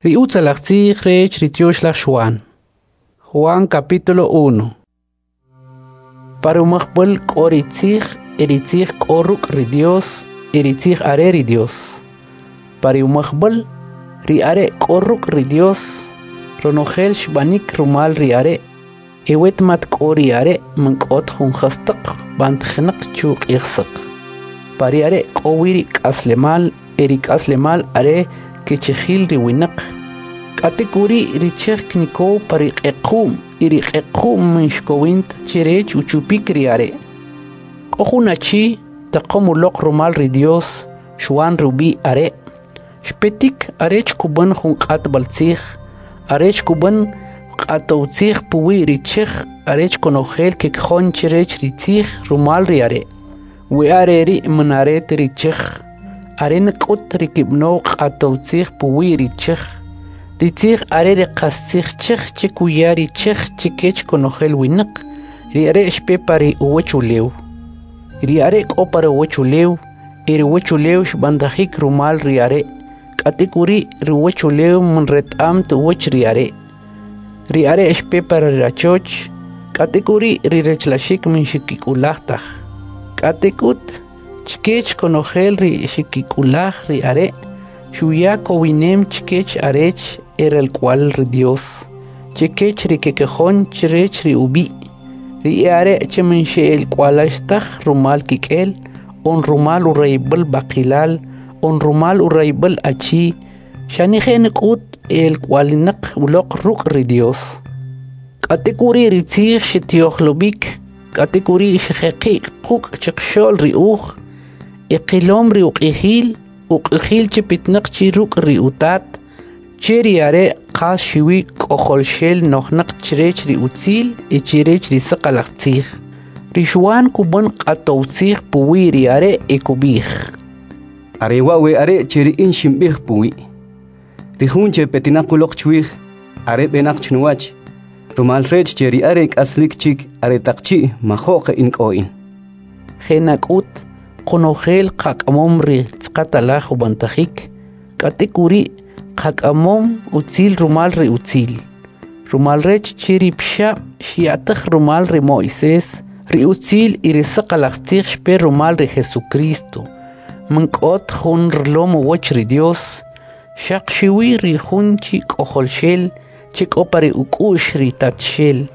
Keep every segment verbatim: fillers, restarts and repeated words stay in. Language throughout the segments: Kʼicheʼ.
Ri utzalaj tzij rech ri Tyoxlaj Xuan. Juan capítulo uno. Pa ri umajb'al k'o ri tzij, e ri tzij k'o ruk' ri Dios, e ri tzij are ri Dios. Pa ri umajb'al, ri are' k'o ruk' ri Dios, ronojel xb'anik rumal ri are', e wet mat k'o ri are' man k'ot jun jastaq b'antajinaq chu q'ij saq. Pa ri are' k'o wi ri k'aslemal, e ri k'aslemal are kichijil ri winaq. K'atek'uri' ri chej knikow pa ri q'equ'm y ri q'equ'm man xkowin ta chrech uchupik ri are'. K'o jun achi taqom uloq rumal ri Dios, Xuan ri ub'i' are'. Xpetik arech kub'an jun q'atb'altzij, arech kub'an q'atowtzij puwi' ri chej arech konojel kekojon chrech ri tzij rumal ri are'. We are' ri' man are ta ri chej, are nak'ut ri kb'anow q'atowtzij puwi' ri chej. Ri tzij are ri qastzij chej che kuya ri chej chkech konojel winaq, ri are' xpe pa ri uwachulew. Ri are' k'o pa ri uwachulew, e ri uwachulew xb'antajik rumal ri are', k'atek'uri' ri uwachulew man reta'm ta uwach ri are'. Ri are' xpe pa ri rachoch, k'atek'uri' ri rachlaxik man xkik'ulaj taj. K'atek'ut, chkech konojel ri xkik'ulaj ri are', xuya kowinem chkech arech eralk'uwa'l ri Dios, chkech ri kekojon chrech ri ub'i', ri e'are' che man xe'alk'uwa'lax taj rumal kik'el, on rumal urayib'al b'aqilal, on rumal urayib'al achi, xane je' nak'ut e'alk'uwa'linaq uloq ruk' ri Dios. K'atek'uri' ri tzij xtyo'jlob'ik, k'atek'uri' xjeqi' quk' chqaxo'l ri uj, e qilom ri uq'ijil, uq'ijil che petinaq chi ruk' ri Utat, che ri are' qas xuwi k'ojolxel nojnaq chrech ri utzil e chrech ri saqalaj tzij. Ri Xuan kub'an q'atowtzij puwi' ri are' e kub'ij: Are wa' we are' che ri in xinb'ij puwi'. Ri jun che petinaq uloq chwij, are b'enaq chnuwach, rumal rech che ri are' k'aslik chik aretaq chi' majo'q in k'o in. Je' nak'ut, qonojel qak'amom ri tz'aqatalaj ub'antajik, k'atek'uri' qak'amom utzil rumal ri utzil. Rumal rech che ri Pixab' xya'taj rumal ri Mo'ises, ri utzil y ri saqalaj tzij xpe rumal ri Jesucristo. Man k'ot jun rilom uwach ri Dios, xaq xuwi ri jun chi k'ojolxel che k'o pa ri uk'u'x ri Tatxel,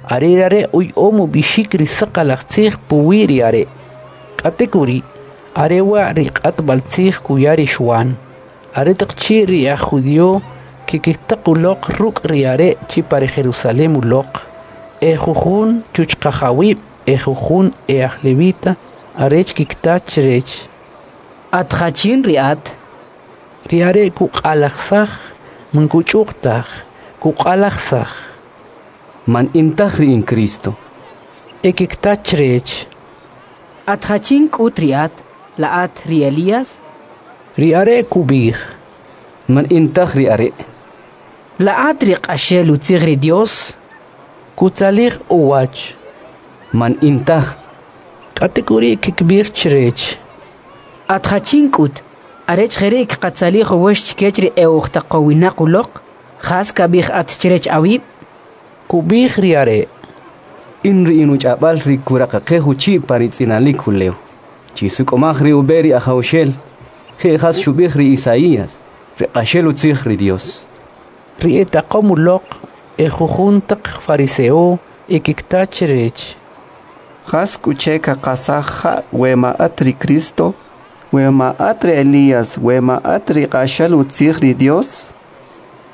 are ri are' uya'om ub'ixik ri saqalaj tzij puwi' ri are'. K'atek'uri', are wa' ri q'atb'altzij kuya ri Xuan, aretaq chi' ri aj judio kikitaq uloq ruk' ri are' chi pa ri Jerusalem uloq, e jujun chuchqajawib' e jujun e'aj levita, arech kikta chrech: At jachin ri at? Ri are' kuq'alajisaj, man kuch'uq taj, kuq'alajisaj: Man in taj ri in Cristo. E kikta chrech: At jachin k'ut ri at? La at ri Elías? Ri are' kub'ij: Man in taj ri are'. La at ri q'axel utzij ri Dios? Kutzalij uwach: Man in taj. K'atek'uri' kkib'ij chrech: At jachin k'ut, arech jeri' kqatzalij uwach chkech ri e'ujtaqowinaq uloq? Jas kab'ij at chrech awib'? Kub'ij ri are': In ri in uch'ab'al ri kuraqaqej uchi' pa ri tz'inalik ulew. Chisuk'umaj ri ub'e ri Ajawxel, je' jas xub'ij ri Isaías, ri q'axel utzij ri Dios. Ri etaqom uloq e jujun taq fariseo e kikta chrech: Jas k'u che kaqasaj ja' we ma at ri Cristo, we ma at ri Elías, we ma at ri q'axal utzij ri Dios?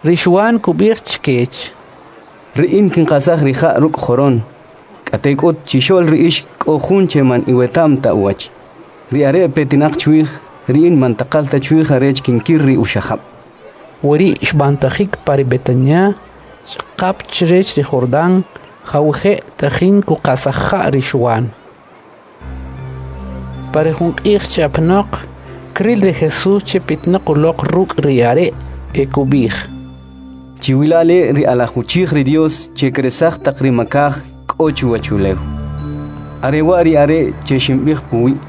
Ri Xuan kub'ij chkech: Ri in kinqasaj ri ja' ruk' joron, k'atek'ut chixo'l ri ix k'o jun che man iweta'm ta uwach. Ri are' petinaq chwij, ri in man taqal ta chwij arech kinkir ri uxajab'. Weri' xb'antajik pa ri Betania, ch'aqap chrech ri Jordan, jawije' tajin kuqasaj ja' ri Xuan. Pa ri jun q'ij chi apanoq, kril ri Jesus che petinaq uloq ruk' ri are' e kub'ij: Chiwila' le' ri alaj uchij ri Dios che kresaj taq ri makaj k'o chuwachulew. Are wa' ri are' che xinb'ij puwi'.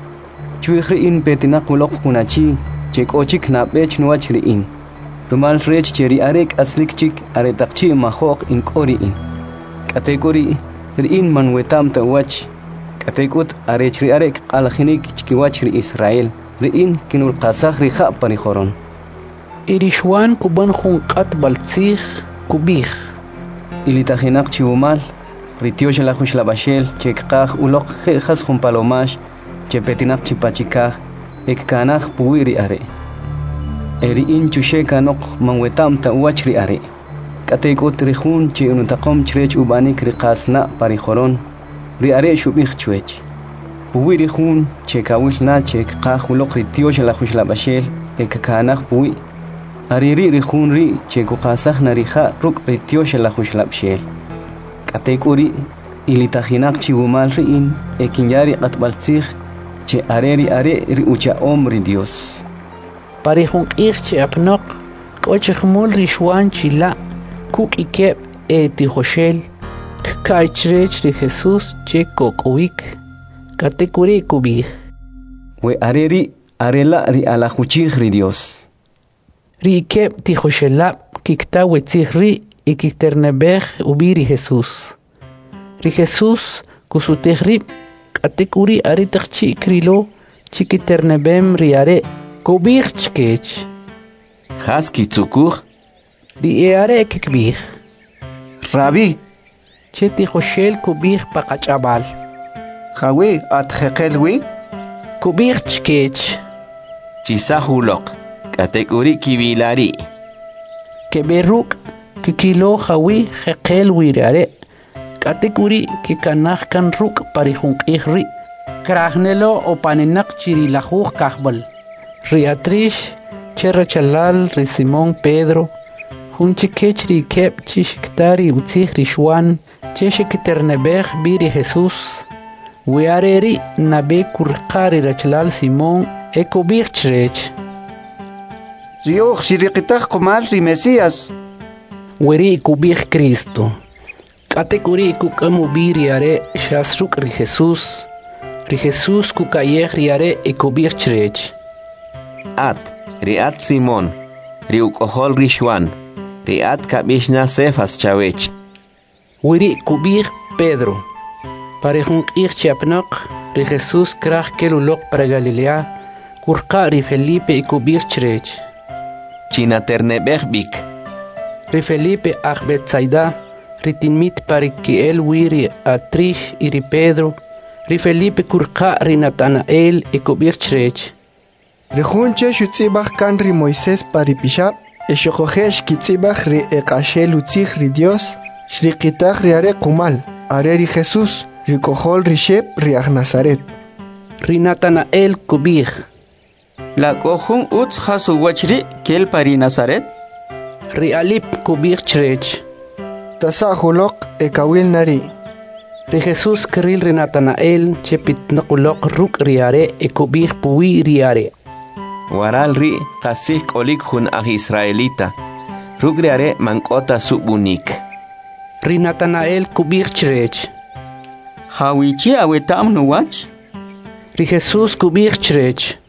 Chwij ri in petinaq uloq jun achi che k'o chik nab'e chnuwach ri in, Rumal rech che ri are' k'aslik chik aretaq chi' majo'q in k'o ri in. K'atek'uri', ri in man weta'm ta uwach. K'atek'ut arech ri are' kq'alajinik chkiwach ri Israel, ri in kinulqasaj ri ja' pa ri joron. Y ri Xwan kub'an jun q'atb'al tzij, kub'ij: Ilitajinaq chi wumal ri Tyoxlaj Uxlab'axel che kqaj uloq je' jas jun palomax che petinaq chi pa chikaj e kkanaj puwi' ri are'. E ri in chuxe' kanoq man weta'm ta uwach ri are'. K'atek'ut ri jun che inutaqom chrech ub'anik ri qasna' pa ri joron, ri are' xub'ij chwech: Puwi' ri jun che kawil na che kqaj uloq ri Tyoxlaj Uxlab'axel e kkanaj puwi', are ri' ri jun ri' che kuqasaj na ri ja' ruk' ri Tyoxlaj Uxlab'xel. K'atek'uri', ilitajinaq chi wumal ri in e kinya ri q'atb'al tzij che are ri are' ri ucha'om ri Dios. Pa ri jun q'ij che apnoq, k'o chi jumul ri Xwan chila' kuk' ikeb' e tijoxel, kka'y chrech ri Jesús che kok'owik. K'atek'uri' kub'ij: We are ri' are la' ri alaj uchij ri Dios. Ri ikeb' tijoxelab' kikta we tzij ri' y kikiterneb'ej ub'i ri Jesús. Ri Jesús kusutij rib', k'atek'uri' aretaq chi' krilo chi kiterneb'em ri are', kub'ij chkech: Jas kitzukuj? Ri e'are' kikb'ij: Rabí, Che tijoxel kub'ij pa qach'ab'al. Jawi' at jeqel wi? Kub'ij chkech: Chisaj uloq, k'atek'uri' kiwila ri'. Keb'e ruk', kikilo jawi' jeqel wi ri are', k'atek'uri' kekanaj kan ruk' pa ri jun q'ij ri'. Kraj nelo opaninaq chi ri lajuj kajb'al. Ri Atrix, che rachalal ri Simón Pedro, jun chikech ri ikeb' chi xikta ri utzij ri Xwan che xikiterneb'ej b'i ri Jesús. We are ri' nab'e kuriqa ri rachalal Simón e kub'ij chrech: Ri uj xiriqitaj qumal ri Mesías. Weri' kub'ij Cristo. K'atek'uri' kuk'am ub'i ri are' xas ruk' ri Jesús. Ri Jesús kuka'yej ri are' e kub'ij chrech: At, ri at Simón, ri uk'ojol ri Xwan, ri at kab'ix na Cefas chawech. Weri' kub'ij Pedro. Pa ri jun q'ij che apnoq, ri Jesús kraj kel uloq para Galilea, kurqa' ri Felipe e kub'ij chrech: Chinaterneb'ej b'ik. Ri Felipe aj Betsaida, ri tinmit pa ri ke'el wi ri Atrix y ri Pedro. Ri Felipe kurqa' ri Natanael e kub'ij chrech: Ri jun che xutz'ib'aj kan ri Moisés pa ri pixab', e xuquje' xkitz'ib'aj ri eq'axel utzij ri Dios, xriqitaj ri are' qumal, are ri Jesús, ri uk'ojol ri Xep ri aj Nazaret. Ri Natanael kub'ij: La k'o jun utz jas uwach ri' kel pa ri Nazaret? Ri Alip kub'ij chrech: Tasa'j uloq e kawil na ri'. Ri Jesús kril ri Natanael che pitnaq uloq ruk' ri are' e kub'ij puwi' ri are': Waral ri' qastzij k'olik jun aj israelita, ruk' ri are' man k'o ta sub'unik. Ri Natanael kub'ij chrech: Jawichi' aweta'm nuwach? Ri Jesús kub'ij chrech: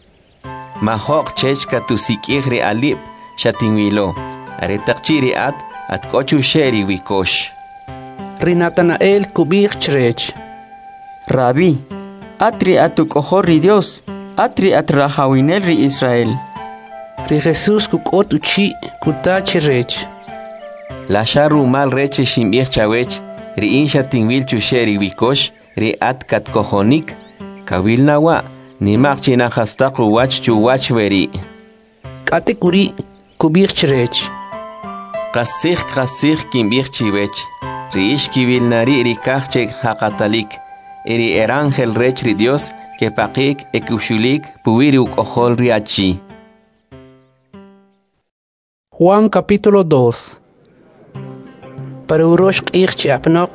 Majo'q chech katusik'ij ri alib' xatinwilo, aretaq chi' ri at at k'o chuxe' ri wikox. Ri Natanael kub'ij chrech: Rabí, at ri at uk'ojol ri Dios, at ri at rajawinel ri Israel. Ri Jesús kuk'ot uchi' kuta chrech: La xa rumal rech xinb'ij chawech, ri in xatinwil chuxe' ri wikox, ri at katkojonik, kawil na wa', nimaq china jastaq uwach chuwach weri'. K'atek'uri' kub'ij chrech: Qastzij qastzij kinb'ij chiwech, ri ix kiwil na ri' ri kaj che jaqatalik, e ri erángel rech ri Dios kepaqik e kuxulik puwi' ri uk'ojol ri achi. Juan capítulo dos. Para urox q'ij che apnoq,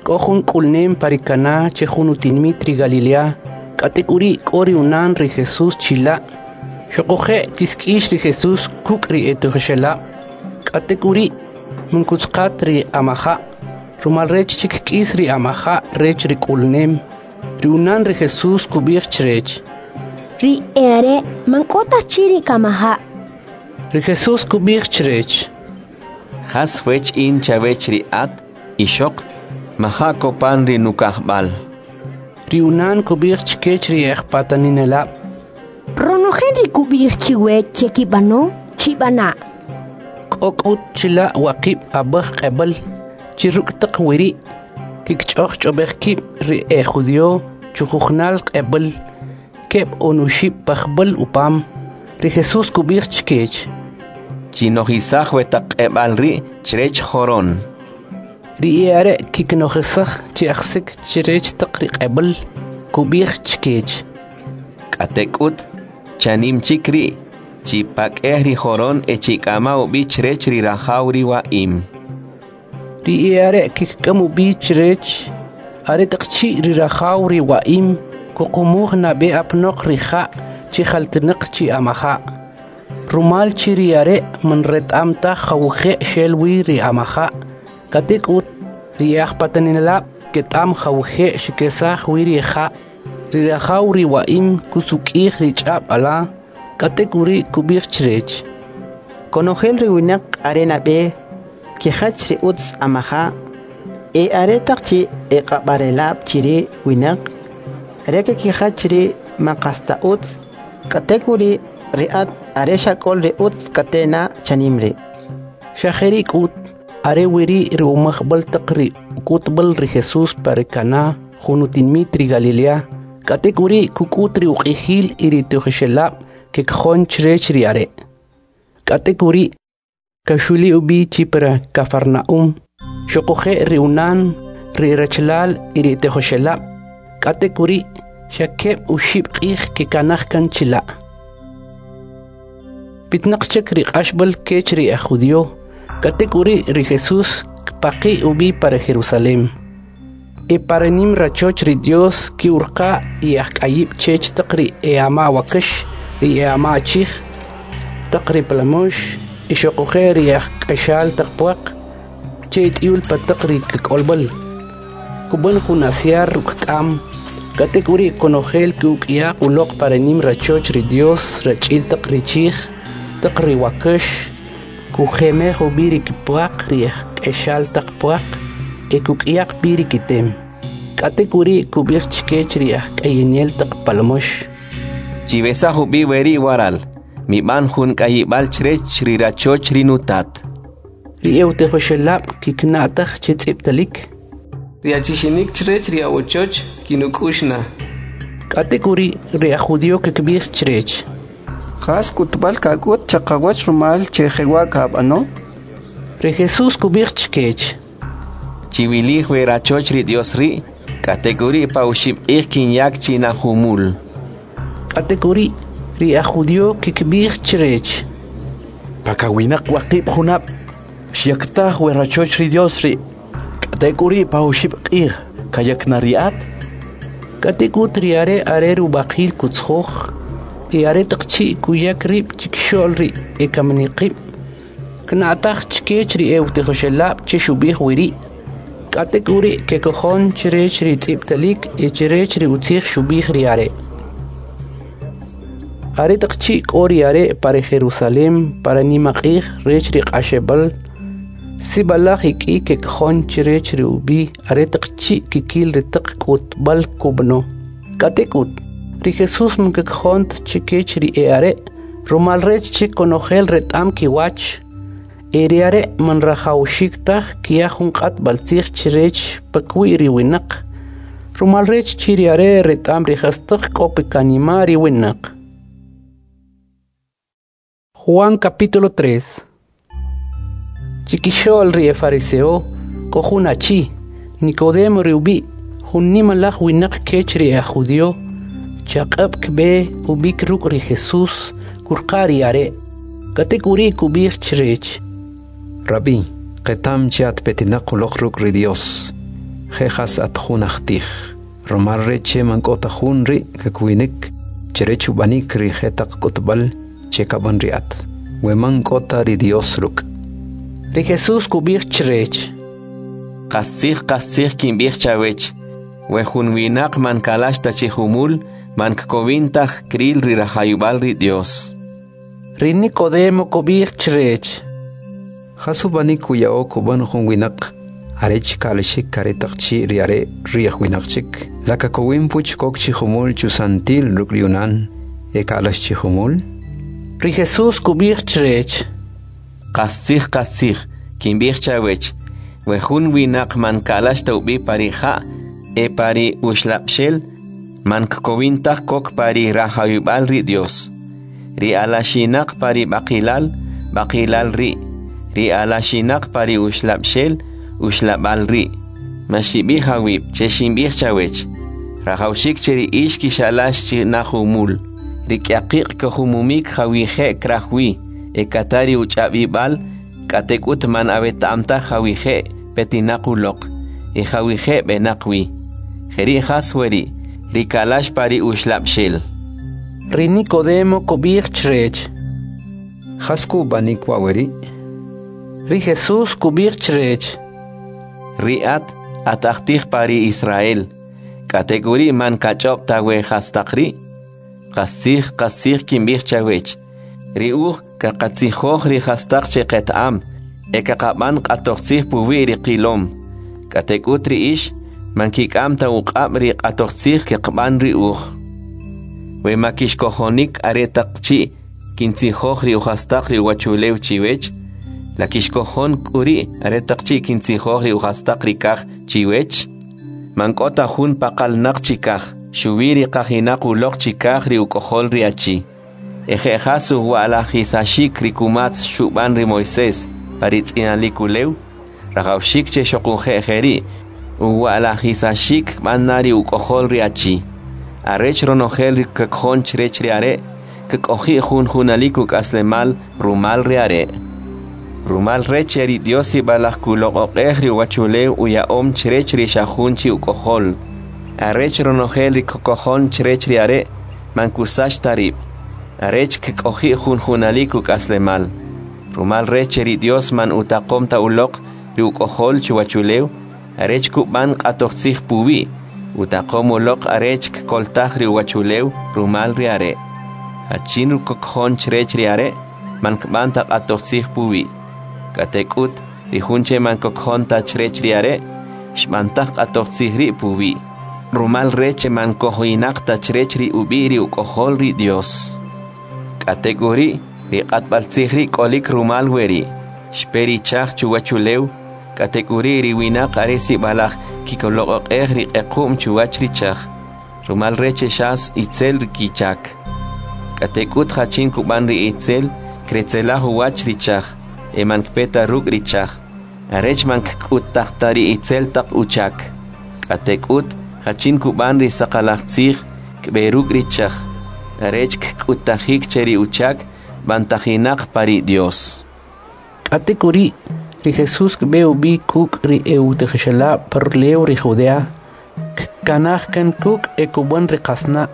k'o jun k'ulnem pa ri Caná che jun utinmit ri Galilea, k'atek'uri' k'o ri unan ri Jesús chila'. Xuquje' kisk'ix ri Jesús kuk' ri etijoxelab'. K'atek'uri' munkutzqat ri amaja', rumal rech che kk'is ri amaja' rech ri k'ulnem. Ri unan ri Jesús kub'ij chrech: Ri e'are' man k'o ta chi ri kamaja'. Ri Jesús kub'ij chrech: Jas wech in chawech ri at, ixoq? Maja' kopan ri nukajb'al. Ri unan kub'ij chkech ri e'ajpataninelab': Ronojel ri kub'ij chiwech che kib'ano, chib'ana'. K'o k'ut chila' waqib' ab'aj q'eb'al, chi ruk' taq weri' kikch'ojch'ob'ej kib' ri ejudio chujujnal q'eb'al, keb' on oxib' pajb'al upam. Ri Jesús kub'ij chkech: Chinojisaj we taq q'eb'al ri' chrech joron. Ri e'are' kiknojisaj chi ajsik chrech taq ri q'eb'al. Kub'ij chkech: K'atek'ut, chanim chik ri', chipak'ej ri joron e chik'ama ub'i chrech ri rajaw ri wa'im. Ri e'are' kik'am ub'i chrech. Aretaq chi' ri rajaw ri wa'im kuqumuj nab'e apanoq ri ja' che jaltinaq chi amaja', rumal che ri are' man reta'm taj jawije' xel wi ri amaja', k'atek'ut ri e'ajpataninelab' keta'm jawije' xkesaj wi ri ja'. Ri rajaw ri wa'im kusuk'ij ri ch'ab' ala, k'atek'uri' kub'ij chrech: Konojel ri winaq are nab'e kijach ri utz amaja', e aretaq chi' eq'ab'arelab' chi ri winaq, are kekijach ri man qas ta utz, k'atek'uri' ri at are xak'ol ri utz k'ate' na chanim ri'. Xa jeri' k'ut, are weri' ri umajb'al taq ri uk'utb'al ri Jesús pa ri Caná, jun utinimit ri Galilea. K'atek'uri' kuk'ut ri uq'ijil y ri tijoxelab' kekjon chrech ri are'. K'atek'uri' kaxuli ub'i chi pa Cafarnaúm, xuquje' ri unan, ri rachalal y ri tijoxelab'. K'atek'uri' xa keb' oxib' q'ij kekanaj kan chila'. Pitnaq chik ri q'axb'al kech ri aj judío. K'atek'uri' ri Jesús kpaqi' ub'i para Jerusalem. E para nim rachoch ri Dios ki'urqa y ajk'ayib' chech taq ri e'ama wakax, ri e'ama achij, taq ri palamox, y xuquje' ri ajk'axal taq puaq, che t'iyul pa taq ri kik'olb'al. Kub'an jun asyar ruk' k'am, k'atek'uri' konojel ki'uk'yaq uloq para nim rachoch ri Dios rach'il taq ri chij, taq ri wakax, kujemej ub'i ri kipuaq ri ajk'axal taq puaq, e kuk'yaq b'i ri kitem. K'atek'uri' kub'ij chkech ri ajk'ayinel taq palamox: Chiwesaj ub'i weri' waral, mib'an jun k'ayib'al chrech ri rachoch ri nutat. Ri e'utijoxelab' kikna'taj che tz'ib'talik: Ri achixinik chrech ri awochoch kinuk'ux na. K'atek'uri' ri aj judío kikb'ij chrech: Jas k'utb'al kak'ut chaqawach rumal che jewa' kab'ano? Ri Jesús kub'ij chkech: Chiwilij we rachoch ri Dios ri', k'atek'uri' pa oxib' q'ij kinyak chi na jumul. K'atek'uri' ri aj judío kikb'ij chrech: Pakawinaq waqib' junab' xyaktaj we rachoch ri Dios ri', k'atek'uri' pa oxib' q'ij kayak na ri at? K'atek'ut ri are' are rub'aqil kutzjoj, e aretaq chi' kuyak rib' chikxo'l ri ekaminiqib', kna'taj chkech ri e'utijoxelab' che xub'ij weri'. K'atek'uri' kekojon chrech ri tz'ib'talik e chrech ri utzij xub'ij ri are'. Aretaq chi' k'o ri are' pa ri Jerusalem para nimaq'ij rech ri q'axeb'al, sib'alaj ek'i kekjon chrech ri ub'i' aretaq chi' kikil ri taq k'utb'al kub'ano. K'atek'ut, ri Jesús man kekjon ta chkech ri e'are', rumal rech che konojel reta'm kiwach. E ri are' man rajawxik taj kya jun q'atb'altzij chrech pakiwi' ri winaq, rumal rech che ri are' reta'm ri jastaq k'o pa kanima' ri winaq. Juan capítulo tres. Chikixo'l ri efariseo k'o jun achi, Nicodemo ri ub'i', jun nimalaj winaq kech ri aj judío, chaq'ab' kb'e ub'ik ruk' ri Jesús kurqa ri are'. K'atek'uri' kub'ij chrech: Rabbi, qetam che at petinaq uloq ruk' ri Dios, je jas at jun ajtij, rumal rech che man k'o ta jun ri' kakwinik chrech ub'anik ri jetaq k'utb'al che kab'an ri at, we man k'o ta ri Dios ruk'. Ri Jesús kub'ij chrech: Qastzij, qastzij kinb'ij chawech, we jun winaq man kalax ta chi jumul, man kkowin taj kril ri rajawib'al ri Dios. Ri Nikodemo kub'ij chrech: Jas ub'anik kuya'o kub'an jun winaq arech ka'laxik aretaq chi' ri are' ri'j winaq chik? La kakowin puch kok chi jumul chusantil ruk' ri unan e ka'lax chi jumul? Ri Jesús kub'ij chrech: Qastzij, qastzij, kinb'ij chawech, we jun winaq man ka'lax ta ub'i pa ri ja' e pa ri uxlab'xel, man kkowin taj kok pa ri rajawib'al ri Dios. Ri alaxinaq pa ri b'aqilal, b'aqilal ri'; ri alaxinaq pa ri uxlab'xel, uxlab'al ri'. Maxib'ij awib' che xinb'ij chawech, rajawxik che ri ix kixalax chi na jumul. Ri kyaqiq' kojumumik jawije' kraj wi, e kata ri uch'ab'ib'al, k'atek'ut man aweta'm taj jawije' petinaq uloq, e jawije' b'enaq wi. Jeri' jas weri', ri ka'lax pa ri uxlab'xel. Ri Nikodemo kub'ij chrech: Jas k'u ub'anik wa' weri'? Ri Jesús kub'ij chrech: Ri at, at ajtij pa ri Israel, k'atek'uri' man kach'ob' ta we jastaq ri'? Qastzij, qastzij kinb'ij chawech, ri uj kaqatzijoj ri jastaq che qeta'am, e kaqab'an q'atojtzij puwi' ri qilom. K'atek'ut ri ix, man kik'am ta uq'ab' ri q'atojtzij keqb'an ri uj. We ma kixkojonik aretaq chi' kintzijoj ri ujastaq ri uwachulew chiwech, la kixkojon k'uri' aretaq chi' kintzijoj ri ujastaq ri kaj chiwech? Man k'o ta jun paqalnaq chikaj, xuwi ri qajinaq uloq chikaj ri uk'ojol ri achi. E je' jas uwa'lajisaxik ri kumatz xub'an ri Moisés pa ri tz'inalik ulew, rajawxik che xoquje' jeri' uwa'lajisaxik kb'an na ri uk'ojol ri achi. Arech ronojel ri kkojon chrech ri are', kk'oji' jun junalik uk'aslemal rumal ri are'. Rumal rech che ri Dios sib'alaj kuloq'oq'ej ri uwachulew uya'om chrech ri xa jun chi uk'ojol, arech ronojel ri kkojon chrech ri are' man kusach ta rib', arech kk'oji' jun junalik uk'aslemal. Rumal rech che ri Dios man utaqom ta uloq ri uk'ojol chuwachulew, arech kub'an q'atojtzij puwi', utaqom uloq arech kkoltaj ri uwachulew rumal ri are'. Jachin kkojon chrech ri are', man kb'an ta q'atojtzij puwi'. K'atek'ut, ri jun che man kkojon ta chrech ri are', xb'antaj q'atojtzij ri' puwi', rumal rech che man kojinaq ta chrech ri ub'i' ri uk'ojol ri Dios. K'atek'uri', ri q'atb'altzij ri' k'olik rumal weri', xpe ri chaj chuwachulew, k'atek'uri' ri winaq are sib'alaj kikoloq'oq'ej ri q'equ'm chuwach ri chaj, rumal rech che xas itzel ri kichak. K'atek'ut jachin kub'an ri itzel, kretzelaj uwach ri chaj, e man kpe ta ruk' ri chaj, arech man kk'uttaj ta ri itzel taq uchak. K'atek'ut jachin kub'an ri saqalaj tzij, kb'e ruk' ri chaj, arech kk'uttajik che ri uchak b'antajinaq pa ri Dios. K'atek'uri', ri Jesús kb'e ub'i kuk' ri e'utijoxelab' pa rulew ri Judea, kkanaj kan kuk' e kub'an ri qasna'.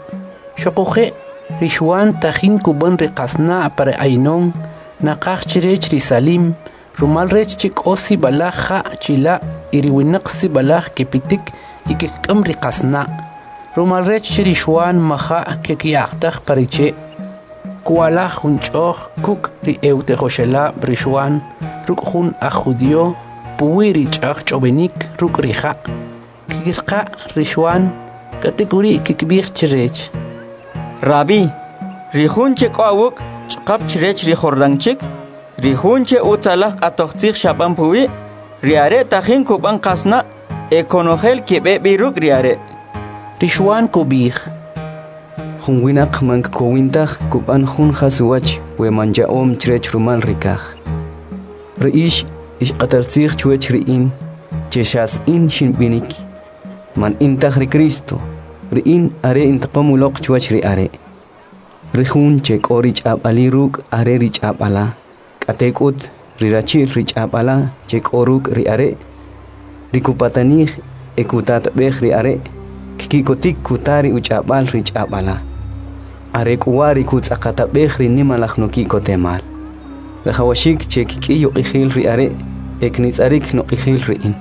Xoquje', ri Xwan tajin kub'an ri qasna' pa ri Aynon, naqaj chrech ri Salim, rumal rech che k'o sib'alaj ja' chila' y ri winaq sib'alaj kepitik y kkik'am ri qasna'. Rumal rech che ri Xwan maja' kekyaqtaj pa ri che'. Kwa'laj jun ch'o'j kuk' ri e'utijoxelab' ri Xwan ruk' jun aj judío puwi' ri ch'ajch'ob'enik ruk' ri ja'. Kkirqa' ri Xwan, k'atek'uri' kkib'ij chrech: Rabí, ri jun che k'o awuk' ch'aqap chrech ri Jordán chik, ri jun che utzalaj q'atojtzij xab'an puwi', ri are' tajin kub'an qasna' e konojel keb'e b'i ruk' ri are'. Ri Xwan kub'ij: Jun winaq man kkowin taj kub'an jun jas uwach we man ya'om chrech rumal ri kaj. Ri ix, ix q'atal tzij chwech ri in, che xas in xinb'inik, man in taj ri Cristo, ri in are intaqom uloq chwach ri are'. Ri jun che k'o ri ch'ab'ali ruk' are ri ch'ab'ala, k'atek'ut ri rachi'l ri ch'ab'ala che k'o ruk' ri are', ri kupatanij e kutatab'ej ri are', kkikotik kuta ri uch'ab'al ri ch'ab'ala. Are k'u wa' ri kutz'aqatab'ej ri nimalaj nuki'kotemal. Rajawaxik che kk'iy uq'ijil ri are' e knitz'arik nuq'ijil ri in.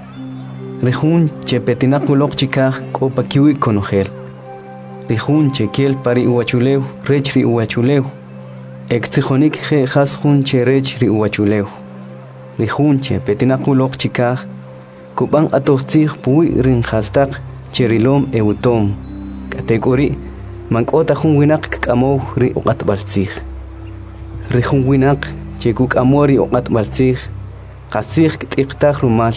Ri jun che petinaq uloq chikaj k'o pa kiwi' konojel. Ri jun che kel pa ri uwachulew rech ri uwachulew. E ktzijonik je' jas jun che rech ri uwachulew. Ri jun che petinaq uloq chikaj, kub'an q'atoj tzij puwi' ri jastaq che rilom e utom. K'atek'uri', man k'o ta jun winaq kk'amow ri uq'atb'al tzij. Ri jun winaq che kuk'amo ri uq'atb'al tzij, qastzij kt'iqtaj rumal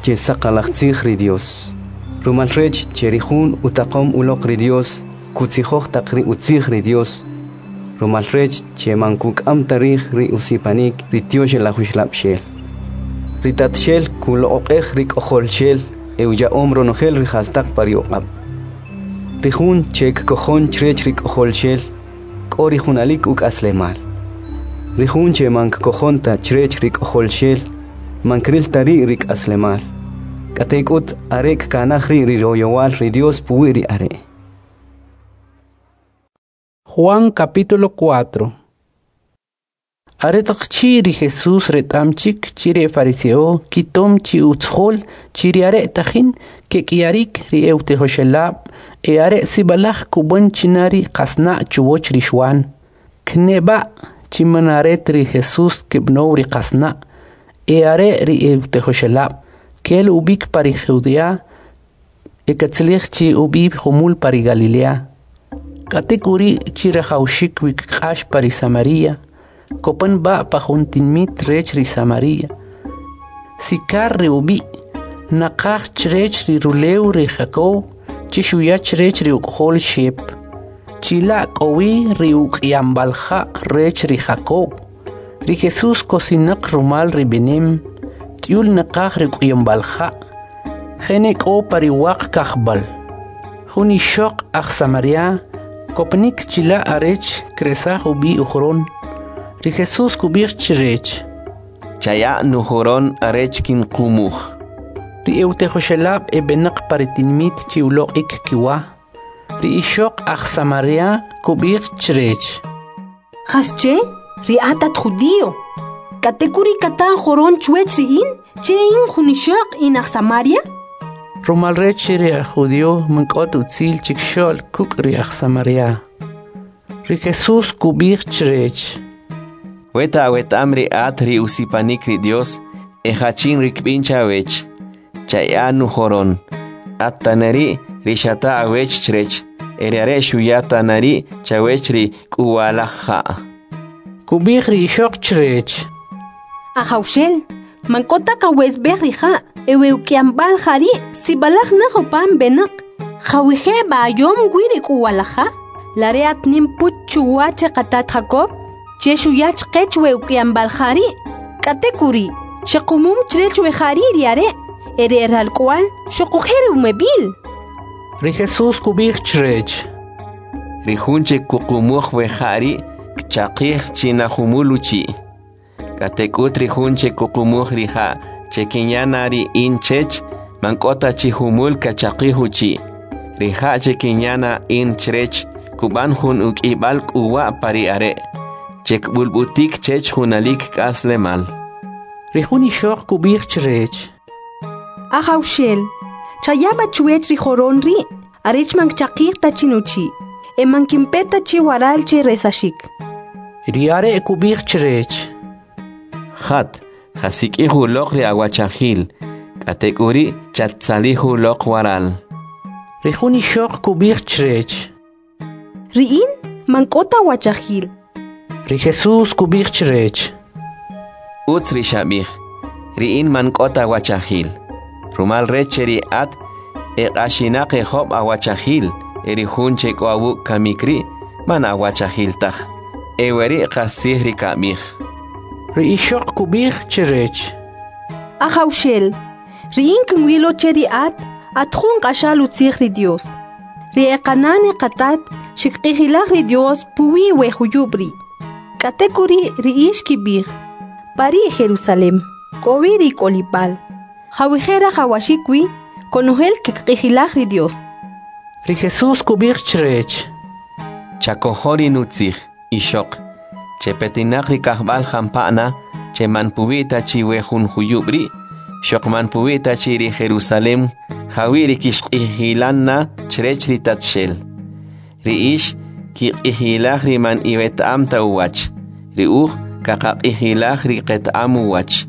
che saqalaj tzij ri Dios. Rumal rech che ri jun utaqom uloq ri Dios, kutzijoj taq ri utzij ri Dios. Rumal rech che man kuk'am ta rij ri usipanik ri Tyoxlaj Uxlab'xel. Ri Tatxel kuloq'oq'ej ri K'ojolxel e uya'om ronojel ri jastaq pa ri uq'ab'. Ri jun che kkojon chrech ri K'ojolxel, k'o ri junalik uk'aslemal. Ri jun che man kkojon ta chrech ri K'ojolxel, man kril ta ri' ri k'aslemal. K'atek'ut are kkanaj ri' ri royowal ri Dios puwi' ri are'. Juan capítulo cuatro. Aretaq chi ri Jesús reta'm chik chi ri fariseo kitom chi utzjol chi ri are' tajin kek'iyarik ri eutijoxelab' e are' sib'alaj kub'an china ri qasna' chuwach ri Xuan. Kneb'a' chi man are ri Jesús kib'now ri qasna' e are' ri eutijoxelab' kel ub'ik pa ri Judea e katzalij chi ub'i jumul pa ri Galilea. K'atek'uri' chi rajawxik wi kq'ax pa ri Samaria, kopan b'a pa jun tinmit rech ri Samaria. Sikar ri ub'i', naqaj chrech ri rulew ri Jacob, chi xuya chrech ri uk'ojol Xep. Chila' k'o wi ri uk'yamb'al ja' rech ri Jacob. Ri Jesús kosinaq rumal ri b'inem, t'yul naqaj ri uk'yamb'al ja', jene k'o pa ri waq kajb'al. Jun ixoq aj Samaria, kopanik chila' arech kresaj ub'i ujoron. Ri Jesús kub'ij chrech: Chaya' nujoron arech kinqumuj. Ri eutijoxelab' eb'enaq pa ri tinmit chi uloq'ik kiwa. Ri ixoq aj Samaria kub'ij chrech: Jasche, ri at at judío, k'atek'uri' kata joron chwech ri in, che in jun ixoq in aj Samaria? Rumal rech ri aj judío man k'o ta utzil chikxo'l kuk' ri aj Samaria. Ri Jesús kub'ij chrech: Weta aweta'm ri at ri usipanik ri Dios, e jachin ri kb'in chawech, chaya' nujoron, at taneri ri xata awech chrech, e ri are' xuya tanari chawech ri k'uwalaj ja'. Kub'ij ri ixoq chrech: Ajawxel, man k'o ta kawesb'ej ri ja', e we uk'yamb'al ja' ri' sib'alaj naj upam b'enaq. Jawije' b'ayom wi ri k'uwalaj ja'? La re at nim puch chuwach ri qatat Jacob, che xuya chqech we uk'yamb'al ja' ri', k'atek'uri' xequmum chrech we ja' ri' ri are', e ri ralk'wa'l xuquje' ri umeb'il. Ri Jesús kub'ij chrech: Ri jun che kuqumuj we ja' ri' kchaqij china jumul uchi'. K'atek'ut ri jun che kuqumuj ri ja' che kinya na ri in chech, man k'o ta chi jumul kachaqij uchi'. Ri ja' che kinya na in chrech kub'an jun uk'ib'al k'uwa' pa ri are', che kb'ulb'utik chech junalik k'aslemal. Ri jun ixoq kub'ij chrech: Ajawxel, chaya' b'a chwech ri joron ri', arech man kchaqij ta chi nuchi', e man kinpe ta chi waral che resaxik. Ri are' kub'ij chrech: Jat, jasik'ij uloq ri awachajil, k'atek'uri' chattzalij uloq waral. Ri jun ixoq kub'ij chrech: Ri in man k'o ta wachajil. Ri Jesús kub'ij chrech: Utz ri xab'ij, ri in man k'o ta wachajil. Rumal rech che ri at e q'axinaq e job' awachajil, e ri jun che k'o awuk' kamik ri' man awachajil taj. E weri' qastzij ri kab'ij. Ri ixoq kub'ij chrech: Ajawxel, ri in kinwilo che ri at at jun q'axal utzij ri Dios. Ri e qanan e qatat xikq'ijilaj ri Dios puwi' we juyub' ri'. K'atek'uri' ri ix kib'ij: Pa ri Jerusalem k'o wi ri k'olib'al, jawije' rajawaxik wi konojel kikq'ijilaj ri Dios. Ri Jesús kub'ij chrech: Chakojo ri nutzij, ixoq, che petinaq ri kajb'al jampa'na, che man puwi' ta chi we jun juyub' ri', xoq man puwi' ta chi ri Jerusalem, jawi' ri kixq'ijilan na chrech ri Tatxel. Ri ix kiq'ijilaj ri man iweta'am ta uwach. Ri uj kaqaq'ijilaj ri qeta'am uwach,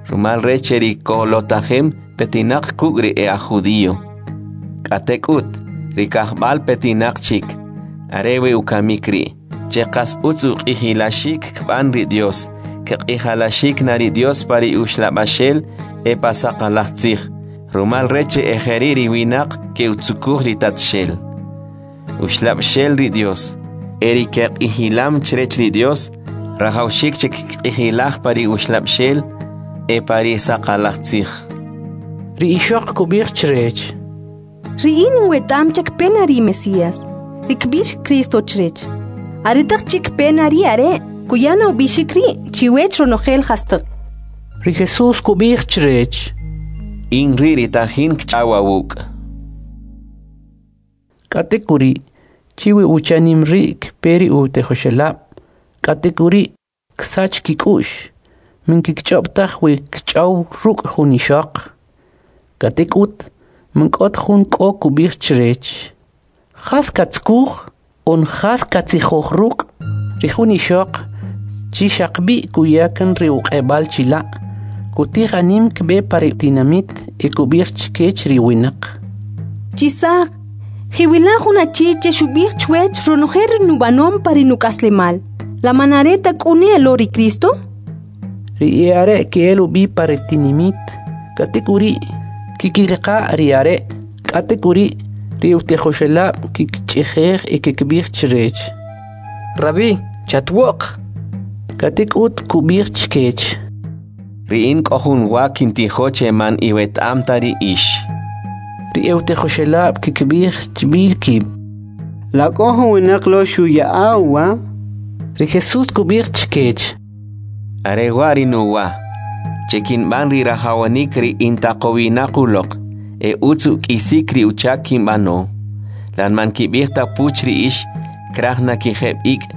rumal rech che ri kolotajem petinaq kuk' ri e aj judío. K'atek'ut, ri kajb'al petinaq chik, are we ukamik ri', che qas utz uq'ijilaxik kb'an ri Dios, kq'ijalaxik na ri Dios pa ri uxlab'axel e pa saqalaj tzij, rumal rech che e jeri' ri winaq ke'utzukuj ri Tatxel. Uxlab'xel ri Dios, e ri keq'ijilam chrech ri Dios, rajawxik che kq'ijilaj pa ri uxlab'xel e pa ri saqalaj tzij. Ri ixoq kub'ij chrech: Ri in weta'am che kpe na ri Mesías, ri kb'ix Cristo chrech. Aretaq chi' kpe na ri are', kuya na ub'ixik ri' chiwech ronojel jastaq. Ri Jesús kub'ij chrech: In ri' ri tajin kch'aw awuk'. K'atek'uri', chi wi uchanim ri' kpe ri utijoxelab', k'atek'uri' ksach kik'u'x, man kkich'ob' taj we kch'aw ruk' jun ixoq. K'atek'ut, man k'o ta jun k'o kub'ij chrech: Jas katzukuj? On jas katzijoj ruk'? Ri jun ixoq chi xaqb'i' kuya kan ri uq'eb'al chila', kutij anim kb'e pa ri tinamit e kub'ij chkech ri winaq: Chisaq, jiwila' jun achi che xub'ij chwech ronojel ri nub'anom pa ri nuk'aslemal. La man are ta k'u ne lo ri Cristo? Ri e'are' ke'el ub'i pa ri tinimit, k'atek'uri' kikiriqa' ri are', k'atek'uri' ri utijoxelab' kkich'ijej e kkib'ij chrech: Rabí, chatwo'q. K'atek'ut kub'ij chkech: Ri in k'o jun wa kintijo che man iweta'am ta ri ix. Ri e'utijoxelab' kkib'ij chb'il kib': La k'o jun winaq lo xuya'a uwa? Ri Jesús kub'ij chkech: Are wa' ri nuwa, che kinb'an ri rajawanik ri intaqowinaq uloq, e utz uk'isik ri uchak kinb'ano. Lan man kib'ij ta puch ri ix, kraj na kijeb' ik',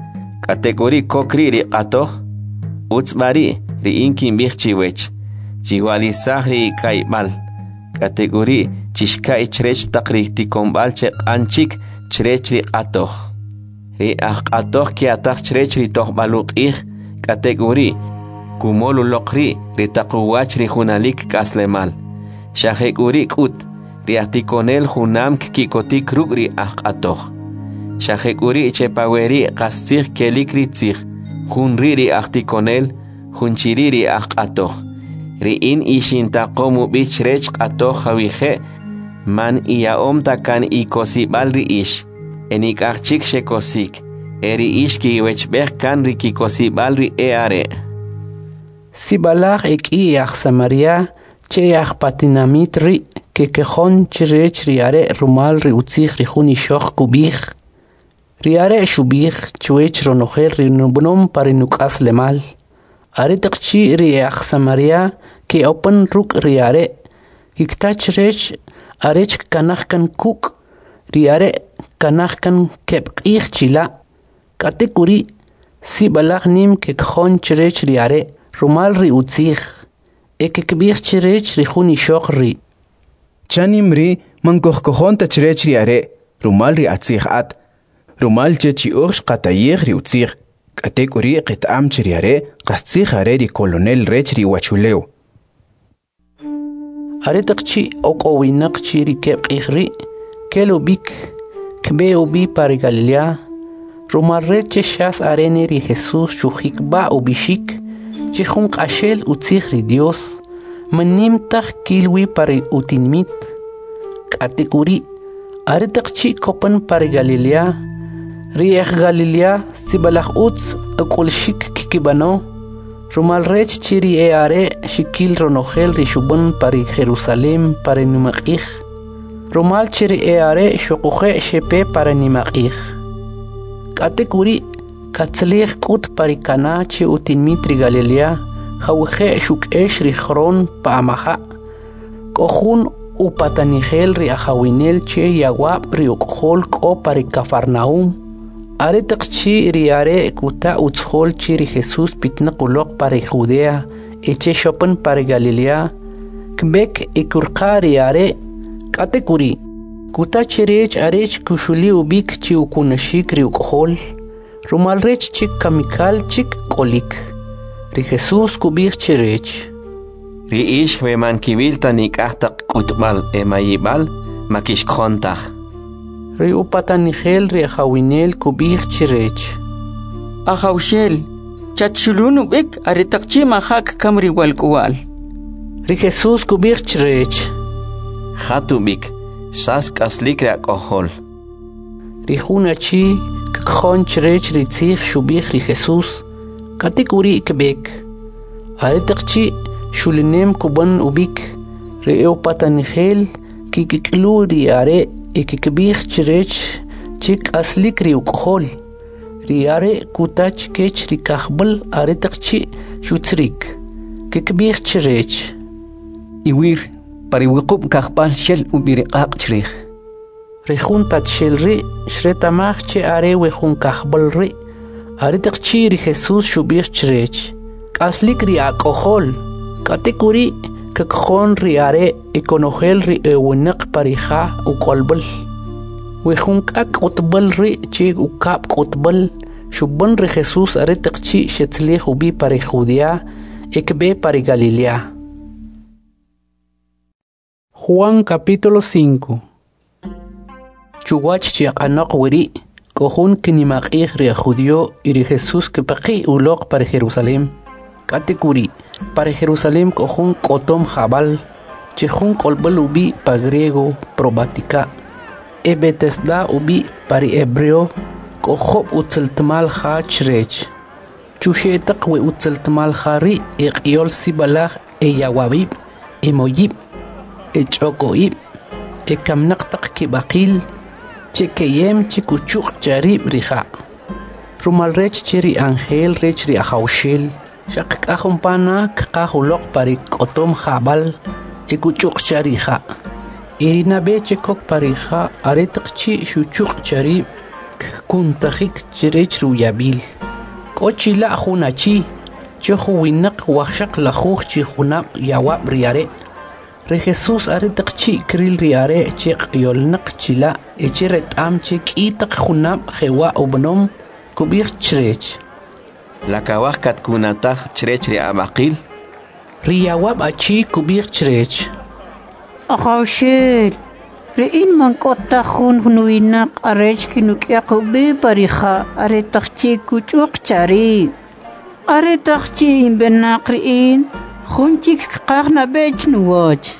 k'atek'uri' kok ri' ri q'atoj? Utz b'a ri', ri in kinb'ij chiwech, chiwa'lisaj ri ika'yb'al, k'atek'uri' chixka'y chrech taq ri tikonb'al che q'an chik chrech ri q'atoj. Ri ajq'atoj kya'taj chrech ri tojb'al uq'ij, k'atek'uri' kumol uloq ri' ri taq uwach ri junalik k'aslemal. Xa jek'uri' k'ut, ri ajtikonel junam kki'kotik ruk' ri ajq'atoj. Xa jek'uri' che pa weri' qastzij kelik ri tzij, jun ri' ri ajtikonel, jun chi ri' ri ajq'atoj. Ri in ixintaqom ub'i chrech q'atoj jawije' man iya'om ta kan ikosib'al ri ix, e nik'aj chik xekosik, e ri ix kiwechb'ej kan ri kikosib'al ri e'are'. Sib'alaj e k'i aj Samaria che e'aj pa tinamit ri' kekojon chrech ri are' rumal ri utzij ri jun ixoq kub'ij: Ri are' xub'ij chwech ronojel ri nub'anom pa ri nuk'aslemal. Aretaq chi' ri e'aj Samaria ke'opan ruk' ri are', kikta chrech arech kkanaj kan kuk', ri are' kkanaj kan keb' q'ij chila'. K'atek'uri', sib'alaj nim kekojon chrech ri are' rumal ri utzij, e kkib'ij chrech ri jun ixoq ri': Chanim ri' man kojkojon ta chrech ri are' rumal ri atzij at, rumal che chi uj xqatayij ri utzij, k'atek'uri' qeta'am che ri are' qastzij are ri Kolonel rech ri uwachulew. Aretaq chi' ok'owinaq chi ri keb' q'ij ri', kel ub'ik, kb'e ub'i pa ri Galilea, rumal rech che xas are ne ri Jesús xujikb'a' ub'ixik che jun q'axel utzij ri Dios, man nim taj kil wi pa ri utinimit. K'atek'uri', aretaq chi' kopan pa ri Galilea, ri e'aj Galilea sib'alaj utz uk'ulxik kkib'ano, rumal rech che ri e'are' xkil ronojel ri xub'an pa ri Jerusalem pa ri nimaq'ij, rumal che ri e'are' xoquje' xepe pa ri nimaq'ij. K'atek'uri', katzalij k'ut pa ri Cana che utinimit ri Galilea, jawije' xuk'ex ri joron pa amaja'. K'o jun upatanijel ri ajawinel che yawab' ri uk'ojol k'o pa ri Cafarnaúm. Aretaq chi' ri are' kuta utzijol che ri Jesús pitnaq uloq pa ri Judea e che xopan pa ri Galilea, kb'ek e kurqa ri are'. K'atek'uri', kuta chrech arech kuxuli ub'ik chi ukunaxik ri uk'ojol, Rumal rech che kamikal chik k'olik. Ri Jesús kub'ij chrech: Ri ix we man kiwil ta nik'aj taq k'utb'al e mayib'al, ma kixkojon taj. Ri upatanijel ri ajawinel kub'ij chrech: Ajawxel, chatxulun ub'ik aretaq chi' maja' kkam ri walk'uwa'l. Ri Jesús kub'ij chrech: Jat ub'ik, xas k'aslik ri ak'ojol. Ri jun achi kkojon chrech ri tzij xub'ij ri Jesús, k'atek'uri' kb'ek. Aretaq chi' xulinem kub'an ub'ik, ri e'upatanijel kikik'lu ri are' e kkib'ij chrech che k'aslik ri uk'ojol. Ri are' kuta chkech ri kajb'al aretaq chi' xutzirik. Kkib'ij chrech: Iwir, pa ri wuqub' kajb'al xel ub'i ri q'aq' chrij. Ri jun tatxel ri' xreta'maj che are we jun kajb'al ri'. Aretaq chi' ri Jesús xub'ij chrech: K'aslik ri ak'ojol. K'atek'uri' kkojon ri are' e konojel ri ewinaq pa ri ja uk'olb'al. We jun k'ak' k'utb'al ri' che ukab' k'utb'al xub'an ri Jesús aretaq chi' xetzalij ub'i pa ri Judea e kb'e pa ri Galilea. Juan capítulo cinco. Chuwach chi aq'anoq weri', k'o jun kinimaq'ij ri ajjudio y ri Jesús kpaqi' uloq pa ri Jerusalem. K'atek'uri', pa ri Jerusalem k'o jun k'otom jab'al, che jun k'olb'al ub'i' pa griego Probática, e Betesda ub'i' pa ri hebreo, k'o job' utzaltmal ja chrech. Chuxe' taq we utzaltmal ja ri' e q'iol sib'alaj e yawab'ib', e moyib', e ch'oko'ib', e kamnaq taq kib'aqil, che keyem che kuchuq' charib' ri ja'. Rumal rech che ri ángel rech ri Ajawxel xaq k'aj umpana kqaj uloq pa ri k'otom jab'al e kuchuq' cha ri ja'. E ri nab'e che kok pa ri ja' aretaq chi' xuchuq' charib' kkuntajik chrech ri uyab'il. K'o chila' jun achi che juwinaq wajxaq lajuj chi junab' yawab' ri are'. Ri Jesús aretaq chi' kril ri are' che q'iyolnaq chila' e che reta'm che k'i taq junab' jewa' ub'anom, kub'ij chrech: La kawaj katkunataj chrech ri ab'aqil? Ri yawab' achi kub'ij chrech: Ajawxel, ri in man k'o ta jun nuwinaq arech kinuk'yaq ub'i pa ri ja' aretaq chi' kuch'uq charib'. Aretaq chi' inb'enaq ri in, jun chik kqaj nab'e chnuwach.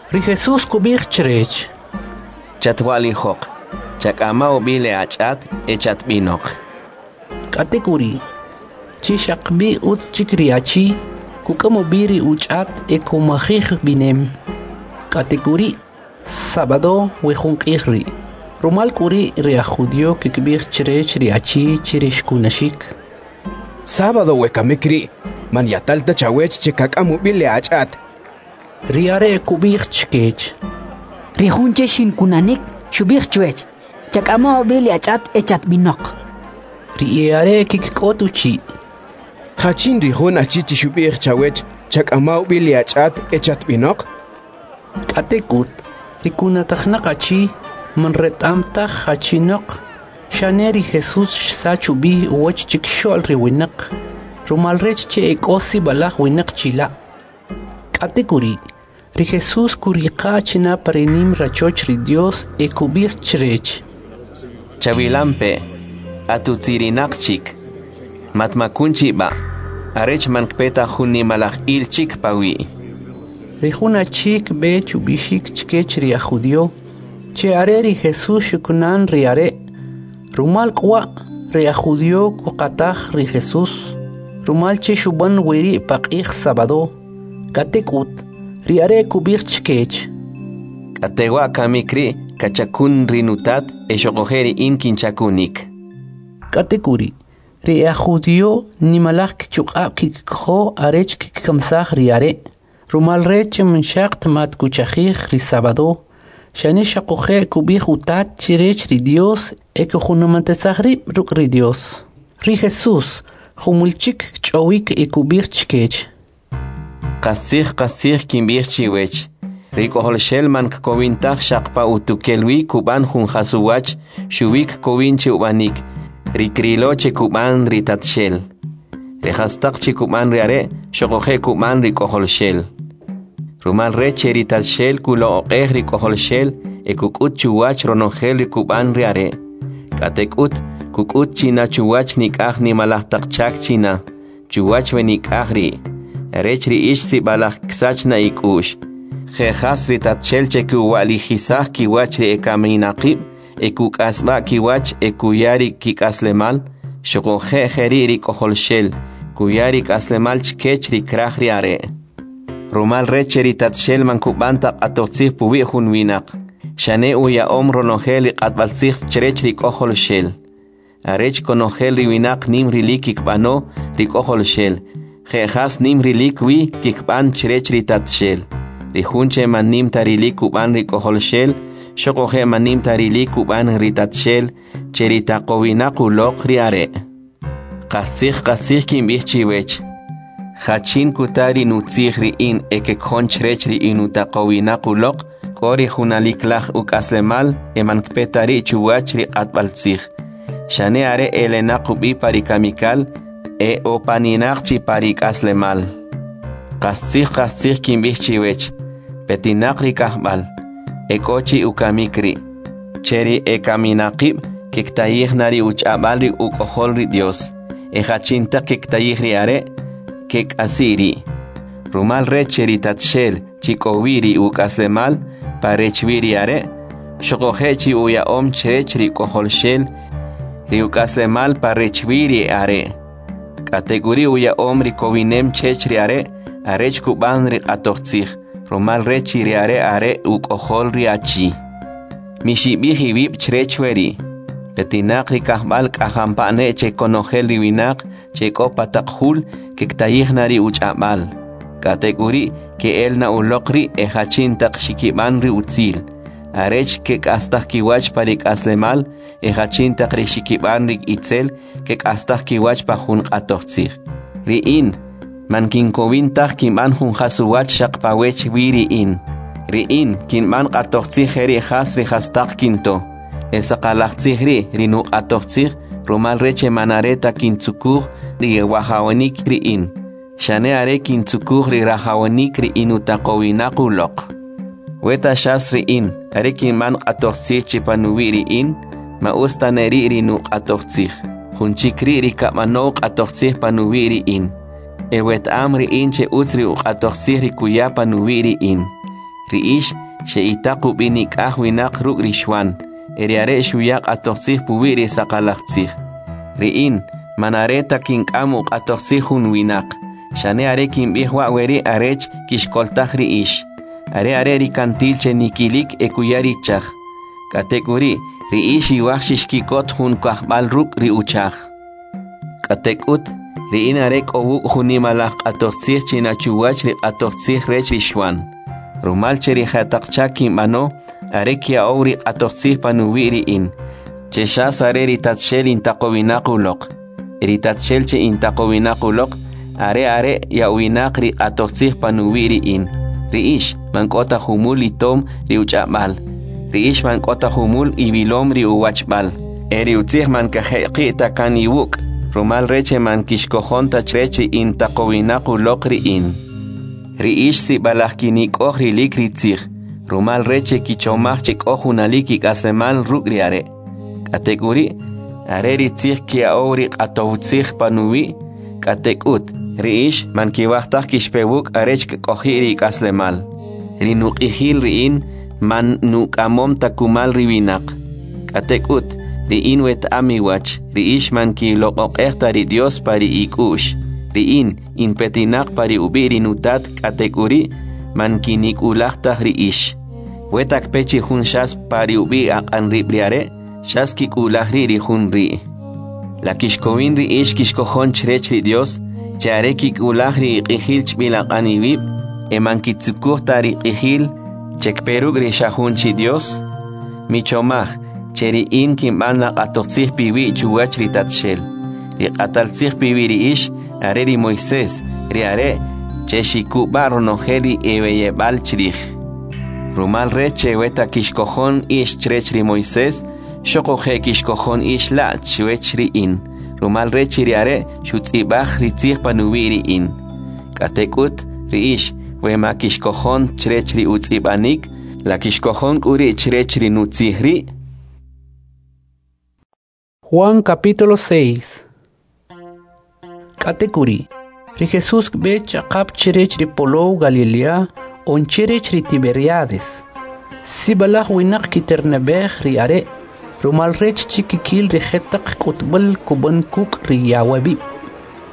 Ri Jesús kub'ij chrech: Chatwa'lijoq, chak'ama ub'i le ach'at e chatb'inoq. K'atek'uri', chi xaqb'i utz chik ri achi, kuk'am ub'i ri uch'at e kumajij b'inem. K'atek'uri', sábado we jun q'ij ri'. Rumal k'u ri' ri aj judío kkib'ij chrech ri achi che ri xkunaxik: Sábado we kamik ri', man yatal ta chawech che kak'am ub'i le ach'at. Ri are' kub'ij chkech: Ri jun che xinkunanik xub'ij chwech: Chak'ama ub'i le ach'at e chatb'inoq. Ri e'are' kkik'ot uchi': Jachin ri jun achi che xub'ij chawech chak'ama ub'i le ach'at e chatb'inoq? K'atek'ut, ri kunatajnaq achi man reta'm taj jachinoq, xane ri Jesús xsach ub'i uwach chikxo'l ri winaq, rumal rech che ek'o sib'alaj winaq chila'. K'atek'uri', ri Jesús kuriqa' china pa ri nim rachoch ri Dios e kub'ij chrech: Chawilampe', atutzirinaq chik. Matmakun chi b'a', arech man kpe ta jun nimalaj il chik pawi'. Ri jun achi kb'e chub'ixik chkech ri aj judío che are ri Jesús xukunan ri are'. Rumal k'uwa' ri aj judío kuqataj ri Jesús, rumal che xub'an weri' pa q'ij sábado. K'atek'ut, ri are' kub'ij chkech: K'atewa' kamik ri' kachakun ri nutat e xoquje' ri in kinchakunik. K'atek'uri', ri aj judío nimalaj kichuq'ab' kikkojo arech kikkamsaj ri are', rumal rech che man xaq ta mat kuchajij ri sábado, xane xoquje' kub'ij utat chrech ri Dios e kujunumatisaj rib' ruk' ri Dios. Ri Jesús jumul chik kch'awik e kub'ij chkech: Qastzij qastzij kinb'ij chiwech, ri k'ojolxel man kkowin taj xaq pa utukel wi kub'an jun jas uwach, xuwi kkowin che ub'anik, ri krilo che kub'an ri Tatxel. Ri jastaq che kub'an ri are' xoquje' kub'an ri K'ojolxel. Rumal rech che ri Tatxel kuloq'oq'ej ri K'ojolxel e kuk'ut chuwach ronojel ri kub'an ri are'. K'atek'ut, kuk'ut china chuwach nik'aj nimalaj taq chak china, chuwach we nik'aj ri', rech ri ix sib'alaj ksach na ik'u'x. Je' jas ri Tatxel che kuwa'lijisaj kiwach ri ekaminaqib' e kuk'asb'a' kiwach e kuya ri kik'aslemal, xuquje' jeri' ri K'ojolxel, kuya ri k'aslemal chkech ri kraj ri are'. Rumal rech che ri Tatxel man kub'an ta q'atojtzij puwi' jun winaq, xane uya'om ronojel ri q'atb'altzij chrech ri K'ojolxel. Arech konojel ri winaq nim rilik kikb'ano ri K'ojolxel, je' jas nim rilik wi kikb'an chrech ri Tatxel. Ri jun che man nim ta rilik kub'an ri K'ojolxel, xoquje' man nim ta rilik kub'an ri Tatxel, che ri taqowinaq uloq ri are'. Qastzij qastzij kinb'ij chiwech, jachin kuta ri nutzij ri in e kekjon chrech ri inutaqowinaq uloq, k'o ri junaliklaj uk'aslemal e man kpe ta ri' chuwach ri q'atb'altzij. Xane are elenaq ub'i pa ri kamikal e opaninaq chi pa ri k'aslemal. Qastzij qastzij kinb'ij chiwech, petinaq ri kajb'al, e k'o chi ukamik ri', che ri ekaminaqib' kektayij na ri uch'ab'al ri uk'ojol ri Dios, e jachin taq kektayij ri are', kek'asi' ri'. Rumal rech che ri Tatxel chi k'o wi ri uk'aslemal pa rech wi ri are', xuquje' chi uya'om chrech ri K'ojolxel ri uk'aslemal pa rech wi ri are'. K'atek'uri' uya'om ri kowinem chech ri are' arech kub'an ri q'atojtzij, rumal rech chi ri are' are' uk'ojol ri achi. Mixib'ij iwib' chrech weri'. Petinaq ri kajb'al k'ajampa'ne che konojel ri winaq che k'o pa taq jul kektayij na ri uch'ab'al. K'atek'uri' ke'el na uloq ri' e jachin taq xikib'an ri utzil, arech kek'astaj kiwach pa ri k'aslemal, e jachin taq ri xikib'an ri itzel kek'astaj kiwach pa jun q'atojtzij. Ri in, man kinkowin taj kinb'an jun jas uwach xaq pa wech wi ri in. Ri in, kinb'an q'atojtzij jeri' jas ri jastaq kinto. E saqalaj tzij ri' ri nuq'atojtzij, rumal rech che man are ta kintzukuj ri wajawanik ri in, xane are kintzukuj ri rajawanik ri inutaqowinaq uloq. Weta xas ri in, are kinb'an q'atojtzij chi panuwi' ri in, ma utz ta ne ri' ri nuq'atojtzij. Jun chik ri' ri kab'anow q'atojtzij panuwi' ri in. E weta'am ri in che utz ri uq'atojtzij ri kuya panuwi' ri in. Ri ix xe'itaq ub'i nik'aj winaq ruk' ri Xwan, e ri are' xuya q'atojtzij puwi' ri saqalaj tzij. Ri in, man are ta kink'am uq'atojtzij jun winaq, xane are kinb'ij wa' weri' arech kixkoltaj ri ix. Are are ri kantil che nikilik e kuya ri chaj. K'atek'uri', ri ix iwaj xixkikot jun kajb'al ruk' ri uchaj. K'atek'ut, ri in are k'o wuk' jun nimalaj q'atojtzij china chuwach ri q'atojtzij rech ri Xwan. Rumal che ri jetaq chak kinb'ano, are kya'ow ri q'atojtzij panuwi' ri in, che xas are ri Tatxel intaqowinaq uloq. Ri Tatxel che intaqowinaq uloq, are are ya'owinaq ri q'atojtzij panuwi' ri in. Ri ix man k'o ta jumul itom ri uch'ab'al, ri ix man k'o ta jumul iwilom ri uwachb'al. E ri utzij man kajeqi' ta kan iwuk', rumal rech che man kixkojon ta chrech ri intaqowinaq uloq ri in. Ri ix sib'alaj kinik'oj rilik ri tzij, rumal rech che kichomaj che k'o junalik ik'aslemal ruk' ri are'. K'atek'uri', are ri tzij kya'ow ri q'atowtzij panuwi', k'atek'ut, ri ix man kiwaj taj kixpe wuk' arech kk'oji' ri ik'aslemal. Ri nuq'ijil ri in man nuk'amom ta kumal ri winaq. K'atek'ut, ri in weta'am iwach, ri ix man kiloq'oq'ej ta ri Dios pa ri ik'u'x. Ri in, in petinaq pa ri ub'i' ri nutat k'atek'uri', man kinik'ulaj taj ri ix. Weta kpe chi jun xas pa ri ub'i' aq'an rib' ri are', xas kik'ulaj ri' ri jun ri'. La kixkowin ri ix kixkojon chrech ri Dios, che are kik'ulaj ri iq'ijil chb'il aq'an iwib', e man kitzukuj ta ri q'ijil che kpe ruk' ri xa jun chi Dios? Michomaj, che ri in kinb'an la q'atojtzij piwi' chuwach ri Tatxel. Ri q'ataltzij piwi' ri ix, are ri Moisés, ri are' che xikub'a ronojel ri eweyeb'al chrij. Rumal rech che weta kixkojon ix chrech ri Moisés, Xoquje' kixkojon ix la' chwech ri in, rumal rech ri are' xutz'ib'aj ri tzij panuwi' ri in. K'atek'ut, ri ix, we ma kixkojon chrech ri utz'ib'anik, la kixkojon k'u ri' chrech ri nutzij ri'? Juan capítulo seis. K'atek'uri', ri Jesús kb'e ch'aqap chrech ri polow Galilea on chrech ri Tiberiades. Sib'alaj winaq kiterneb'ej ri are', rumal rech chi kikil ri jetaq k'utb'al kub'an kuk' ri yawab'ib'.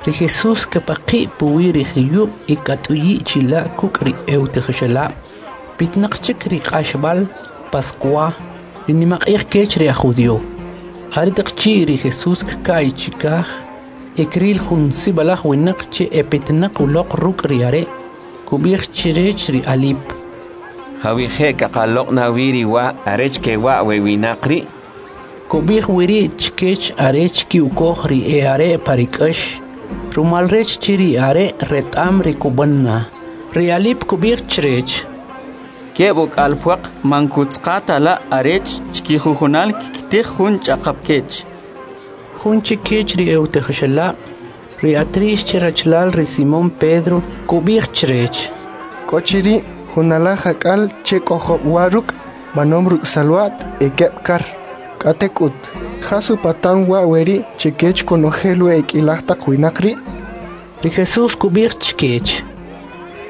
Ri Jesús kepaqi' puwi' ri juyub' y kat'uyi' chila' kuk' ri e'utijoxelab'. Pitnaq chik ri q'axb'al Pascua, ri nimaq'ij kech ri aj judío. Aretaq chi' ri Jesús kka'y chikaj e kril jun sib'alaj winaq che epetnaq uloq ruk' ri are', kub'ij chrech ri Alip: Jawije' kaqaloq' na wi ri wa arech kewa' we winaq ri'? Kub'ij wiri' chkech arech ki'ukoj ri e'are' pa ri k'ax, rumal rech che ri are' reta'm ri kub'an na. Ri Alip kub'ij chrech: Keb' uk'al pwaq man kutzqa ta la' arech chkijujunal kkitij jun ch'aqap kech. Jun chikech ri e'utijoxelab', ri Atrix che rachalal ri Simón Pedro, kub'ij chrech: K'o chiri' jun alaj ak'al che k'o job' wa ruk' b'anom ruk' salwa't e keb' kar. K'atek'ut, jas upatan wa' weri' chekech konojel we ek'ilaj taq winaq ri'? Ri Jesús kub'ij chkech: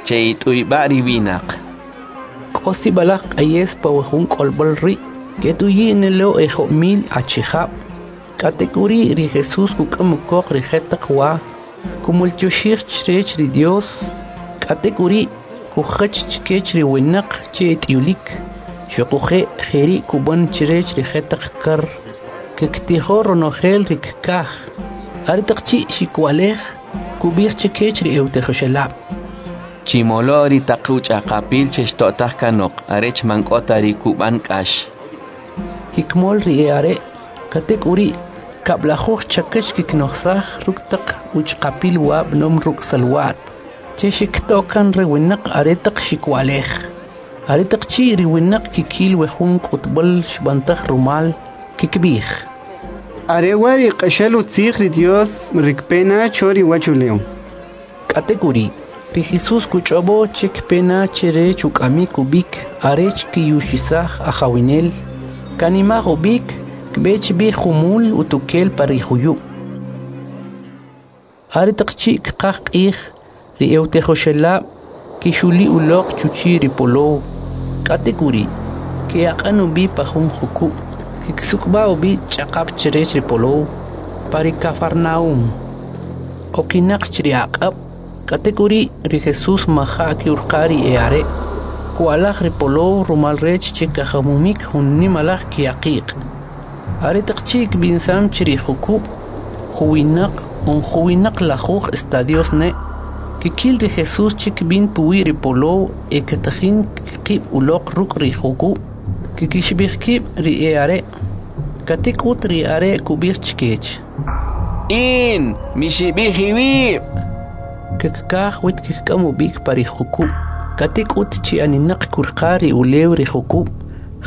Che'it'uyb'a' ri winaq. K'o sib'alaj q'ayes pa we jun k'olb'al ri', ket'uyi' ne lo e job' mil achijab'. K'atek'uri' ri Jesús kuk'am ukoq ri jetaq wa, kumultyoxij chrech ri Dios, k'atek'uri' kujach chkech ri winaq che et'uyulik. Xoquje' jeri' kub'an chrech ri jetaq kar, kektijo ronojel ri kkaj. Aretaq chi' xikwalej, kub'ij chkech ri e'utijoxelab': Chimolo ri taq uch'aqapil che xto'taj kanoq, arech man k'o ta ri kub'an k'ax. Kikmol ri e'are', k'atek'uri' kab'lajuj chakach kiknojsaj ruk' taq uch'aqapil wa b'anom ruk' salwa't, che xikto' kan ri winaq aretaq xikwalej. Aretaq chi' ri winaq kikil we jun k'utb'al xb'antaj rumal, kikb'ij: Are wa' ri q'axal utzij ri Dios ri kpe na cho ri uwachulew. K'atek'uri', ri Jesús kuch'ob'o che kpe na chrech uk'amik ub'ik arech kiyuxisaj ajawinel. Kanimaj ub'ik, kb'e chb'i jumul utukel pa ri juyub'. Aretaq chi' kqaj q'ij, ri e'utijoxelab' kixuli uloq chuchi' ri polow. K'atek'uri', ke'aq'an ub'i pa jun jukub', kiksuk'b'a ub'i ch'aqap chrech ri polow, pa ri Kafarnaum. Okinaq chi ri aq'ab', k'atek'uri' ri Jesús maja' ke'urqa ri e'are'. Ku'alaj ri polow rumal rech che kajamumik jun nimalaj ki'aqiq'. Aretaq chi' kb'insam chi ri jukub', juwinaq on juwinaq lajuj estadios ne', kikil ri Jesús che kb'in puwi' ri polow e katajin kqib' uloq ruk' ri jukub'. Kikixib'ij kib' ri e'are'. K'atek'ut ri are' kub'ij chkech: In, mixib'ij iwib'! Kkaj wet kkik'am ub'ik pa ri jukub', k'atek'ut chi aninaq kurqa ri ulew ri jukub',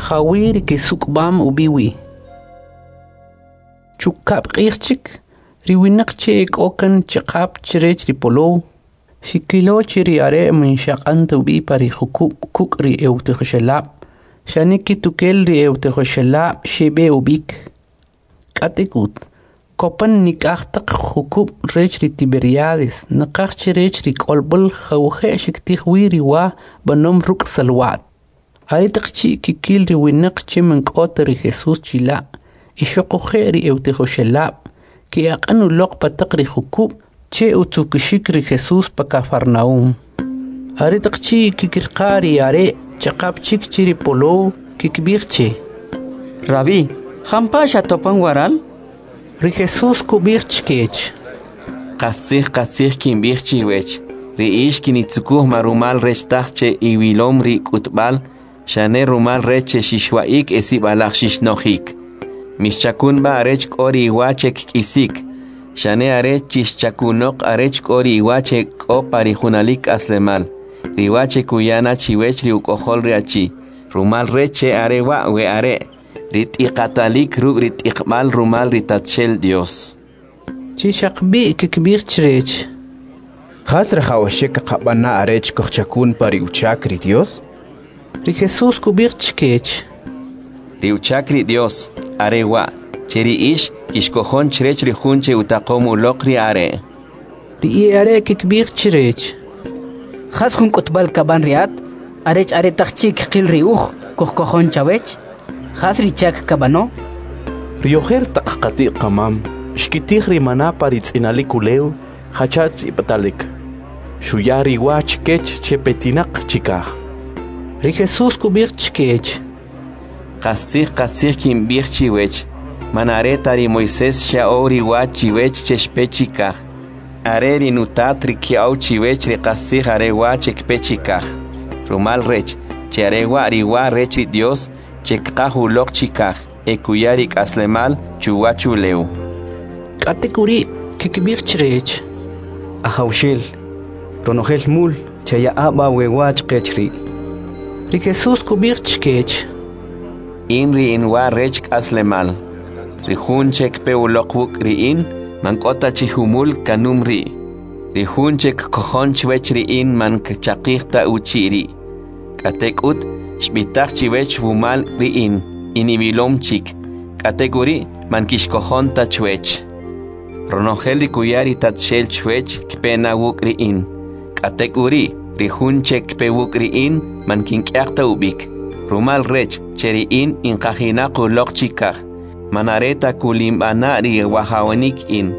jawi' ri kisuk'b'am ub'i wi. Chukab' q'ij chik, ri winaq che ek'o kan ch'aqap chrech ri polow, xikilo che ri are' man xaq'an ta ub'i pa ri jukub' kuk' ri e'utijoxelab', xane kitukel ri e'utijoxelab' xeb'e ub'ik. K'atek'ut, kopan nik'aj taq jukub' rech ri Tiberiades, naqaj chrech ri k'olb'al jawije' xiktij wi ri wa b'anom ruk' salwa't. Aretaq chi' kikil ri winaq che man k'o ta ri Jesús chila', y xoquje' ri e'utijoxelab', ke'aq'an uloq pa taq ri jukub' che utzukuxik ri Jesús pa Kafarnaum. Aretaq chi' kikirqa ri are' ch'aqap chik che ri polow, kikb'ij che: Rabí, jampa' xatopan waral? Ri Jesús kub'ij chkech: Qastzij qastzij kinb'ij chiwech, ri ix kinitzukuj ma rumal rech taj che iwilom ri k'utb'al, xane rumal rech che xixwa'ik e sib'alaj xixnojik. Mixchakun b'a arech k'o ri iwa che kk'isik, xane are chixchakunoq arech k'o ri iwa che k'o pa ri junalik k'aslemal, ri wa che kuya na chiwech ri uk'ojol ri achi, rumal rech che are wa' we are' ri t'iqatalik ruk' ri t'iqb'al rumal ri Tatxel Dios. Chi xaqb'i' kkib'ij chrech: Jas rajawaxik kaqab'an na arech kojchakun pa ri uchak ri Dios? Ri Jesús kub'ij chkech: Ri uchak ri Dios are wa', che ri ix kixkojon chrech ri jun che utaqom uloq ri Are'. Ri e'are' kkib'ij chrech: Jas jun k'utb'al kab'an ri at, arech aretaq chi' kqil ri uj kujkojon chawech? Jas ri chak kab'ano? Ri ojer taq qati't qamam xkitij ri maná pa ri tz'inalik ulew, jacha tz'ib'atalik: Xuya ri wa chkech che petinaq chikaj. Ri Jesús kub'ij chkech: Qastzij, qastzij kinb'ij chiwech, man are ta ri Moisés xya'ow ri wa chiwech che xpe chikaj. Are ri nutat ri kya'ow chiwech ri qastzij are wa che kpe chikaj. Rumal rech, che are wa ri wa rech ri Dios che kqaj uloq chikaj e kuya ri k'aslemal chuwach ulew. K'atek'uri' kkib'ij chrech: Ajawxel, ronojel mul chaya'a b'a we wa chqech ri'. Ri Jesús kub'ij chkech: In ri in wa rech k'aslemal. Ri jun che kpe uloq wuk' ri in, man k'o ta chi jumul kanum ri'. Ri jun che kkojon chwech ri in man kchaqij ta uchi' ri'. K'atek'ut, xb'itaj chiwech wumal ri in, iniwilom chik. K'atek'uri' man kixkojon ta chwech. Ronojel ri kuya ri Tatxel chwech kpe na wuk' ri in. K'atek'uri', ri jun che kpe wuk' ri in man kink'yaq ta ub'ik. Rumal rech che ri in inqajinaq uloq chikaj, man are ta kulinb'ana' ri wajawanik in,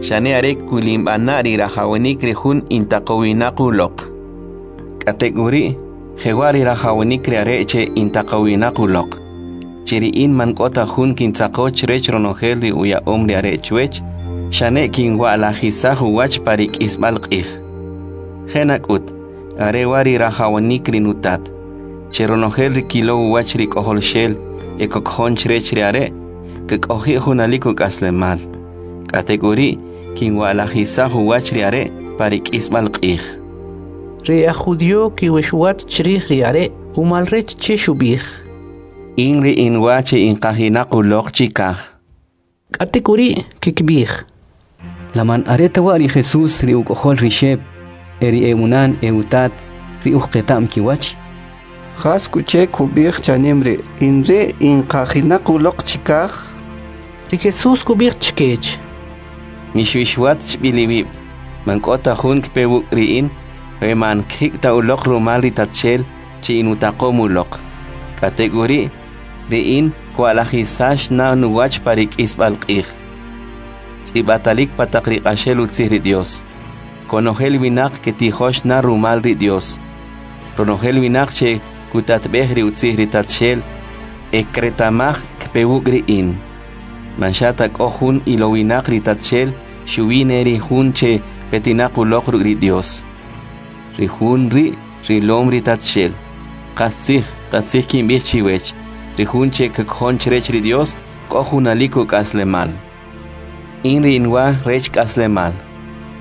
xane are kulinb'ana' ri rajawanik ri jun intaqowinaq uloq. K'atek'uri', jewa' ri rajawanik ri are' che intaqowinaq uloq, che ri in man k'o ta jun kintzaqo chrech ronojel ri uya'om ri are' chwech, xane kinwa'lajisaj uwach pa ri k'isb'al q'ij. Je' nak'ut, are wa' ri rajawanik ri nutat, che ronojel ri kilow uwach ri K'ojolxel e kokjon chrech ri are', kk'oji' junalik uk'aslemal. K'atek'uri' kinwa'lajisaj uwach ri are' pa ri k'isb'al q'ij. Ri aj judío kiwexwat chrij ri are' umal rech che xub'ij: In ri in wa che inqajinaq uloq chikaj. K'atek'uri' kkib'ij: La man are ta wa' ri Jesús ri uk'ojol ri Xeb' e ri e'unan e'utat ri uj qeta'm kiwach? Jas k'u che kub'ij chanim ri': In ri' inqajinaq uloq chikaj? Ri Jesús kub'ij chkech: Mixwixwat chb'il iwib', man k'o ta jun kpe wuk' ri in, we man kjik ta uloq rumal ri Tatxel che inutaqom uloq. K'atek'uri', ri in kwa'lajisax na nuwach pa ri k'isb'al q'ij. Tz'ib'atalik pa taq ri q'axel utzij ri Dios. Konojel winaq ketijox na rumal ri Dios. Ronojel winaq che kutatb'ej ri utzij ri Tatxel e kretamaj kpe wuk' ri in. Man xa ta k'o jun ilowinaq ri Tatxel, xuwi ne ri jun che petinaq uloq ruk' ri Dios. Ri jun ri' rilom ri Tatxel. Qastzij, qastzij kinb'ij chiwech, ri jun che kkojon chrech ri Dios k'o junalik uk'aslemal. In ri in wa rech k'aslemal.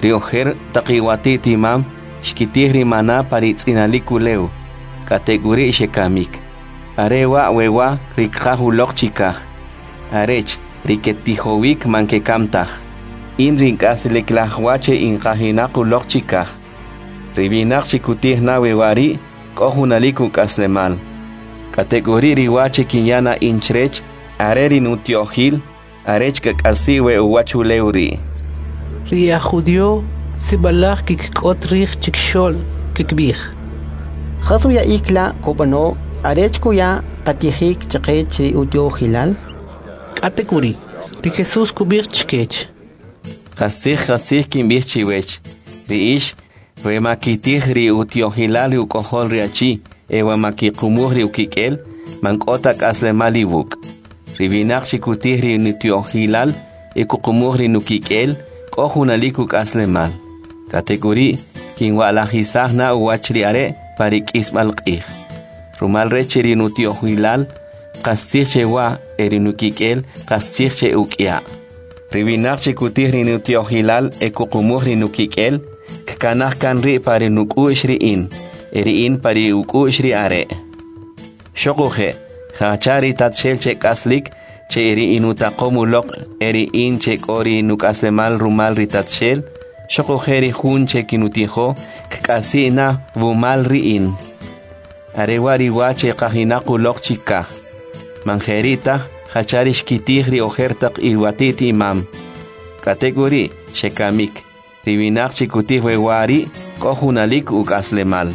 Ri ojer taq iwati't imam xkitij ri maná pa ri tz'inalik ulew, k'atek'uri' xekamik. Are wa' we wa ri kqaj uloq chikaj, arech ri ketijowik man kekam taj. In ri k'aslik laj wa che inqajinaq uloq chikaj. Ri winaq che kutij na we wa ri' k'o junalik uk'aslemal. K'atek'uri' ri wa che kinya na in chrech, are ri nutyo'jil, arech kak'asi' we uwach ulew ri'. Ri aj judío sib'alaj kikk'ot rij chikxo'l kkib'ij: Jas uya'ik la' kub'ano arech kuya qatijik chaqech ri utyo'jilal? K'atek'uri', ri Jesús kub'ij chkech: Qastzij, qastzij kinb'ij chiwech, ri ix, we ma kitij ri utyo'jilal ri uk'ojol ri achi e we ma kiqumuj ri ukik'el, man k'o ta k'aslemal iwuk'. Ri winaq che kutij ri nutyo'jilal e kuqumuj ri nukik'el, k'o junalik uk'aslemal. K'atek'uri' kinwa'lajisaj na uwach ri are' pa ri k'isb'al q'ij. Rumal rech che ri nutyo'jilal qastzij che wa e ri nukik'el qastzij che uk'ya'. Ri winaq che kutij ri nutyo'jilal e kuqumuj ri nukik'el, kkanaj kan ri' pa ri nuk'u'x ri in, e ri in pa ri uk'u'x ri are'. Xoquje', Jacha ri Tatxel che k'aslik, che ri inutaqom uloq e ri in che k'o ri nuk'aslemal rumal ri Tatxel, xuquje' ri jun che kinutijo kk'asi' na wumal ri in. Are wa' ri wa che qajinaq uloq chikaj. Man jeri' taj jacha ri xkitij ri ojer taq iwatit imam. K'atek'uri' xekamik. Ri winaq che kutij we wa ri' k'o junalik uk'aslemal.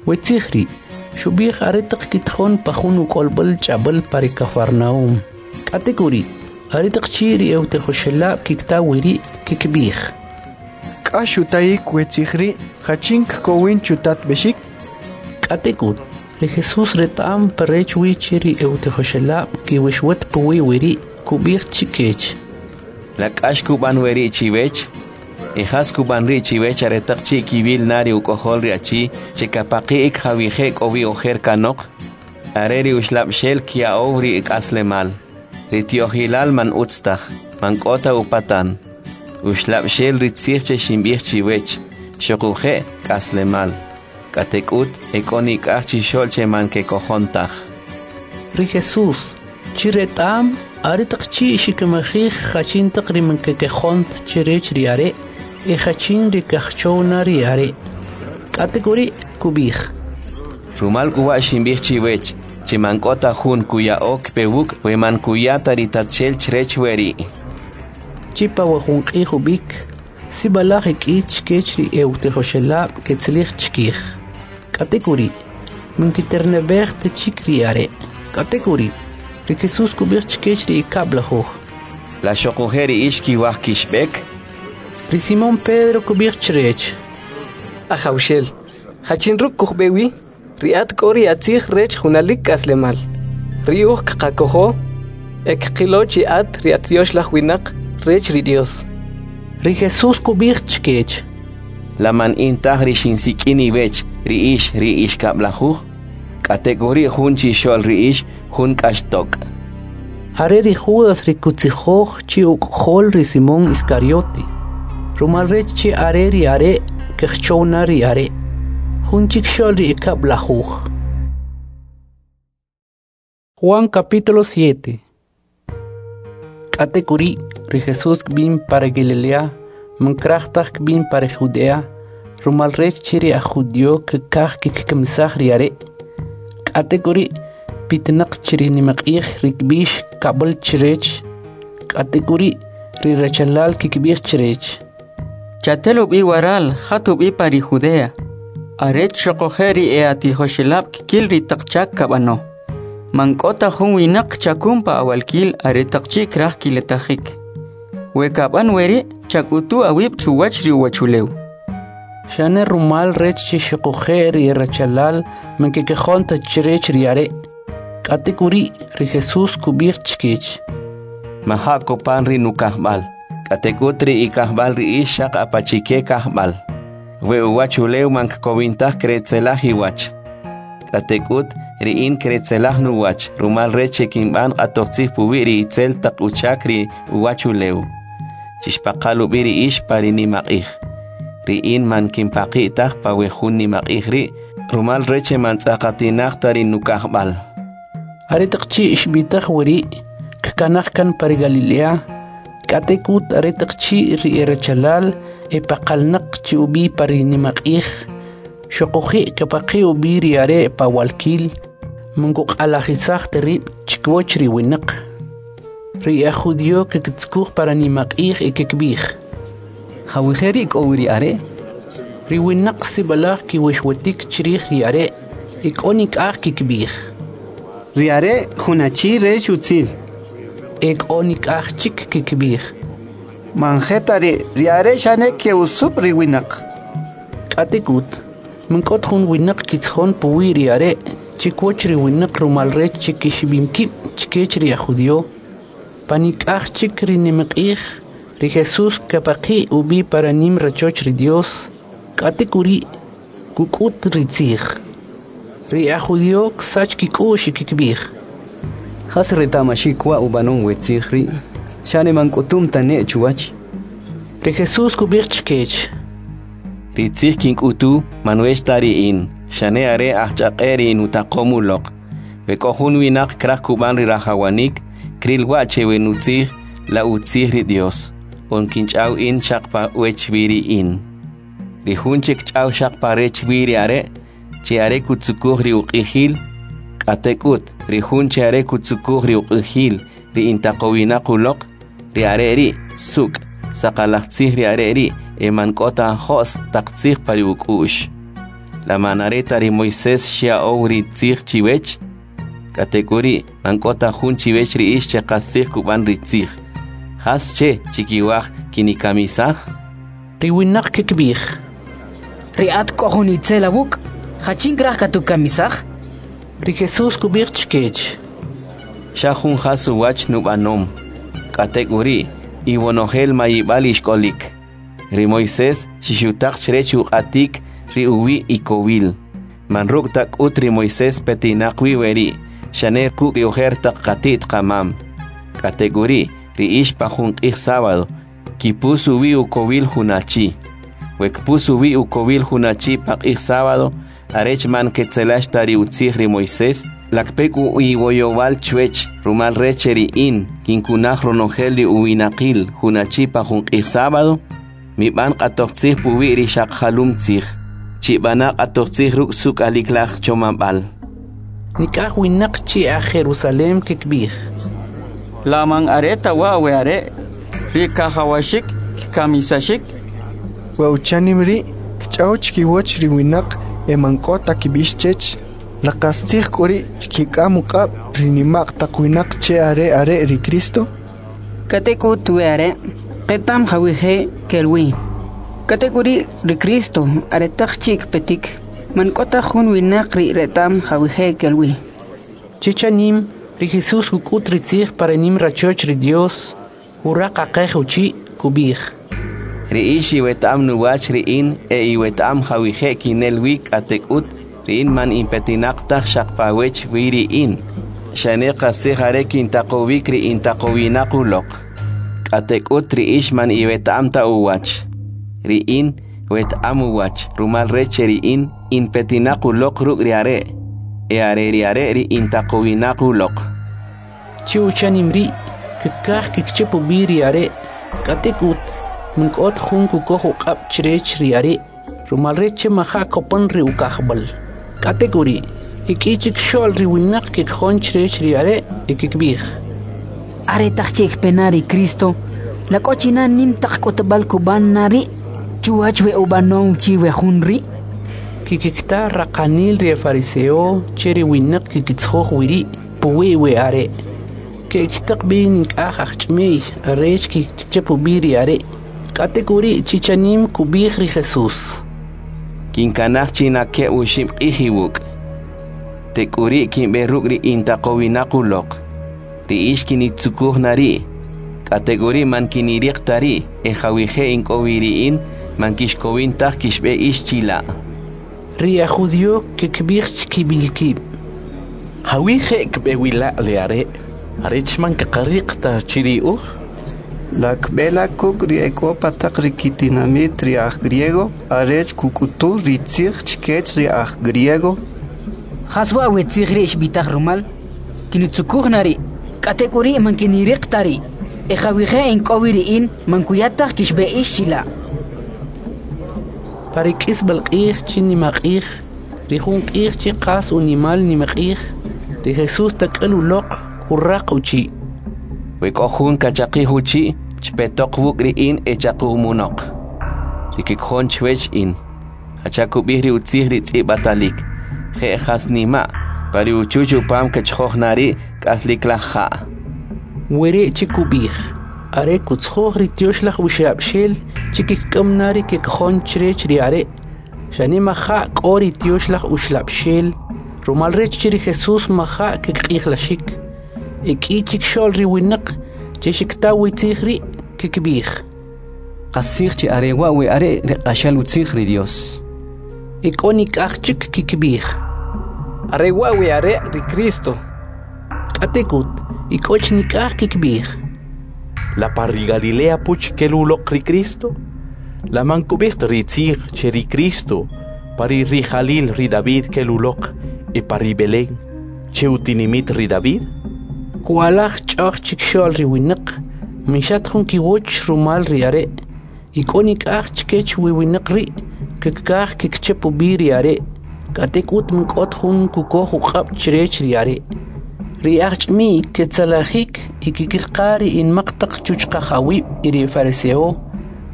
We tzij ri' xub'ij aretaq kitjon pa jun uk'olb'al ch'ab'al pa ri Kafarnaum. K'atek'uri' aretaq chi' ri ewtijoxelab' kikta wiri' kikb'ij: K'ax utayik we tzij ri' jachin kkowin chutatb'exik? K'atek'ut ri Jesús reta'am pa rech wi che ri ewtijoxelab' kiwixwat puwi wiri' kub'ij chikech: La k'ax kub'an weri' chiwech? E jas kub'an ri' chiwech aretaq chi' kiwil na ri uk'ojol ri achi che kapaqi'ik jawije' k'o wi ojer kanoq? Are ri uxlab'xel kya'ow ri k'aslemal. Ri tyo'jilal man utz taj, man k'o ta upatan. Uxlab'xel ri tzij che xinb'ij chiwech, xuquje' k'aslemal. K'atek'ut e k'o nik'aj chixo'l che man kekojon taj. Ri Jesús chi reta'am aretaq chi' xikimajij jachin taq ri man kekojon chrech ri are' e jachin ri kajchow na ri are'. K'atek'uri' kub'ij: Rumal k'u wa' xinb'ij chiwech, che man k'o ta jun kuya'o kpe wuk' we man kuya ta ri Tatxel chrech weri'. Chi pa we jun q'ij ub'ik, sib'alaj e k'i chkech ri ewtijoxelab' ketzalij chkij. K'atek'uri' man kiterneb'ej ta chik ri are'. K'atek'uri' ri Jesús kub'ij chkech ri ekab'lajuj: La xuquje' ri ix kiwaj kixb'ek? Ri Simón Pedro kub'ij chrech: Ajawxel, jachin ruk' kujb'e wi? Ri at k'o ri atzij rech junalik k'aslemal. Ri uj kqakojo e kqilo chi at ri at Tyoxlaj winaq rech ri Dios. Ri Jesús kub'ij chkech: La man in taj ri xinsik'in iwech ri ix ri ix kab'lajuj? K'atek'uri' jun chixo'l ri ix jun k'axtok'. Are ri Judas ri kutzijoj chi uk'ojol ri Simón Iscariote, rumal rech che are ri are' kajchow na ri are', jun chikxo'l ri ekab'lajuj. Juan capítulo siete. K'atek'uri' ri Jesús kb'in para Galilea, man kraj taj kb'in para Judea, rumal rech che ri aj judío kkaj kkikamisaj ri are'. K'atek'uri' pitnaq chi ri nimaq'ij ri kb'ix kab'al chrech. K'atek'uri' ri rachalal kikb'ij chrech: Chatel ub'i waral, jat ub'i pa ri Judea, arech xuquje' ri e'atijoxelab' kkil ri taq chak kab'ano. Man k'o ta jun winaq chakun pa awalkil aretaq chi' kraj kiletajik. We kab'an weri' chak'utu awib' chuwach ri uwachulew. Xane rumal rech che xuquje' ri rachalal man kekojon ta chrech ri are'. K'atek'uri' ri Jesús kub'ij chkech: Maja' kopan ri nukajb'al, k'atek'ut ri ikajb'al ri ix xaq apachike kajb'al. We uwachulew man kkowin taj kretzelaj iwach. K'atek'ut ri in kretzelaj nuwach, rumal rech che kinb'an q'atojtzij puwi' ri itzel taq uchak ri uwachulew. Chixpaqal ub'i ri ix pa ri nimaq'ij. Ri in man kinpaqi' taj pa we jun nimaq'ij ri', rumal rech che man tz'aqatinaq ta ri nukajb'al. Aretaq chi' xb'itaj weri', kkanaj kan pa ri Galilea. K'atek'ut aretaq chi' ri erachalal epaqalnaq chi ub'i pa ri nimaq'ij, xuquje' kapaqi' ub'i ri are' pa walkil, man kuq'alajisaj ta rib' chkiwach ri winaq. Ri aj judío kkitzkuj para nimaq'ij e kikb'ij: Jawije' ri' k'o wi ri are'? Ri winaq sib'alaj kiwixwitik chrij ri are' e k'o nik'aj kikb'ij: Ri are' jun achi rech utzil. E k'o nik'aj chik kikb'ij: Man je ta ri', ri are' xane ke'usub' ri winaq. K'atek'ut man k'o ta jun winaq kitzjon puwi' ri are' chkiwach ri winaq rumal rech che kixib'im kib' chkech ri aj judío. Pa nik'aj chik ri nimaq'ij, ri Jesús kapaqi' ub'i para nim rachoch ri Dios, k'atek'uri' kuk'ut ri tzij. Ri aj judío ksach kik'u'x y kikb'ij: Jas reta'maxik wa' ub'anom we tzij ri'? Xane man k'utum ta ne' chuwach. Ri Jesús kub'ij chkech: Ri tzij kink'utu man wech ta ri in, xane are ajchaq'e ri nutaqom uloq. We k'o jun winaq kraj kub'an ri rajawanik, kril wa' che we nutzij la utzij ri Dios, on kinch'aw in xaq pa wech wi ri in. Ri jun che kch'aw xaq pa rech wi ri are', che are kutzukuj ri uq'ijil, k'atek'ut, ri jun che are kutzukuj ri uq'ijil ri intaqowinaq uloq, ri are' ri' suk', saqalaj tzij ri are' ri' e man k'o ta jo's taq tzij pa ri uk'u'x. La man are ta ri Moisés xya'ow ri tzij chiwech? K'atek'uri' man k'o ta jun chiwech ri ix che qastzij kub'an ri tzij. Jas che chikiwaj kinikamisaj? Ri winaq kikb'ij: Ri at k'o jun itzel awuk', jachin kraj katukamisaj? Ri Jesús kub'ij chkech: Xa jun jas uwach nub'anom, k'atek'uri' iwonojel mayib'al ixk'olik. Ri Moisés xixutaq chrech uq'atik ri uwi' ikowil. Man ruk' ta k'ut ri Moisés petinaq wi weri', xane kuk' ri ojer taq qati't qamam. K'atek'uri' ri ix pa jun q'ij sábado, kipus uwi' ukowil jun achi. We kpus uwi' ukowil jun achi pa q'ij sábado, arech man ketzelax ta ri utzij ri Moisés, la kpe k'u iwoyowal chwech, rumal rech che ri in kinkunaj ronojel ri uwinaqil jun achi pa jun q'ij sábado? Mib'an q'atoj tzij puwi' ri xaq jalum tzij, chib'ana q'atoj tzij ruk' suk'alik laj chomab'al. Nik'aj winaq chi aj Jerusalem kikb'ij: La man are ta wa' we are' ri kajawaxik kkamisaxik? We uchanim ri' kch'aw chkiwach ri winaq e man k'o ta kib'ix chech. La qastzij k'u ri' xkik'am uq'ab' ri nima'q taq winaq che are are' ri Cristo? K'atek'ut we are' qeta'm jawije' kel wi. K'atek'uri' ri Cristo aretaq chi' kpetik, man k'o ta jun winaq ri reta'm jawije' kel wi. Chichanim, ri Jesús kuk'ut ri tzij pa ri nim rachoch ri Dios, kuraqaqej uchi' kub'ij: Ri ix iweta'am nuwach ri in e iweta'am jawije' kinel wi, k'atek'ut ri in man inpetinaq taj xaq pa wech wi ri in, xane qastzij are kintaqowik ri intaqowinaq uloq. K'atek'ut ri ix man iweta'am ta uwach. Ri in weta'am uwach, rumal rech che ri in inpetinaq uloq ruk' ri are', e are ri are' ri intaqowinaq uloq. Chi uchanim ri' kkaj kikchap ub'i ri are', k'atek'ut man k'o ta jun kukoj uq'ab' chrech ri are', rumal rech che maja' kopan ri ukajb'al. K'atek'uri' ek'i chikxo'l ri winaq kekjon chrech ri are' e kikb'ij: Aretaq chi' kpe na ri Cristo, la k'o chi na nim taq k'utb'al kub'an na ri' chuwach we ub'anom chi we jun ri'? Kikikta raqanil ri fariseo che ri winaq kikitzjoj wiri' puwi' we are'. Ke'ktaq b'i nik'aj ajch'imiy arech kikchap ub'i ri are'. K'atek'uri' chichanim kub'ij ri Jesús: Kinkanaj chi na keb' oxib' q'ij iwuk'. Tek'uri' kinb'e ruk' ri intaqowinaq uloq. Ri ix kinitzukuj na ri', k'atek'uri' man kiniriq ta ri', e jawije' ink'o wi ri in, man kixkowin taj kixb'e ix chila'. Ri aj judío kikb'ij chkib'il kib': Jawije' kb'e wi la' le are', arech man kaqariq ta chi ri uj? La kb'e la kuk' ri ek'o pa taq ri kitinamit ri aj griego arech kuk'utu ri tzij chkech ri aj griego? Jas wa' we tzij ri' xb'itaj rumal? Kinutzukuj na ri', k'atek'uri' man kiniriq ta ri', e jawije' ink'o wi ri in man kuya taj kixb'e ix chila'. Pa ri k'isb'al q'ij chi nimaq'ij, ri jun q'ij chi qas unimal nimaq'ij, ri Jesús tak'al uloq kuraq uchi': We k'o jun kachaqij uchi', chpetoq wuk' ri in e chaqumunoq. Ri kikjon chwech in, jacha kub'ij ri utzij ri tz'ib'atalik, je' jas nima', pa ri uchuch upam kechjoj na ri' k'aslik laj ja'. Weri' chi kub'ij, are kutzjoj ri Tyoxlaj Uxlab'xel chi kik'am na ri kekjon chrech ri are', xane maja' k'o ri Tyoxlaj Uxlab'xel, rumal rech che ri Jesús maja' kq'ijlaxik. E k'i chikxo'l ri winaq che xikta wi tzij ri' kikb'ij: Qastzij chi are wa' we are' ri q'axal utzij ri Dios. E k'o nik'aj chik kikb'ij: Are wa' we are' ri Cristo. K'atek'ut, e k'o chi nik'aj kikb'ij: La pa ri Galilea puch kel uloq ri Cristo? La man kub'ij ta ri tzij che ri Cristo pa ri rijalil ri David kel uloq e pa ri Belén, che utinimit ri David? Kwalaj ch'oj chikxo'l ri winaq, mixat jun kiwach rumal ri are', y k'o nik'aj chkech wi winaq ri' kkaj kikchap ub'i ri are', k'atek'ut man k'ot jun kukoj uq'ab' chrech ri are'. Ri ajch'imi ketzalajik y kikirqa ri inmaq taq chuchqajawib' y ri fariseo,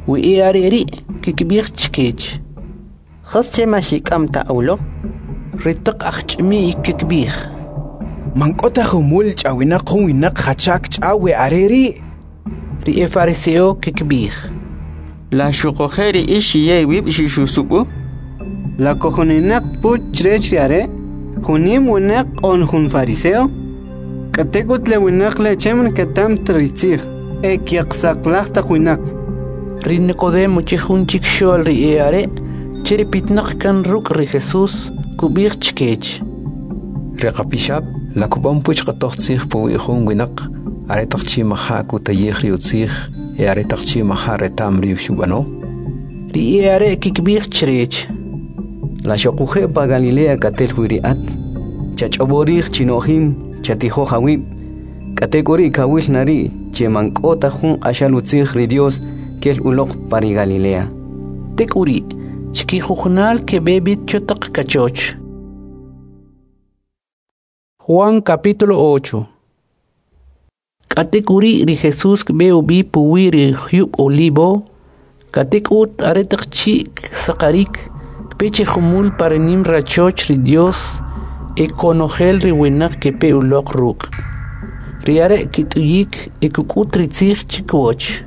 wi e are' ri' kikb'ij chkech: Jas che ma xik'am ta uloq? Ri taq ajch'imi kikb'ij: Man k'o ta jumul ch'awinaq jun winaq jacha kch'aw we are' ri'. Ri e fariseo kikb'ij: La xuquje' ri ix xiye iwib' xixusub'u? La kojoninaq puch chrech ri are', jun nim winaq on jun fariseo? K'atek'ut le winaq le che man keta'm ta ri tzij, e kyaqsaqlaj taq winaq. Ri Nicodemo che jun chikxo'l ri e are' che ri pitnaq kan ruk' ri Jesús, kub'ij chkech: Ri qapixab' la kub'an puch q'atoj tzij puwi' jun winaq aretaq chi' maja' kutayij ri utzij e aretaq chi' maja' reta'm ri xub'ano? Ri e are' kikb'ij chrech: La xoquje' pa Galilea katel wi ri at? Chach'ob'o rij chino'jim, chatijoj awib', k'atek'uri' kawil na ri' che man k'o ta jun q'axal utzij ri Dios kel uloq pa ri Galilea. Tek'uri' chkijujunal keb'e b'it cho taq kachoch. Juan capítulo ocho. K'atek'uri' ri Jesús kb'e ub'i puwi' ri jyub' Olivo, k'atek'ut aretaq chi' ksaqarik, kpe che jumul pa ri nim rachoch ri Dios e konojel ri winaq kepe uloq ruk'. Ri are' kit'uyik e kuk'ut ri tzij chkiwach.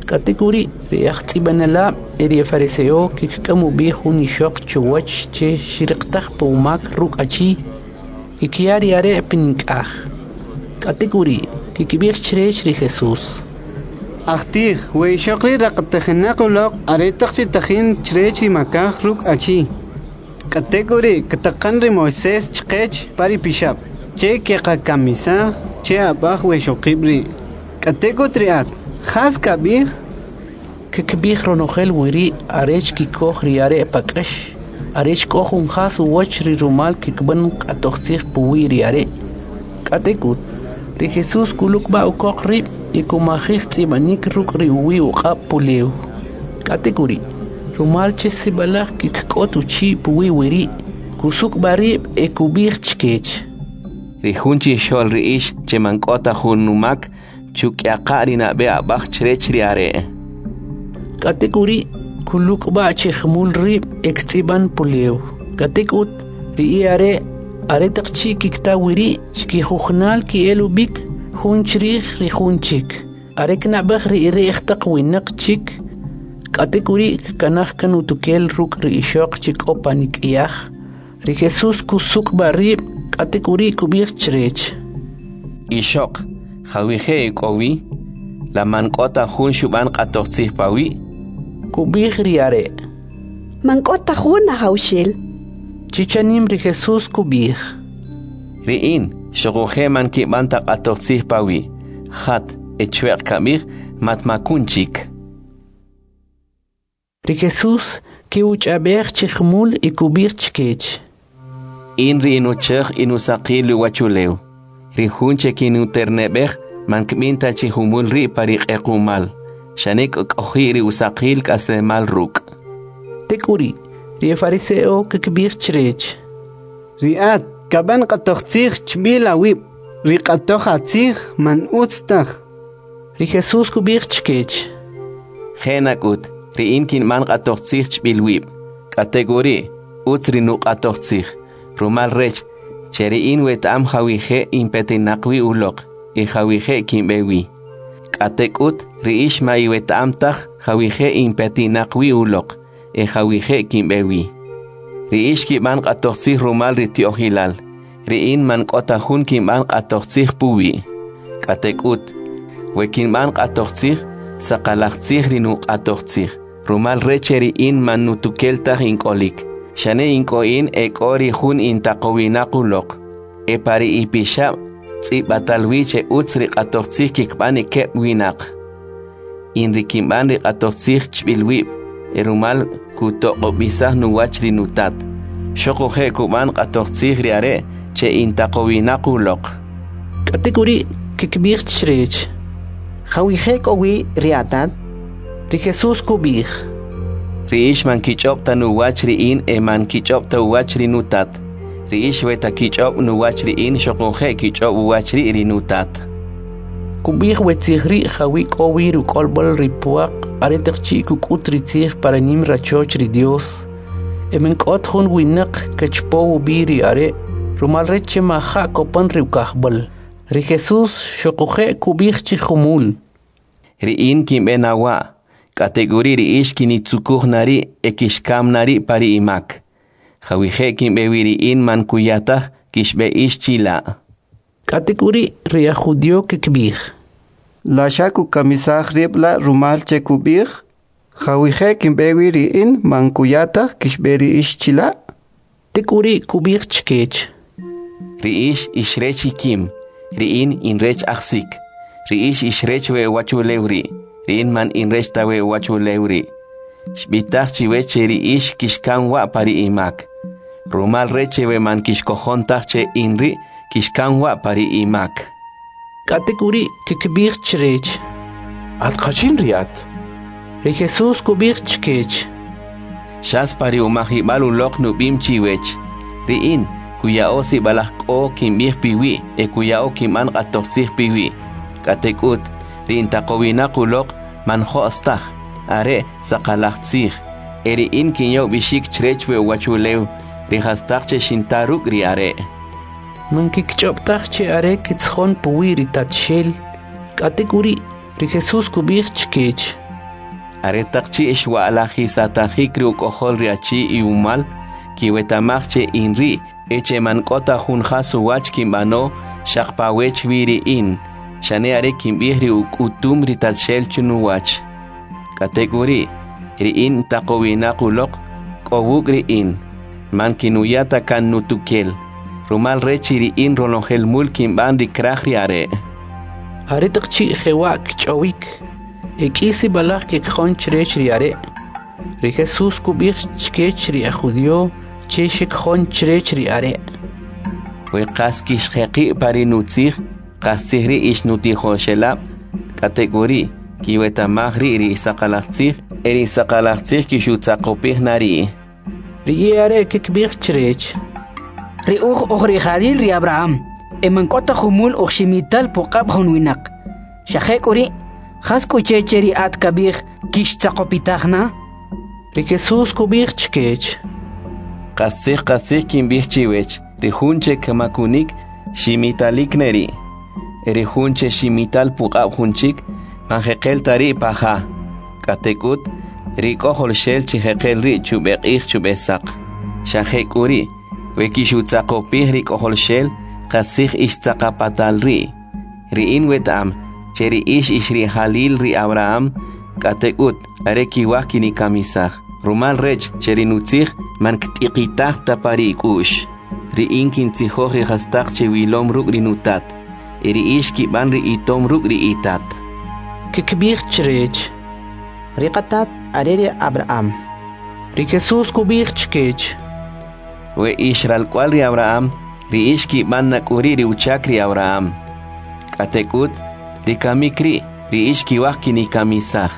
K'atek'uri' ri ajtz'ib'anelab' e ri fariseo kikk'am ub'i jun ixoq chuwach che xriqtaj pumak ruk' achi, kikya ri are' pinik'aj. K'atek'uri' kikb'ij chrech ri Jesús: Ajtij, we ixoq ri' raqatajinaq uloq aretaq chi' tajin chrech ri makaj ruk' achi. K'atek'uri' ktaqan ri Moisés chqech pa ri pixab' che keqakamisaj che ab'aj we ixoqib' ri'. K'atek'ut ri at, jas kab'ij? Kkib'ij ronojel wiri' arech kikoj ri are' pa k'ax, arech k'o jun jas uwach ri rumal kikb'an q'atoj tzij puwi' ri are'. K'atek'ut, ri Jesús kulukb'a' ukoq rib' y kumajij tz'ib'anik ruk' ri uwi' uq'ab' pulew. K'atek'uri', rumal che sib'alaj kikk'ot uchi' puwi' wiri', kusuk'b'a rib' e kub'ij chkech: Ri jun chixo'l ri ix che man k'o ta jun umak, chuk'yaqa' ri nab'e ab'aj chrech ri are'. K'atek'uri' kuluk'b'a' chi jumul rib' e ktz'ib'an pulew. K'atek'ut, ri e are' aretaq chi' kikta wiri' chkijujunal ki'el ub'ik jun chrij ri jun chik. Are knab'ej ri ri'j taq winaq chik. K'atek'uri' kkanaj kan utukel ruk' ri ixoq che k'o panik'yaj. Ri Jesús kusuk'b'a rib', k'atek'uri' kub'ij chrech: Ixoq, jawije' k'o wi? La man k'o ta jun xub'an q'atoj tzij pawi'? Kub'ij ri are': Man k'o ta jun, Ajawxel. Chichanim ri Jesús kub'ij: Ri in, xuquje' man kib'an ta q'atoj tzij pawi'. Jat, e chwe'q kab'ij, matmakun chik. Ri Jesús ke'uch'ab'ej chi jumul y kub'ij chkech: In ri inuchej inusaqil uwachulew. Ri jun che kinuterneb'ej man kb'in ta chi jumul ri' pa ri q'equmal, xane kk'oji' ri usaqil k'aslemal ruk'. Tek'uri', ri fariseo kikb'ij chrech: Ri at kab'an q'atoj tzij chb'il awib', ri q'atoj atzij man utz taj. Ri Jesús kub'ij chkech: Je' nak'ut, ri in kinb'an q'atoj tzij chb'il wib', k'atek'uri' utz ri nuq'atoj tzij, rumal rech che ri in weta'am jawije' inpetinaq wi uloq y jawije' kinb'e wi. K'atek'ut ri ix ma iweta'am taj jawije' inpetinaq wi uloq e jawije' kinb'e wi. Ri ix kib'an q'atoj tzij rumal ri ti'ojilal, ri in man k'o ta jun kinb'an q'atoj tzij puwi'. K'atek'ut, we kinb'an q'atoj tzij, saqalaj tzij ri nuq'atoj tzij, rumal rech che ri in man nutukel taj ink'olik, xane ink'o in e k'o ri jun intaqowinaq uloq. E pa ri ipixab' tz'ib'atal wi che utz ri q'atoj tzij kikb'an keb' winaq. In ri kinb'an ri q'atoj tzij chb'il wib', e rumal kutoq'ob'isaj nuwach ri nutat. Xuquje' kub'an q'atoj tzij ri are' che intaqowinaq uloq. K'atek'uri' kkib'ij chrech: Jawije' k'o wi ri atat? Ri Jesus kub'ij: Ri ix man kich'ob' ta nuwach ri in e man kich'ob' ta uwach ri nutat. Ri ix weta kich'ob' nuwach ri in xoquje' kich'ob' uwach ri' ri nutat. Kub'ij we tzij ri' jawi' k'o wi ri uk'olb'al ri pwaq aretaq chi' kuk'ut ri tzij pa ri nim rachoch ri Dyos, e man k'o ta jun winaq kachapow ub'i ri are' rumal rech che maja' kopan ri ukajb'al. Ri Jesus xoquje' kub'ij chi jumul: Ri in kinb'e na wa', k'atek'uri' ri ix kinitzukuj na ri' e kixkam na ri' pa ri imak. Jawije' kinb'e wi ri in man kuya taj kixb'e ix chila'. K'atek'uri' ri ajjudio kkib'ij: La xa kukamisaj rib' la' rumal che kub'ij: Jawije' kinb'e wi ri in man kuya taj kixb'e ri ix chila'? Tek'uri' kub'ij chkech: Ri ix ix rech ikim, ri in in rech ajsik. Ri ix ix rech we uwachulew ri', ri in man in rech ta we uwachulew ri'. Xb'itaj chiwech che ri ix kixkam wa' pa ri imak. Rumal rech che we man kixkojon taj che in ri' kixkam wa' pa ri imak. K'atek'uri' kkib'ij chrech: At jachin ri at? Ri Jesus kub'ij chkech: Xas pa ri umajib'al uloq nub'im chiwech, ri in kuya'o sib'alaj k'o kinb'ij piwi' e kuya'o kinb'an q'atojtzij piwi'. K'atek'ut, ri intaqowinaq uloq man jo's taj, are' saqalaj tzij, e ri in kinya ub'ixik chrech we uwachulew ri jastaq che xinta ruk' ri are'. Man kikch'ob' taj che are kitzjon puwi' ri Tatxel. K'atek'uri' ri Jesus kub'ij chkech: Aretaq chi' xwa'lajisatajik ri uk'ojol ri achi iwumal, kiweta'maj che in ri' e che man k'o ta jun jas uwach kinb'ano xaq pa wech wi ri in, xane are kinb'ij ri uk'utum ri Tatxel chinuwach. K'atek'uri', ri in taqowinaq uloq k'o wuk' ri in, man kinuya ta kan nutukel, rumal rech ri in ronojel mul kinb'an ri kraj ri are'. Aretaq chi' jewa' kch'awik, e k'i sib'alaj kekjon chrech ri are'. Ri Jesus kub'ij chkech ri ajjudio che xekjon chrech ri are': We qas kixjeqi' pa ri nutzij, qastzij ri' ix nutijoxelab', k'atek'uri' kiweta'maj ri' ri saqalaj tzij e ri saqalaj tzij kixutzaqopij na ri'. Ri e'are' kkib'ij chrech: Ri uj uj rija'lil ri Abraham, e man k'o ta jumul uj ximital puq'ab' jun winaq. Xa jek'uri', jas k'u che che ri at kab'ij kixtzaqopitaj na? Ri Jesus kub'ij chkech: Qastzij qastzij kinb'ij chiwech, ri jun che kmakunik ximitalik ne ri'. E ri jun che ximital puq'ab' jun chik, man jeqel ta ri' pa ja. K'atek'ut, ri k'ojolxel chi jeqel ri' chub'eq'ij chub'esaq. Xa jek'uri', we kixutzaqopij ri k'ojolxel, qastzij ixtzaqapatal ri'. Ri in weta'am che ri ix ix rijalil ri Abraham, k'atek'ut are kiwaj kinikamisaj, rumal rech che ri nutzij man kt'iqitaj ta pa ri ik'u'x. Ri in kintzijoj ri jastaq che wilom ruk' ri nutat, e ri ix kib'an ri itom ruk' ri itat. Kkib'ij chrech: Ri qatat are ri Abraham. Ri Jesus kub'ij chkech: We ix ralk'wa'l ri Abraham, ri ix kib'an na k'uri' ri uchak ri Abraham. K'atek'ut, ri kamik ri', ri ix kiwaj kinikamisaj.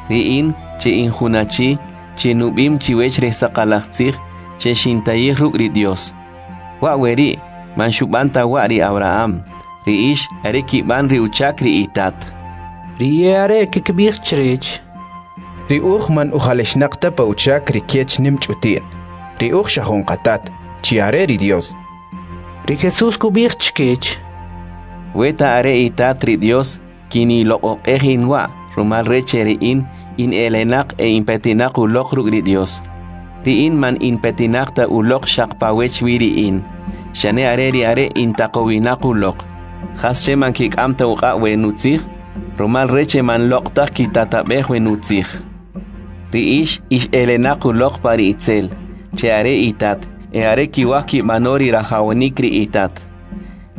Ri in, che in jun achi, che nub'im chiwech ri saqalaj tzij che xintayij ruk' ri Dios. Wa' we ri', man xub'an ta wa' ri Abraham. Ri ix are kib'an ri uchak ri itat. Ri e'are' kkib'ij chrech: Ri uj man ujalexnaq ta pa uchak ri kech nim ch'uti'n. Ri uj xa jun qatat, chi are ri Dios. Ri Jesus kub'ij chkech: Weta are itat ri Dios, kiniloq'oq'ej in wa', rumal rech che ri in in elenaq e inpetinaq uloq ruk' ri Dios. Ri in man inpetinaq ta uloq xaq pa wech wi ri in, xane are ri are' intaqowinaq uloq. Jas che man kik'am ta uq'ab' we nutzij? Rumal rech che man loq' taj kitatab'ej we nutzij. Ri ix ix elenaq uloq pa ri itzel, che are itat, e are kiwaj kib'ano ri rajawanik ri itat.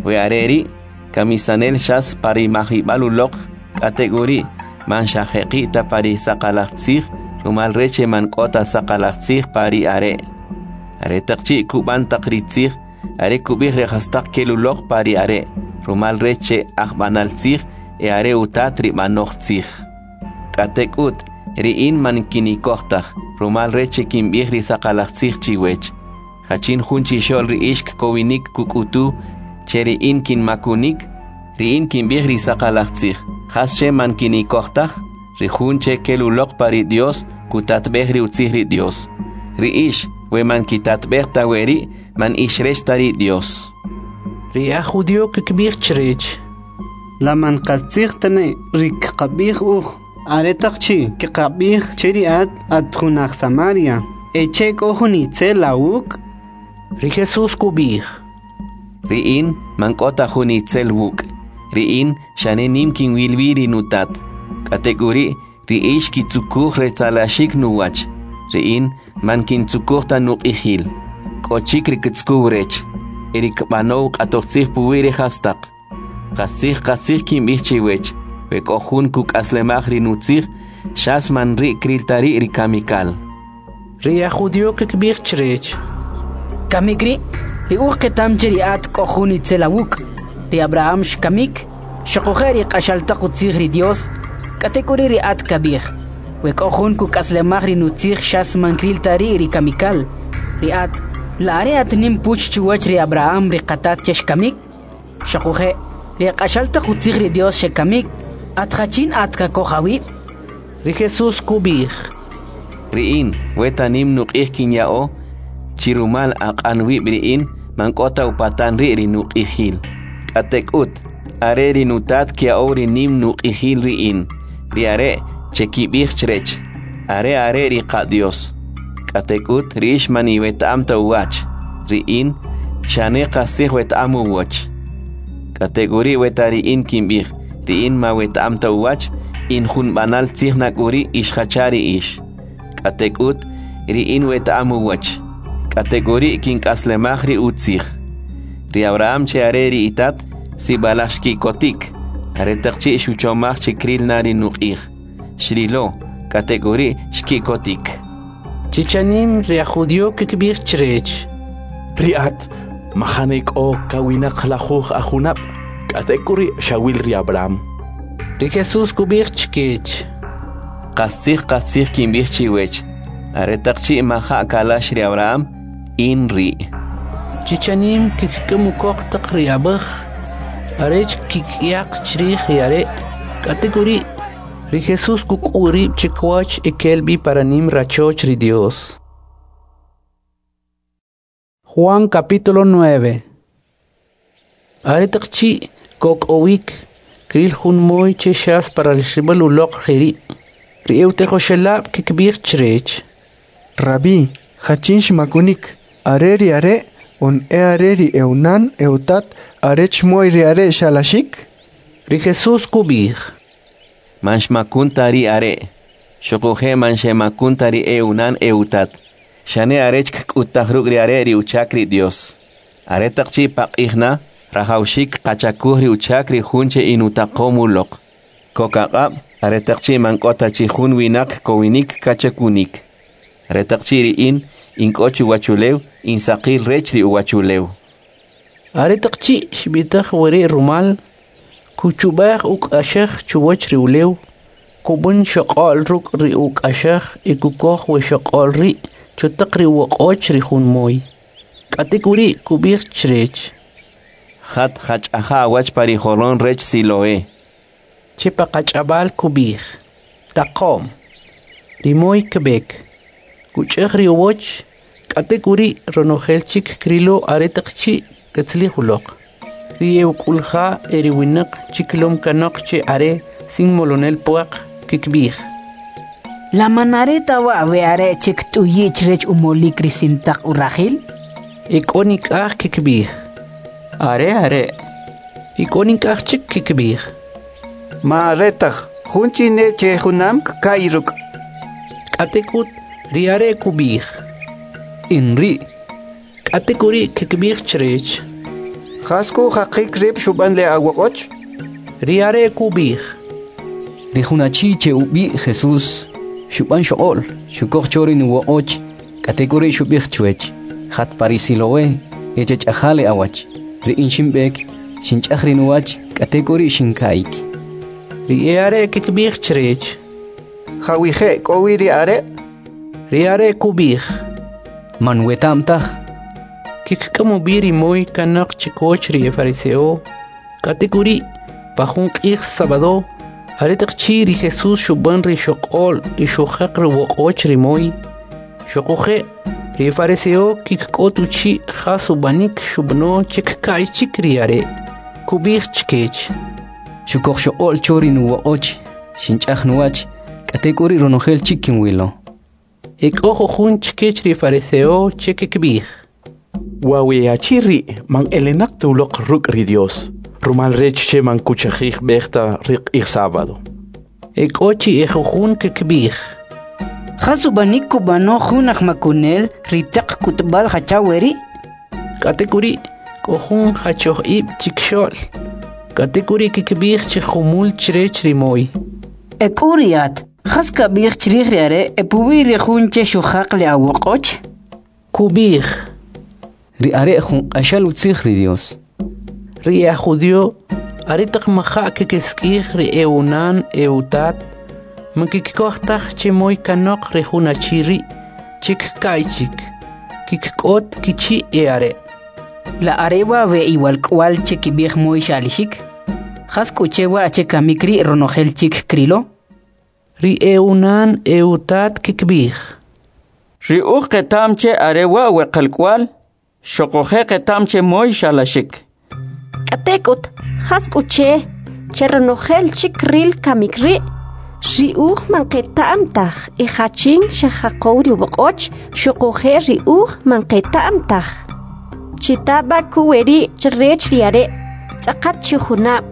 We are ri' kamisanel xas pa ri majib'al uloq, k'atek'uri' man xajeqi' ta pa ri saqalaj tzij, rumal rech che man k'o ta saqalaj tzij pa ri are'. Aretaq chi' kub'an taq ri tzij, are kub'ij ri jastaq kel uloq pa ri are', rumal rech che ajb'anal tzij e are utat ri b'anoj tzij. K'atek'ut, ri in man kinikoj taj, rumal rech che kinb'ij ri saqalaj tzij chiwech. Jachin jun chixo'l ri ix kkowinik kuk'utu che ri in kinmakunik, ri in kinb'ij ri saqalaj tzij. Jas che man kinikoj taj? Ri jun che kel uloq pa ri Dios kutatb'ej ri utzij ri Dios. Ri ix, we man kitatb'ej ta weri', man ix rech ta ri Dios. Ri aj judío kikb'ij chrech: La man qastzij ta ne ri kqab'ij uj aretaq chi' kqab'ij che ri at at jun aj Samaria e che k'o jun itzel awuk'? Ri Jesús kub'ij: Ri in man k'o ta jun itzel wuk'. Ri in xane nim kinwil wi ri nutat. K'atek'uri', ri ix kitzukuj retzalaxik nuwach. Ri in man kintzukuj ta nuq'ijil. K'o chik ri kitzukuw rech, e ri kb'anow q'atoj tzij puwi' ri jastaq. Qastzij qastzij kinb'ij chiwech, we k'o jun kuk'aslemaj ri nutzij, xas man ri' kril ta ri' ri kamikal. Ri aj judío kikb'ij chrech: Kamik ri', ri uj qetam che ri at k'o jun itzel awuk'. Ri Abraham xkamik, xuquje' ri q'axal taq utzij ri Dios, k'atek'uri' ri at kab'ij: We k'o jun kuk'aslemaj ri nutzij xas man kril ta ri' ri kamikal. Ri at, la are at nim puch chuwach ri Abraham ri qatat che xkamik? Xuquje' ri q'axal taq utzij ri Dios xekamik, at jachin at kakoj awib'? Ri Jesús kub'ij: Ri in, we ta nim nuq'ij kinya'o, chi rumal aq'an wib' ri in, man k'o ta upatan ri' ri nuq'ijil. K'atek'ut, are ri nutat kya'ow ri nim nuq'ijil ri in, ri are' che kib'ij chrech, are are ri qa-Dios. K'atek'ut, ri ix man iweta'am ta uwach, ri in, xane qastzij weta'am uwach. K'atek'uri' weta ri in kinb'ij, ri in ma weta'am ta uwach, in jun b'anal tzij nak'uri' ix jacha ri ix. K'atek'ut, ri in weta'am uwach. K'atek'uri' kink'aslemaj ri utzij. Ri Abraham che are ri itat, sib'alaj xki'kotik, aretaq chi' xuchomaj che kril na ri nuq'ij. Xrilo, k'atek'uri' xki'kotik. Chichanim ri aj judío kikb'ij chrech: Ri at majane k'o kawinaq lajuj ajunab', k'atek'uri' xawil ri Abraham. Ri Jesús kub'ij chkech: Qastzij qastzij kinb'ij chiwech, aretaq chi' maja' kalax ri Abraham, in ri'. Chichanim kik'am ukoq taq ri ab'aj arech kik'yaq chrij ri are'. K'atek'uri', ri Jesús kuk'u' rib' chikiwach e kel b'i para nim rachoch ri Dios. Juan capítulo nueve. Aretaq chi' kok'owik, kril jun moy che xas paralxib'al uloq jeri'. Ri e'utijoxelab' kikb'ij chrech: Rabí, jachin xmakunik, are ri are' on e are ri eunan eutat arech moy ri are' xalaxik? Ri Jesús kub'ij: Man xmakun ta ri are', xuquje' man xemakun ta ri eunan eutat, xane arech kk'uttaj ruk' ri are' ri uchak ri Dios. Aretaq chi' paq'ij na, rajawxik qachakuj ri uchak ri jun che inutaqom uloq. Kok aq'ab', aretaq chi' man k'o ta chi jun winaq kowinik kachakunik. Aretaq chi' ri in, in k'o chuwachulew, in saqil rech ri uwachulew. Aretaq chi' xb'itaj weri' rumal, kuchub'aj uk'axaj chuwach ri ulew, kub'an xoq'ol ruk' ri uk'axaj e kukoj we xoq'ol ri' chutaq ri uwoq'och ri jun moy. K'atek'uri' kub'ij chrech: Jat jach'aja awach pa ri joron rech Siloé. Che pa qach'ab'al kub'ij: Taqom. Ri moy kb'ek, kuch'aj ri uwoch, k'atek'uri' ronojel chik krilo aretaq chi' katzalij uloq. Ri e'uk'ulja e ri winaq chikilom kanoq che are sin molonel pwaq kikb'ij: La man are ta wa' we are' che kt'uyi' chrech umolik ri sintaq urajil? E k'o nik'aj kikb'ij: Are are'. E k'o nik'aj chik kikb'ij: Ma are taj, jun chi ne che junam kka'y ruk'. K'atek'ut ri are' kub'ij: In ri'. K'atek'uri' kikb'ij chrech: Jas k'u jaqik rib' xub'an le awoq'och? Ri are' kub'ij: Ri jun achi che ub'i' Jesús xub'an xoq'ol, xukoj cho ri nuwoq'och, k'atek'uri' xub'ij chwech: Jat pa ri Siloé e chach'aja le awach. Ri in xinb'ek, xinch'aj ri nuwach, k'atek'uri' xinka'yik. Ri e'are' kikb'ij chrech: Jawije' k'o wi ri are'? Ri are' kub'ij: Man weta'm taj. Kikk'am ub'i ri moy kanoq chikoch ri efariseo. K'atek'uri', pa jun q'ij sabado, aretaq chi' ri Jesús xub'an ri xoq'ol y xujaq ri woq'och ri moy, xuquje' ri fariseo kikk'ot uchi' jas ub'anik xub'ano che kka'y chik ri are'. Kub'ij chkech: Xukoj xoq'ol cho ri nuwoq'och, xinch'aj nuwach, k'atek'uri' ronojel chik kinwilo. E k'o jujun chkech ri fariseo che kikb'ij: Wa we achi ri' man elenaq ta uloq ruk' ri Dios, rumal rech che man kuchajij b'ej ta ri q'ij sábado. E k'o chi e jujun kikb'ij: Jas ub'anik kub'ano jun ajmakunel ri taq k'utb'al jacha weri'? K'atek'uri' k'o jun jachoj ib' chikxo'l. K'atek'uri' kikb'ij chi jumul chrech ri moy: E k'u ri at, jas kab'ij chrij ri are' e puwi' ri jun che xujaq le awoq'och? Kub'ij: Ri are' jun q'axal utzij ri Dios. Ri aj judío aretaq maja' kikisik'ij ri e'unan e'utat, man kikikoj taj che moy kanoq ri jun achi ri' che kka'y chik, kikk'ot kichi' e'are'. La are wa' we iwalk'wa'l che kib'ij moy xa'lixik? Jas k'u che wa' che kamik ri' ronojel chik krilo? Ri e'unan e'utat kikb'ij: Ri uj qeta'm che are wa' we qalk'wa'l, xuquje' qeta'm che moy xa'laxik. K'atek'ut, jas k'u che, che ronojel chik ril kamik ri'? Ri uj man qeta'm taj e jachin xejaqow ri woq'och, xuquje' ri uj man qeta'm taj. Chita b'a kuweri' chrech ri are', tz'aqat chi junab',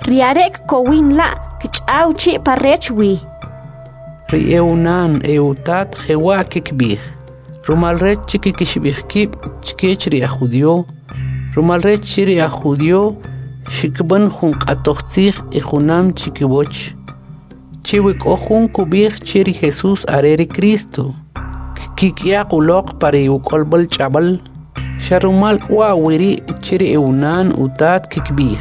ri are' kkowin la' kch'aw chi' parech wi. Ri e'unan e'utat jewa' kikb'ij, rumal rech che kikixib'ij kib' chkech ri aj judío, rumal rech che ri aj judío xikb'an jun q'atoj tzij e junam chikiwach. Che we k'o jun kub'ij che ri Jesús are ri Cristo, kkik'yaq uloq pa ri uk'olb'al ch'ab'al. Xa rumal k'wa weri' che ri e'unan utat kikb'ij: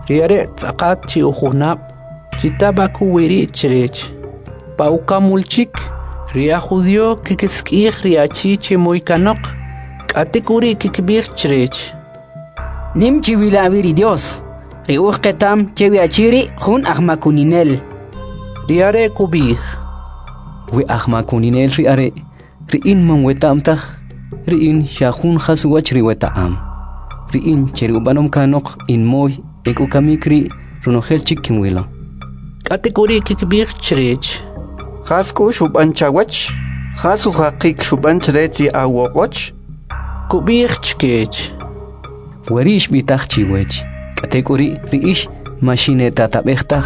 Ri are' tz'aqat chi ujunab', chita b'a kuweri' chrech. Pa ukamul chik, ri aj judío kikisik'ij ri achi che moy kanoq, k'atek'uri' kikb'ij chrech: Nim chiwila' wi ri Dios, ri uj qeta'm che wi achi ri' jun ajmakuninel. Ri are' kub'ij: We ajmakuninel ri are', ri in man weta'm taj, ri in xa jun jas uwach ri weta'am. Ri in che ri ub'anom kanoq in moy e k'u kamik ri' ronojel chik kinwilo. K'atek'uri' kikb'ij chrech: Jas k'u xub'an chawach? Jas ujaqik xub'an chrech ri awoq'och? Kub'ij chkech: Weri' xb'itaj chiwech, k'atek'uri' ri ix ma xinetatab'ej taj.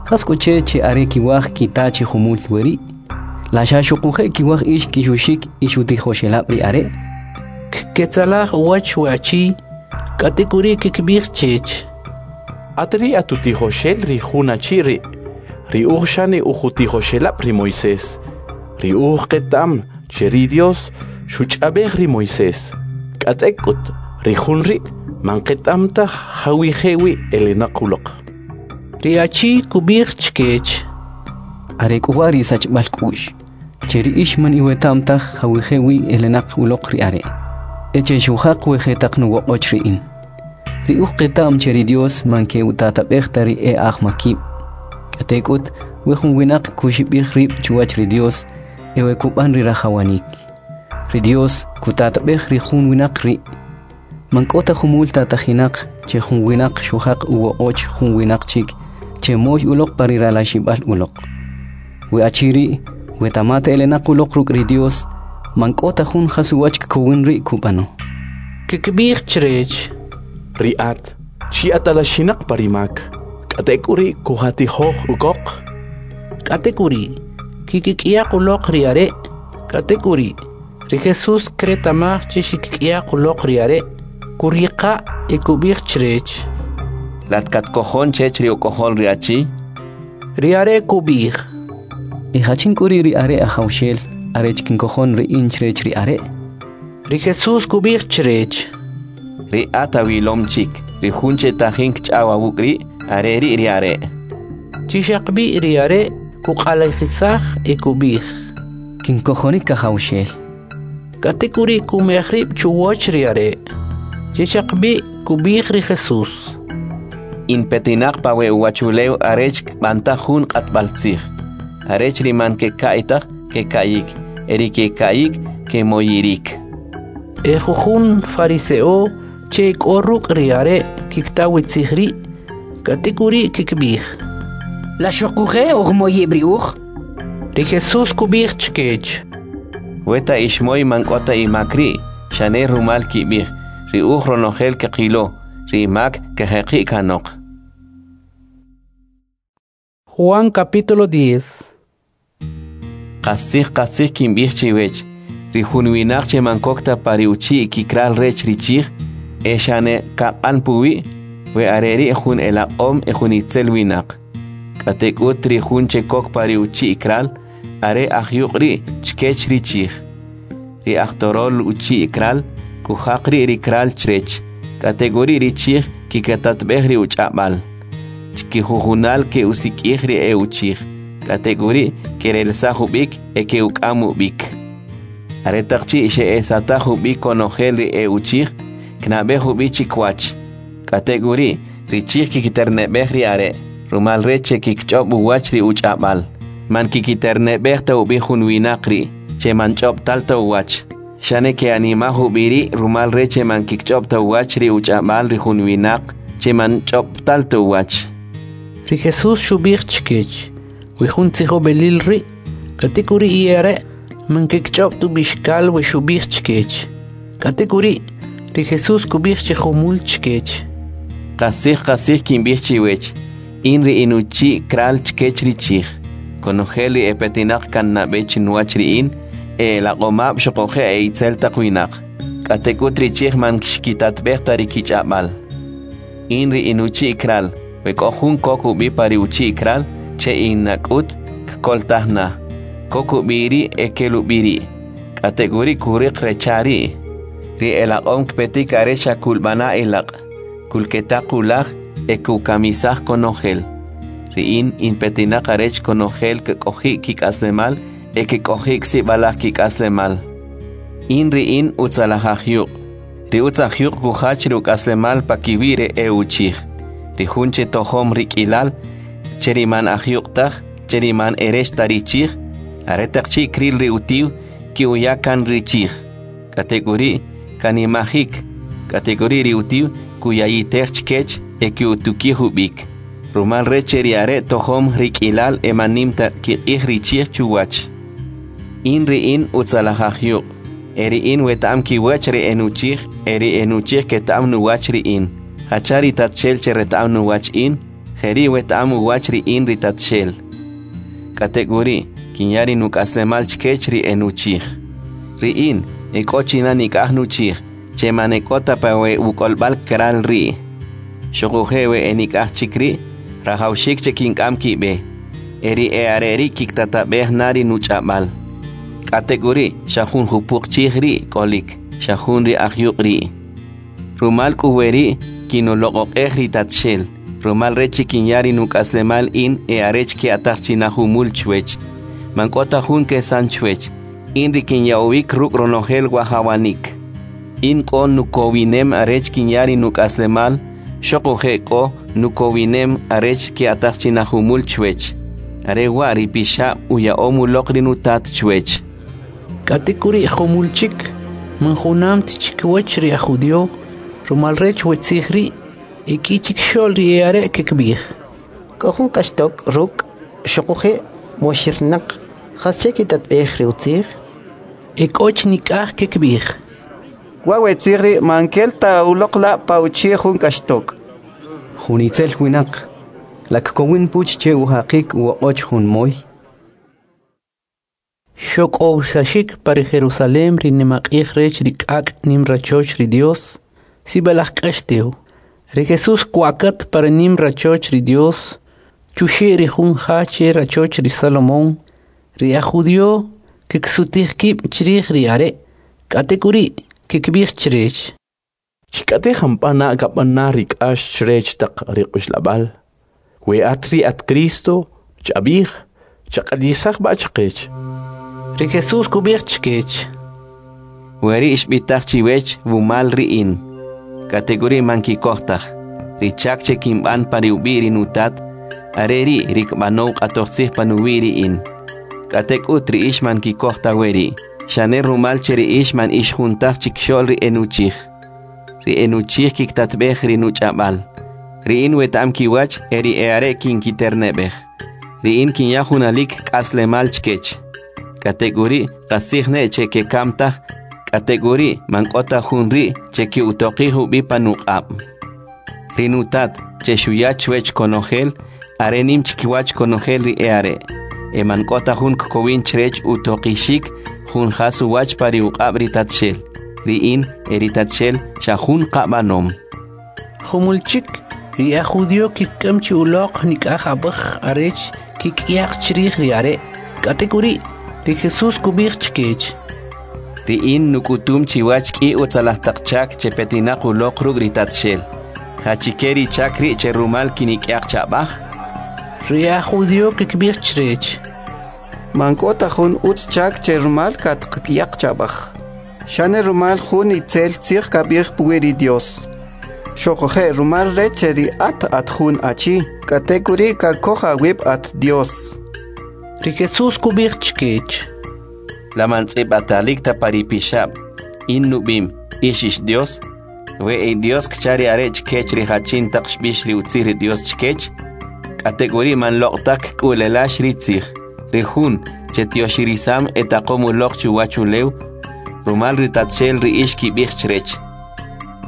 Jas k'u che che are kiwaj kita chi jumul weri'? La xa xuquje' kiwaj ix kixuxik ix utijoxelab' ri are'? Kketzalaj uwach we achi, k'atek'uri' kikb'ij chech: At ri' at utijoxel ri jun achi ri', ri uj xane uj utijoxelab' ri Moisés. Ri uj qeta'm che ri Dios xuch'ab'ej ri Moisés. K'atek'ut ri jun ri' man qeta'm taj jawije' wi elenaq uloq. Ri achi kub'ij chkech: Are k'u wa' ri sachb'al k'u'x, che ri ix man iweta'm taj jawije' wi elenaq uloq ri are', e che xujaq we jetaq nuwoq'och ri in. Ri uj qeta'm che ri Dios man ke'utatab'ej ta ri e'ajmakib'. K'atek'ut we jun winaq kuxib'ij rib' chuwach ri Dios e we kub'an ri rajawanik. Ri Dios kutatab'ej ri jun winaq ri'. Man k'o ta jumul tatajinaq che jun winaq xujaq uwoq'och jun winaq chik che moy uloq pa ri ralaxib'al uloq. We achi ri' we tamata elenaq uloq ruk' ri Dios, man k'o ta jun jas uwach kkowin ri' kub'ano. Kikb'ij chrech: Ri at, chi atalaxinaq pa ri mak, k'atek'uri' kujatijoj ukoq. K'atek'uri' kikik'yaq uloq ri are'. K'atek'uri' ri Jesús kreta'maj che xikik'yaq uloq ri are', kuriqa' e kub'ij chrech: Lat katkojon chech ri uk'ojol ri achi? Ri are' kub'ij: E jachin k'u ri' ri are' Ajawxel, arech kinkojon ri in chrech ri are'? Ri Jesús kub'ij chrech: Ri at awilom chik, ri jun che tajin kch'aw awuk' ri', are ri' ri are'. Chi xaqb'i ri are' kuq'alajisaj e kub'ij: Kinkojonik, Ajawxel. K'atek'uri' kumej rib' chuwach ri are'. Chi xaqb'i kub'ij ri Jesús: In petinaq pa we uwachulew arech kb'antaj jun q'atb'altzij, arech ri man keka'y taj keka'yik, e ri keka'yik kemoyirik. E jujun farise'o che k'o ruk' ri are' kikta we tzij ri', k'atek'uri' kikib'ij: La xoquje' ujmoyib' ri uj? Ri Jesús kub'ij chkech: Weta ix moy man k'o ta imak ri', xane rumal kib'ij, ri uj ronojel kqilo, ri imak kajeqi' kanoq. Juan capítulo diez. Qastzij qastzij kinb'ij chiwech, ri jun winaq che man kok ta pa ri uchi' kikral rech ri chij, e xane kaq'an puwi', we are ri' jun elaq'om e jun itzel winaq. K'atek'ut ri jun che kok pa ri uchi' kral, are ajyuq' ri' chkech ri chij. Ri ajtorol uchi' kral, kujaq ri' ri kral chrech, k'atek'uri' ri chij kikatatb'ej ri uch'ab'al. Chkijujunal ke'usik'ij ri e uchij, k'atek'uri' kerelsaj ub'ik e ke'uk'am ub'ik. Aretaq chi' xe'esataj ub'ik konojel ri e uchij, knab'ej ub'i chikwach. K'atek'uri' ri chij kikiterneb'ej ri are', rumal rech che kikch'ob' uwach ri uch'ab'al. Man kikiterneb'ej ta ub'i jun winaq ri', che man ch'ob'tal ta uwach. Xane ke'animaj ub'i ri' rumal rech che man kikch'ob' ta uwach ri uch'ab'al ri jun winaq, che man ch'ob'tal ta uwach. Ri Jesús xub'ij chkech, we jun tzijob'elil ri', k'atek'uri' e are' man kikch'ob' ta ub'ixkal we xub'ij chkech. K'atek'uri', ri Jesús kub'ij chi jumul chkech: Qastzij qastzij kinb'ij chiwech, in ri inuchi' kral chkech ri chij. Konojel ri epetinaq kan nab'e chinuwach ri in, e elaq'omab' xuquje' e itzel taq winaq. K'atek'ut ri chij man xkitatb'ej ta ri kich'ab'al. In ri inuchi' kral, we k'o jun kok ub'i pa ri uchi' kral, che in nak'ut kkoltaj na. Kok ub'i ri' e kel ub'i ri'. K'atek'uri' kuriq recha ri'. Ri elaq'om kpetik are xa kulb'ana elaq', kulketaq ulaj e kukamisaj konojel. Ri in inpetinaq arech konojel kek'oji' kik'aslemal e kek'oji'k sib'alaj kik'aslemal. In ri in utzalaj ajyuq'. Ri utz ajyuq' kujach ri uk'aslemal pakiwi' ri e uchij. Ri jun che tojom rik'ilal, che ri man ajyuq' taj, che ri man erech ta ri chij, aretaq chi' kril ri utiw, ki'uya kan ri chij. K'atek'uri' kanimajik, k'atek'uri' ri utiw kuyayitej chkech e ki'utukij ub'ik. Rumal rech che ri are' tojom rik'ilal e man nim ta kiq'ij ri chij chuwach. In ri in utzalaj ajyuq', e ri in weta'am kiwach ri enuchij, e ri enuchij keta'am nuwach ri in. Jacha ri Tatxel che reta'am nuwach in, jeri' weta'am uwach ri in ri Tatxel. K'atek'uri', kinya ri nuk'aslemal chkech ri enuchij. Ri in, e k'o china nik'aj nuchij, che man e k'o ta pa we uk'olb'al kral ri'. Xuquje' we e nik'aj chik ri', rajawxik che kink'am kib'e, e ri e are' ri' kiktatab'ej na ri nuch'ab'al. K'atek'uri' xa jun jupuq chij ri' k'olik, xa jun ri ajyuq' ri'. Rumal k'u weri' kinuloq'oq'ej ri Tatxel, rumal rech che kinya ri nuk'aslemal in e arech ke'ataj china jumul chwech. Man k'o ta jun kesan chwech, in ri kinya'owik ruk' ronojel wajawanik. In k'o nukowinem arech kinya ri nuk'aslemal, xuquje' k'o nukowinem arech ke'ataj china jumul chwech. Are wa' ri pixab' uya'om uloq ri nutat chwech. K'atek'uri' jumul chik, man junam ta chikiwach ri aj judío, rumal rech we tzij ri', e k'i chikixo'l ri e are' kikib'ij: K'o jun k'axtok' ruk' xuquje' moxirnaq, jasche kitatb'ej ri utzij? E k'o chi nik'aj kikib'ij: Wa' we tzij ri' man kel ta uloq la' pa uchi' jun k'axtok'. Jun itzel winaq, la kkowin puch che ujaqik uwoq'och jun moy? Xok'owsaxik pa ri Jerusalem ri nimaq'ij rech ri k'ak' nim rachoch ri Dios, sib'alaj k'ax tew. Ri Jesús kwa'kat pa ri nim rachoch ri Dios, chuxe' ri jun ja che rachoch ri Salomón. Ri aj judío kiksutij kib' chrij ri are', k'atek'uri' kikib'ij chrech: Chik'ate jampa na kab'an na ri k'ax chrech taq ri quxlab'al? We at ri at Cristo, chab'ij, chaq'alisaj b'a chqech. Ri Jesús kub'ij chkech: Weri' xb'itaj chiwech wumal ri in. K'atek'uri' man kikoj taj. Ri chak che kinb'an pa ri ub'i' ri nutat, are ri' ri kb'anow q'atojtzij panuwi' ri in. K'atek'ut ri ix man kikoj ta weri', xane rumal che ri ix man ix jun taj chikxo'l ri enuchij. Ri enuchij kiktatb'ej ri nuch'ab'al. Ri in weta'am kiwach e ri e'are' kinkiterneb'ej. Ri in kinya junalik k'aslemal chkech. K'atek'uri' qastzij ne' che kekam taj, k'atek'uri' man k'o ta jun ri' che ki'utoqij ub'i panuq'ab'. Ri nutat, che xuya chwech konojel, are nim chkiwach konojel ri e'are', e man k'o ta jun kkowin chrech utoqixik jun jas uwach pa ri uq'ab' ri Tatxel. Ri in e ri Tatxel xa jun qab'anom. Jumul chik, ri aj judío kik'am chi uloq nik'aj ab'aj arech kik'yaq chrij ri are'. K'atek'uri', ri Jesús kub'ij chkech: Ri in nuk'utum chiwach k'i utzalaj taq chak che petinaq uloq ruk' ri Tatxel. Jachike ri chak ri' che rumal kinik'yaq cha'b'aj? Ri aj judío kikb'ij chrech: Man k'o ta jun utz chak che rumal katqk'yaq cha'b'aj. Xane rumal jun itzel tzij kab'ij puwi' ri Dios. Xoquje' rumal rech che ri at at jun achi, k'atek'uri' kakoj awib' at Dios. Ri Jesús kub'ij chkech: La man tz'ib'atalik ta pa ri pixab', in nub'im, ix ix Dios? We e Dios kcha ri are' chkech ri jachin taq xb'ix ri utzij ri Dios chkech? K'atek'uri' man loq' taj kk'ulelax ri tzij. Ri jun che tyoxirisam e taqom uloq chuwach ulew, rumal ri Tatxel ri ix kib'ij chrech.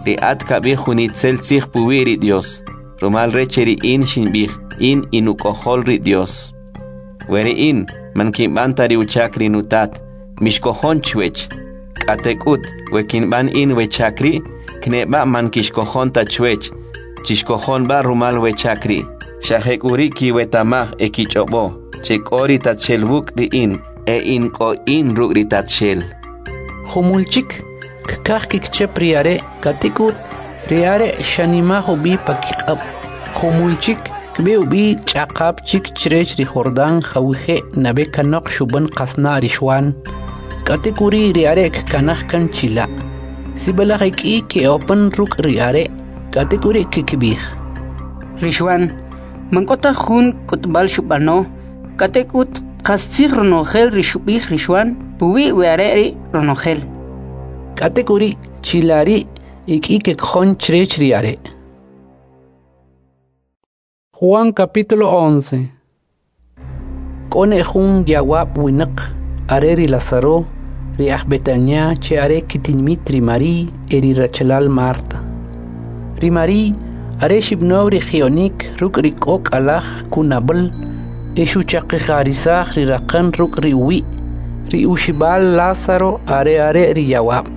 Ri at kab'ij jun itzel tzij puwi' ri Dios, rumal rech che ri in xinb'ij, in inuk'ojol ri Dios. We ri in man kinb'an ta ri uchak ri nutat, mixkojon chwech. K'atek'ut, we kinb'an in we chak ri', kneb'a man kixkojon ta chwech, chixkojon b'a rumal we chak ri'. Xa jek'uri' kiwetamaj e kich'ob'o, che k'o ri Tatxel wuk' ri in, e in k'o in ruk' ri Tatxel. Jumul chik, kkaj kikchep ri are', k'atek'ut, ri are' xanimaj ub'i pa kiq'ab'. Jumul chik, kb'e ub'i ch'aqap chik chrech ri Jordán jawije' nab'e kanoq xub'an qasna' ri Xwan. K'atek'uri' ri are' kkanaj kan chila'. Sib'alaj ek'i ke'opan ruk' ri are', k'atek'uri' kikb'ij: Ri Xwan man k'o ta jun k'utb'al xub'ano, k'atek'ut qastzij ronojel ri xub'ij ri Xwan puwi' we are' ri' ronojel. K'atek'uri' chila' ri' ek'i kekojon chrech ri are'. Juan capítulo once. K'o ne jun yawab' winaq, are ri Lázaro, ri aj Betania che are kitinmit ri Marí e ri rachalal Marta. Ri Marí are xib'now ri ji'onik ruk' ri k'ok' alaj kunab'al e xuchaqi'jarisaj ri raqan ruk' ri uwi'. Ri uxib'al Lázaro are are ri yawab'.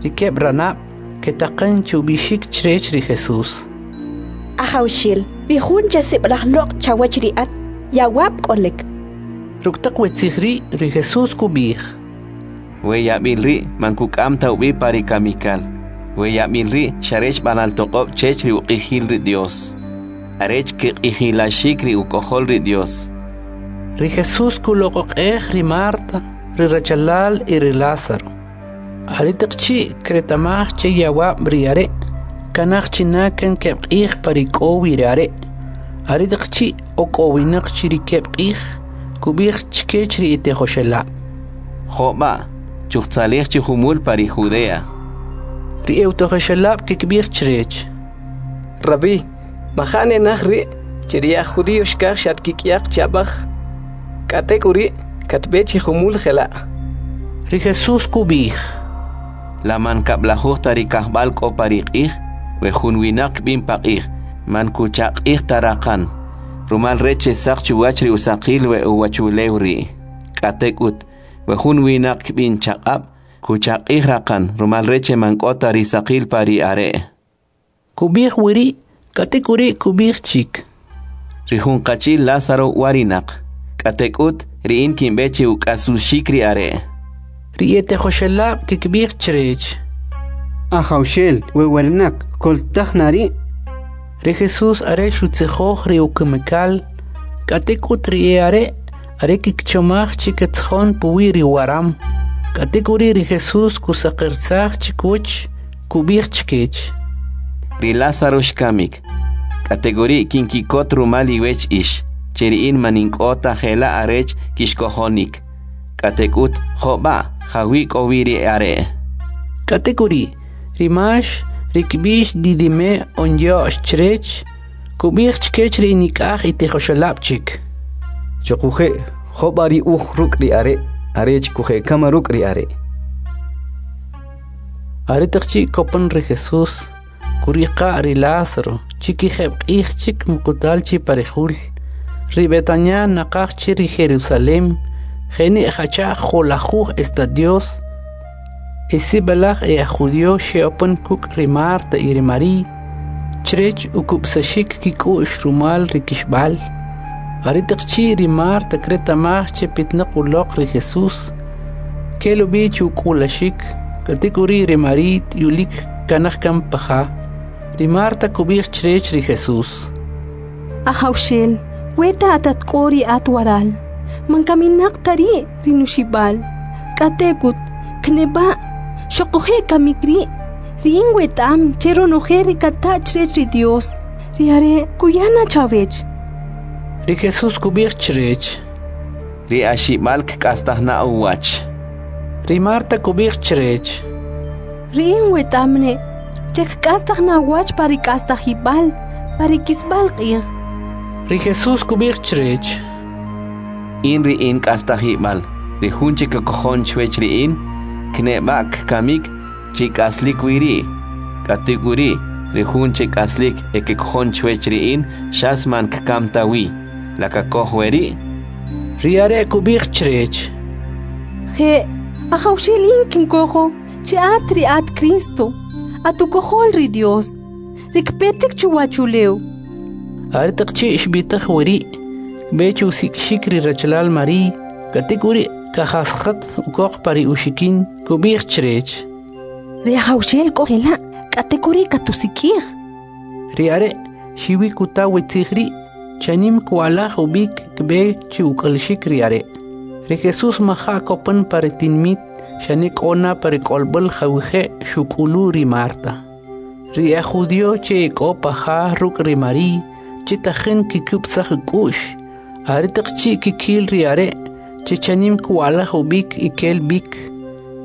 Ri keb' ranab' ketaqan che ub'ixik chrech ri Jesús: Ajawxel, ri jun che sib'alaj loq' chawach ri at, yawab' k'olik. Ruk' taq we tzij ri', ri Jesús kub'ij: We yab'il ri' man kuk'am ta ub'i pa ri kamikal. We yab'il ri' xa rech b'anal toq'ob' chech ri uq'ijil ri Dios, arech kq'ijilaxik ri uk'ojol ri Dios. Ri Jesús kuloq'oq'ej ri Marta, ri rachalal y ri Lázaro. Aretaq chi' kretamaj che yawab' ri are', kanaj china kan keb' q'ij pa ri k'o wi ri are'. Aretaq chi' ok'owinaq chi ri keb' q'ij, kub'ij chkech ri itijoxelab': Jo'b'a, chujtzalij chi jumul pa ri Judea. Ri etijoxelab' kikb'ij chrech: Rabí, maja' nenaj ri' che ri aj judío xkaj xatkik'yaq cha'b'aj. K'atek'uri' katb'e chi jumul jela'. Ri Jesús kub'ij: La man kab'lajuj ta ri kajb'al k'o pa ri q'ij? We jun winaq kb'in pa q'ij, man kuchaq'ij ta raqan, rumal rech che saq chuwach ri usaqil we uwachulew ri'. K'atek'ut, we jun winaq kb'in chaq'ab', kuchaq'ij raqan, rumal rech che man k'o ta ri saqil pa ri are'. Kub'ij wiri', k'atek'uri' kub'ij chik: Ri jun qachi'l Lázaro warinaq, k'atek'ut ri in kinb'e che uk'asuxik ri are'. Ri etijoxelab' kikb'ij chrech: Ajawxel, we winaq kkoltaj na ri'. Ri Jesús are xutzijoj ri ukamikal, k'atek'ut ri e'are' are kikchomaj chi ketzjon puwi' ri waram. K'atek'uri' ri Jesús kusaqirsaj chikuch, kub'ij chkech: Ri Lázaro xkamik. K'atek'uri' kinkikot rumal iwech ix, che ri in man in k'o ta jela' arech kixkojonik. K'atek'ut jo' b'a' jawi' k'o wi ri are'. K'atek'uri' ri Max, ri kb'ix Didime on Yo'x chrech, kub'ij chkech ri nik'aj itijoxelab' chik: Xoquje' jo' b'a ri uj ruk' ri are' arech kuje'kama ruk' ri are'. Aretaq chi' kopan ri Jesús, kuriqa' ri Lázaro, chi kijeb' q'ij chik muqutal chi pa ri jul. Ri Betania naqaj chi ri Jerusalem, jeni' jacha' jo'lajuj estadios. E sib'alaj e aj judío xe'opan kuk' ri Marta y ri Marí, chrech ukub'saxik kik'u'x rumal ri kixb'al. Aretaq chi' ri Marta kreta'maj che pitnaq uloq ri Jesús, kel ub'i chu uk'ulaxik, k'atek'uri' ri Marí t'uyulik kanaj kan pa ja. Ri Marta kub'ij chrech ri Jesús: Ajawxel, weta at at k'o ri at waral, man kaminaq ta ri' ri nuxib'al. K'atek'ut kneb'a' xoquje' kamik ri', ri in weta'am che ronojel ri kata' chrech ri Dios, ri are' kuya na chawech. Ri Jesús kub'ij chrech: Ri axib'al kk'astaj na uwach. Ri Marta kub'ij chrech: Ri in weta'am ne' che kk'astaj na uwach pa ri k'astajib'al, pa ri kisb'al q'ij. Ri Jesús kub'ij chrech: In ri in k'astajib'al, ri jun che kakojon chwech ri in, kneb'a' kkamik chi k'aslik wi ri'. K'atek'uri' ri jun che k'aslik e kkojon chwech ri in, xas man kkam ta wi. La kakoj we ri'? Ri are' kub'ij chrech: Je', Ajawxel, in kinkojo che at ri at Cristo, at ukojol ri Dios, ri kpetik chuwachulew. Aretaq chi' xb'itaj weri', kb'e chu usik'ixik ri rachalal Marí, k'atek'uri' kajasjat ukoq pa ri uxikin, kub'ij chrech: Ri Ajawxel k'o jela', k'atek'uri' katusik'ij. Ri are' xiwi kuta we tzij ri', chanim kwa'laj ub'ik kb'e chi uk'alxik ri are'. Ri Jesús maja' kopan pa ri tinmit, xane k'o na pa ri k'olb'al jawije' xuk'ulu ri Marta. Ri aj judío che k'o pa ja ruk' ri Marí, che tajin kikub'saj k'u'x, aretaq chi' kikil ri are' che chanim kwa'laj ub'ik y kel b'ik,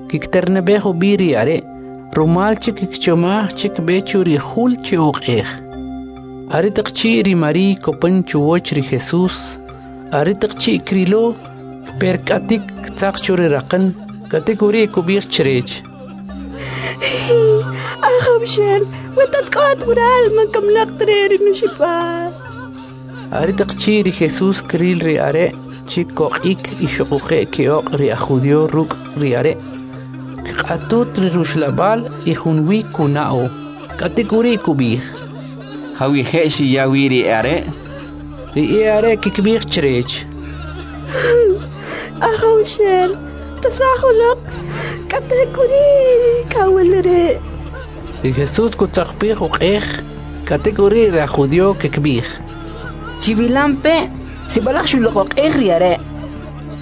kikiterneb'ej ub'i ri are', rumal che kikchomaj che kb'e chu ri jul che uq'ej. Aretaq chi' ri Marí kopan chuwach ri Jesús, aretaq chi' krilo, kperk'atik ktzaq chu ri raqan, k'atek'uri' kub'ij chrech: Ajawxel, weta at k'o at waral, man kaminaq ta ri' ri nuxib'al. Aretaq chi' ri Jesús kril ri are' chi koq'ik y xoquje' ke'oq' ri aj judío ruk' ri are', kq'atut ri ruxlab'al y junwi kuna'o. K'atek'uri' kub'ij: Jawije' xiya wi ri are'? Ri e'are' kikb'ij chrech: Ajawxel, tasaj uloq, k'atek'uri' kawil ri'. Ri Jesús kutzaqpij uq'ej, k'atek'uri' ri aj judío kikb'ij: Chiwilampe', sib'alaj xuloq'oq'ej ri are'.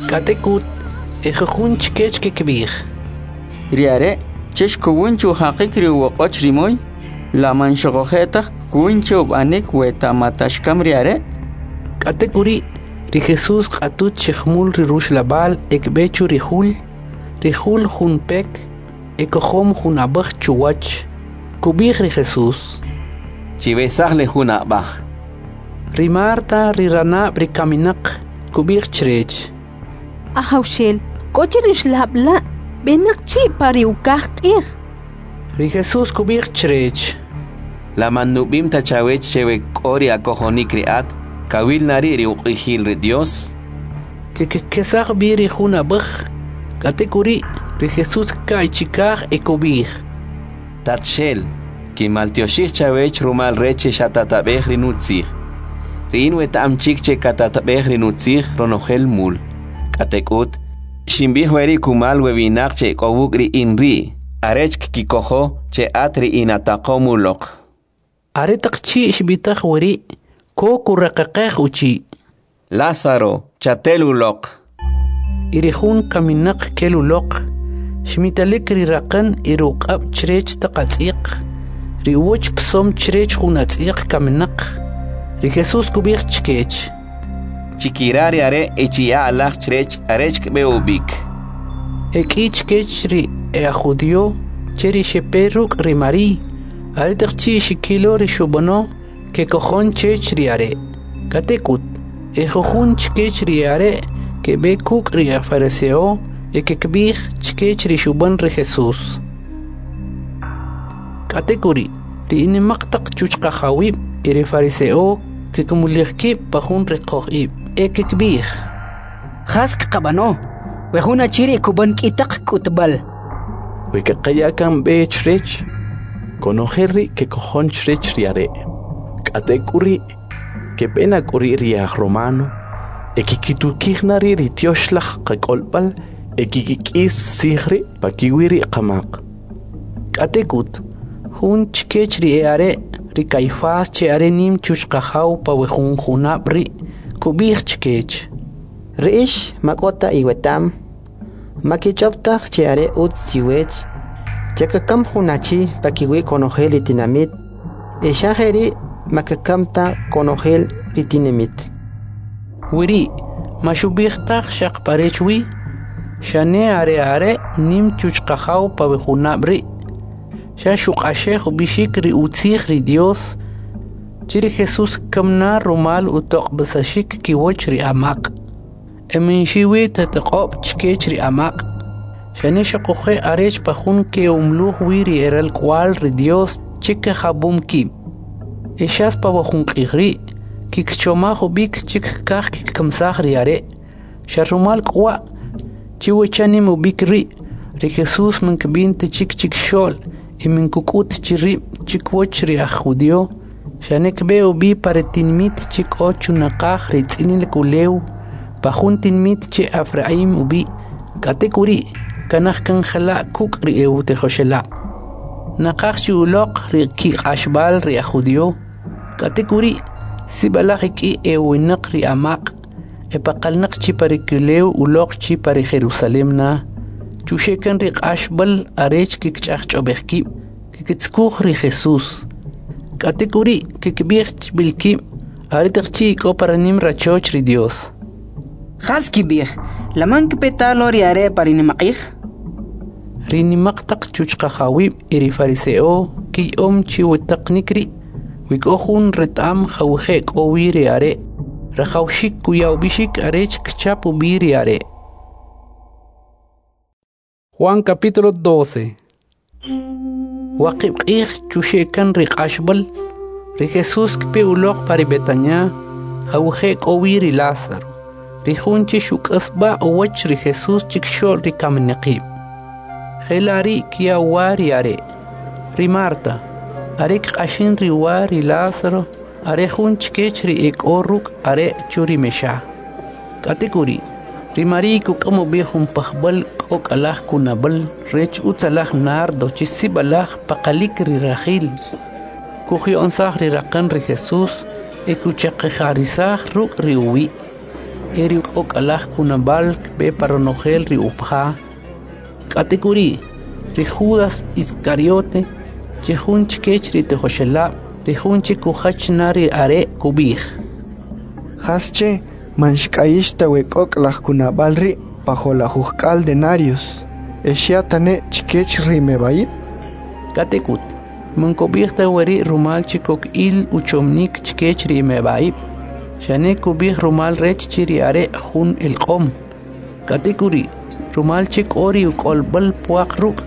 K'atek'ut e jujun chkech kikb'ij: Ri are' che xkowin chujaqik ri uwoq'och ri moy, la man xoquje' taj kkowin che ub'anik we ta mata xkam ri are'? K'atek'uri' ri Jesús kq'atut chi jumul ri ruxlab'al e kb'e chu ri jul. Ri jul jun pek e kojom jun ab'aj chuwach. Kub'ij ri Jesús: Chiwesaj le jun ab'aj. Ri Marta, ri ranab' ri kaminaq, kub'ij chrech: Ajawxel, k'o chi ruxlab' la' b'enaq chi' pa ri ukaj q'ij. Ri Jesús kub'ij chrech: La man nub'im ta chawech che we k'o ri akojonik ri at, kawil na ri' ri uq'ijil ri Dios? Kikesaj b'i ri jun ab'aj, k'atek'uri' ri Jesús kka'y chikaj e kub'ij: Tatxel, kinmaltyoxij chawech rumal rech che xatatab'ej ri nutzij. Ri in weta'am chik che katatab'ej ri nutzij ronojel mul. K'atek'ut, xinb'ij weri' kumal we winaq che k'o wuk' ri in ri', arech kkikojo che at ri inataqom uloq. Aretaq chi' xb'itaj weri', ko kuraqaqej uchi'. Lázaro, chatel uloq. Y ri jun kaminaq kel uloq, xmitalik ri raqan y ri uq'ab' chrech taq atz'iq, ri uwach psom chrech jun atz'iq kaminaq. Ri Jesús kub'ij chkech: Chikira ri are' e chiya' alaj chrech arech kb'e ub'ik. E k'i chkech ri e'ajjudio che ri xepe ruk' ri Mari'y, aretaq chi' xkilo ri xub'ano, kekojon chech ri are'. K'atek'ut, ejujun chkech ri e'are' keb'e kuk' ri e'ajfariseo e kkib'ij chkech ri xub'an ri Jesús. K'atek'uri', ri enimaq taq chuchqajawib' e ri fariseo kkimulij kib' pa jun riqoj ib' e kkib'ij: Jas kqab'ano? We jun achi ri' kub'an k'i taq k'utb'al. We kaqaya kan b'e chrech, konojel ri' kekojon chrech ri are'. K'atek'uri', kepe na k'uri' ri ajromano e kkitukij na ri' ri tyoxlaj qak'olb'al e kkik'is tzij ri' pakiwi' ri qamaq. K'atek'ut, jun chkech ri e'are', ri Caifás che are nim chuchqajaw pa we jun junab' ri', kub'ij chkech: Ri ix ma k'o ta iweta'm, ma kich'ob' taj che are utz chiwech che kakam jun achi pakiwi' konojel ri tinamit, e xa jeri' ma kekam ta konojel ri tinamit. Weri' ma xub'ij taj xaq parech wi, xane are are' nim chuchqajaw pa we junab' ri', xa xuq'axej ub'ixik ri utzij ri Dios, che ri Jesús kkam na rumal utoq'ob'isaxik kiwach ri amaq'. E man xiwi ta toq'ob' chkech ri amaq', xane xoquje' arech pa jun ke'umluj wi ri eralk'uwa'l ri Dios che kajab'um kib'. E xas pa we jun q'ij ri', kikchomaj ub'ik che kkaj kkikamisaj ri are'. Xa rumal k'uwa' che we chanim ub'ik ri', ri Jesús man kb'in ta chik chikxo'l e man kuk'ut chi rib' chikiwach ri aj judio, xane kb'e ub'i pa ri tinimit che k'o chunaqaj ri tz'inalik ulew, pa jun tinimit che Efraim ub'i'. K'atek'uri' kanaj kan jela' kuk' ri e'utijoxelab'. Naqaj chi uloq ri kiq'axb'al ri aj judio, k'atek'uri' sib'alaj ek'i e'uwinaq ri amaq' epaqalnaq chi pa ri kulew uloq chi pa ri Jerusalem na, chuxe' kan ri q'axb'al arech kkich'ajch'ob'ej kib', kkitzukuj ri Jesús. K'atek'uri' kkib'ij chb'il kib' aretaq chi' k'o pa ri nim rachoch ri Dios: Jas kib'ij? La man kpe ta lo ri are' pa ri nimaq'ij? Ri nimaq taq chuchqajawib' e ri fariseo kiya'om chi we taqanik ri': we k'o jun reta'm jawije' k'o wi ri are', rajawxik kuya ub'ixik arech kchap ub'i ri are'. Juan capítulo doce. Waqib' q'ij chuxe' kan ri q'axb'al, ri Jesús kpe uloq pa ri Betania, jawije' k'o wi ri Lázaro, ri jun che xuk'asb'a' uwach ri Jesús chikxo'l ri kaminaqib'. Jela' ri' kya' uwa ri are'. Ri Marta, are kq'axin ri uwa ri Lázaro, are jun chkech ri ek'o ruk' are' chu ri mexa. K'atek'uri', ri Mari'y kuk'am ub'i jun pajb'al k'ok'alaj kunab'al rech utzalaj nardo che sib'alaj paqalik ri rajil. Kuji'onsaj ri raqan ri Jesús e kuchaqi'jarisaj ruk' ri uwi'. E ri k'ok'alaj kunab'al kb'e pa ronojel ri upaja. K'atek'uri', ri Judas Iscariote, che jun chkech ri tijoxelab', ri jun che kujach na ri are', kub'ij: Jasche man xk'ayix ta we k'ok'laj kunab'al ri' pa jo'lajujk'al denarios e xya tane chkech ri meb'ayib'? K'atek'ut, man kub'ij ta weri' rumal che kok il uchomnik chkech ri meb'a'ib', xane kub'ij rumal rech che ri are' jun elq'om. K'atek'uri', rumal che k'o ri uk'olb'al pwaq ruk',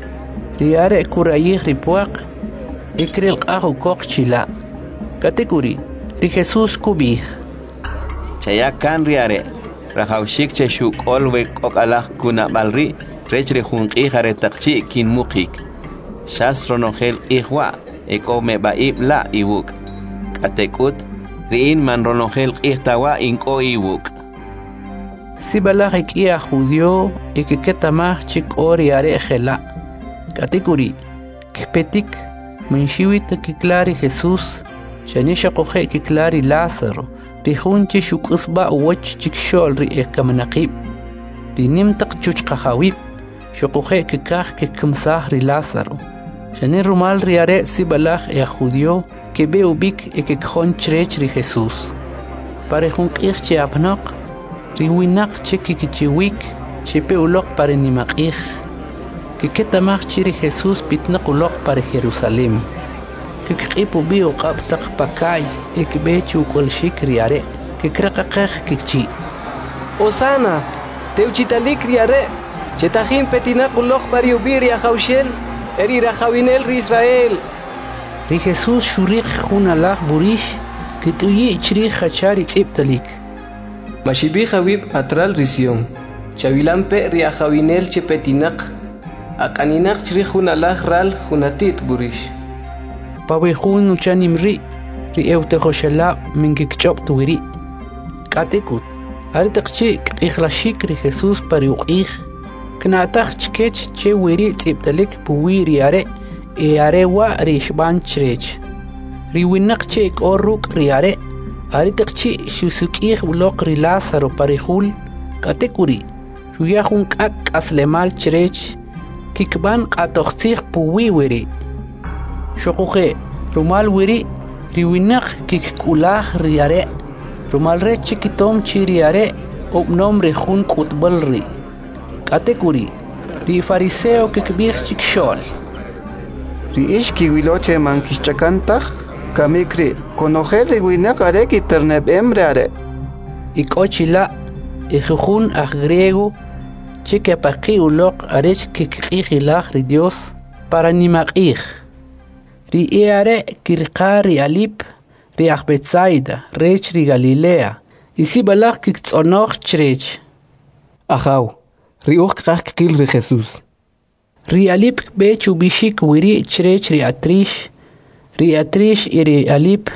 ri are' kurayij ri pwaq e krelq'aj ukoq chila'. K'atek'uri', ri Jesús kub'ij: Chaya kan ri are', rajawxik che xuk'ol we k'ok'alaj kunab'al ri' rech ri jun q'ij aretaq chi' kinmuqik. Xas ronojel q'ij wa' e k'o meb'a'ib' la' iwuk'. K'atek'ut, ri in man ronojel q'ij ta wa' in k'o iwuk'. Sib'alaj ek'i aj judio e kketa'maj che k'o ri are' jela'. K'atek'uri', kpetik, man xiwi ta kikla ri Jesús, xane xoquje' kikla ri Lázaro, ri jun che xuk'isb'a uwach chikxo'l ri ekaminaqib'. Ri nim taq chuchqajawib' xoquje' kikaj kikimsaj ri Lázaro. Xane rumal ri are' sib'alaj e aj judío keb'e ub'ik e kekjon chrech ri Jesús. Pa ri jun q'ij che apanoq, ri winaq che kikichiwik xepe uloq pa ri nimaq'ij. Kiketa'maj chi ri Jesús pitnaq uloq pa ri Jerusalem. Kikq'ip ub'i uq'ab' taq paka'y e kb'e che uk'ulxik ri are', kikraqaqej kichi'. Hosana, tewchitalik ri are' che tajin petinaq uloq pa ri ub'i' ri Ajawxel e ri rajawinel ri Israel. Ri Jesús xuriq jun alaj b'urix, kit'uyi' chrij jacha ri tz'ib'talik. Maxib'ij awib' atral ri Sion, chawilampe' ri ajawinel che petinaq, aq'aninaq chrij jun alaj ral jun ati't b'urix. Pa we jun uchanim ri', ri e'utijoxelab' min kikch'ob' ta wiri'. K'atek'ut, aretaq chi' kq'ijlaxik ri Jesús pa ri uq'ij, kna'taj chkech che wiri' tz'ib'talik puwi' ri are' e are wa' ri xb'an chrech. Ri winaq che k'o ruk' ri are' aretaq chi' xusik'ij uloq ri Lázaro pa ri jul, k'atek'uri' xuya jun k'ak' k'aslemal chrech, kikb'an q'atojtzij puwi' wiri'. Xoquje' rumal wiri' ri winaq kikk'ulaj ri are', rumal rech che kitom chi ri are' ub'anom ri jun k'utb'al ri'. K'atek'uri', ri fariseo kikb'ij chikxo'l: Ri ix kiwilo che man kixch'akan taj, kamik ri' konojel ri winaq are kiterneb'em ri are'. Y k'o chila' e jujun aj griego che kepaqi' uloq arech kkiq'ijilaj ri Dios para nimaq'ij. Ri e'are' kiriqa ri Alip, ri aj Betsaida rech ri Galilea, y sib'alaj kiktz'onoj chrech. Ajaw, ri uj kqaj kqil ri Jesús. Ri Alip kb'e chub'ixik wiri' chrech ri Atrix, ri Atrix y ri Alip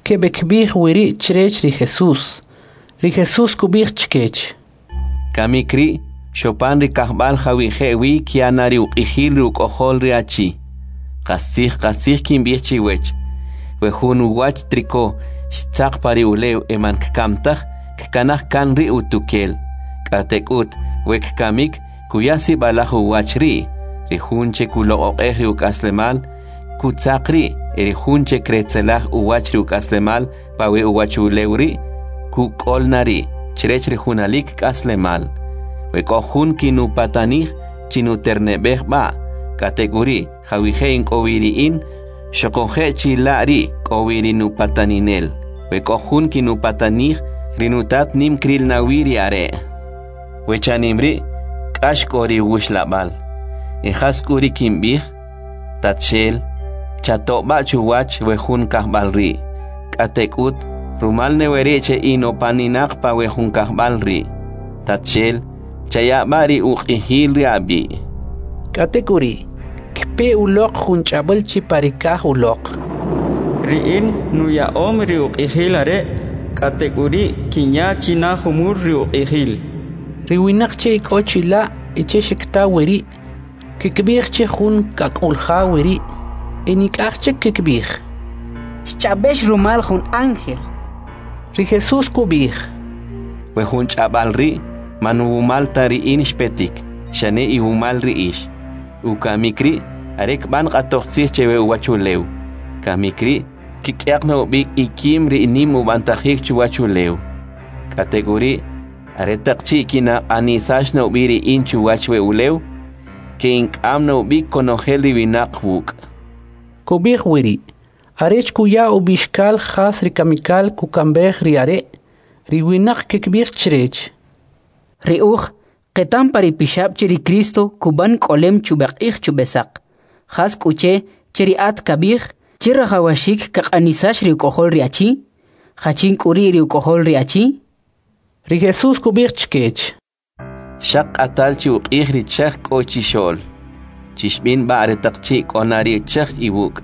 keb'ekb'ij wiri' chrech ri Jesús. Ri Jesús kub'ij chkech: Kamik ri' xopan ri kajb'al jawije' wi kya na ri uq'ijil ri uk'ojol ri achi. Qastzij qastzij kinb'ij chiwech, we jun uwach triko xtzaq pa ri ulew e man kkam taj, kkanaj kan ri utukel. K'atek'ut, we kkamik kuya sib'alaj uwach ri', ri jun che kuloq'oq'ej ri uk'aslemal, kutzaq ri', e ri jun che kretzelaj uwach ri uk'aslemal pa we uwach ulew ri', kuk'ol na ri' chrech ri junalik k'aslemal. We k'o jun kinupatanij chinuterneb'ej b'a', k'atek'uri' jawije' in k'o wi ri in, xoquje' chila' ri' k'o wi ri nupataninel. We k'o jun kinupatanij, ri nutat nim kril na wi ri are'. We chanim ri' k'ax k'o ri wuxlab'al. E jas k'u ri kinb'ij? Tatxel, chato'b'a chuwach we jun kajb'al ri'. K'atek'ut, rumal ne weri' che in opaninaq pa we jun kajb'al ri'. Tatxel, chayab'a ri uq'ijil ri ab'i'. K'atek'uri', kpe uloq jun ch'ab'al chi pa ri kaj uloq. Ri in nuya'om ri uq'ijil are', k'atek'uri' kinya china jumul ri uq'ijil. Ri winaq che k'o chila' e che xikta wiri', kikb'ij che jun kak'ulja wiri', e nik'aj chik kikb'ij: Xch'ab'ex rumal jun ángel. Ri Jesús kub'ij: We jun ch'ab'al ri' man wumal ta ri in xpetik, xane iwumal ri ix. Ukamik ri' are kb'an q'atojtzij che we uwachulew. Kamik ri' kik'yaq na ub'ik ikim ri nim ub'antajik chuwachulew. K'atek'uri', aretaq chi' kinaq'anisax na ub'i ri in chuwach we ulew, ke'ink'am na ub'ik konojel ri winaq wuk'. Kub'ij wiri', arech kuya ub'ixkal jas ri kamikal kukamb'ej ri are', ri winaq kikb'ij chrech: Ri uj qetam pa ri pixab' che ri Cristo kub'an k'olem chub'eq'ij chub'esaq. Jas k'u che che ri at kab'ij che rajawaxik kaq'anisax ri uk'ojol ri achi? Jachin k'u ri' ri uk'ojol ri achi? Ri Jesús kub'ij chkech: Xaq q'atal chi uq'ij ri chaj k'o chixo'l. Chixb'in b'a aretaq chi' k'o na ri chaj iwuk',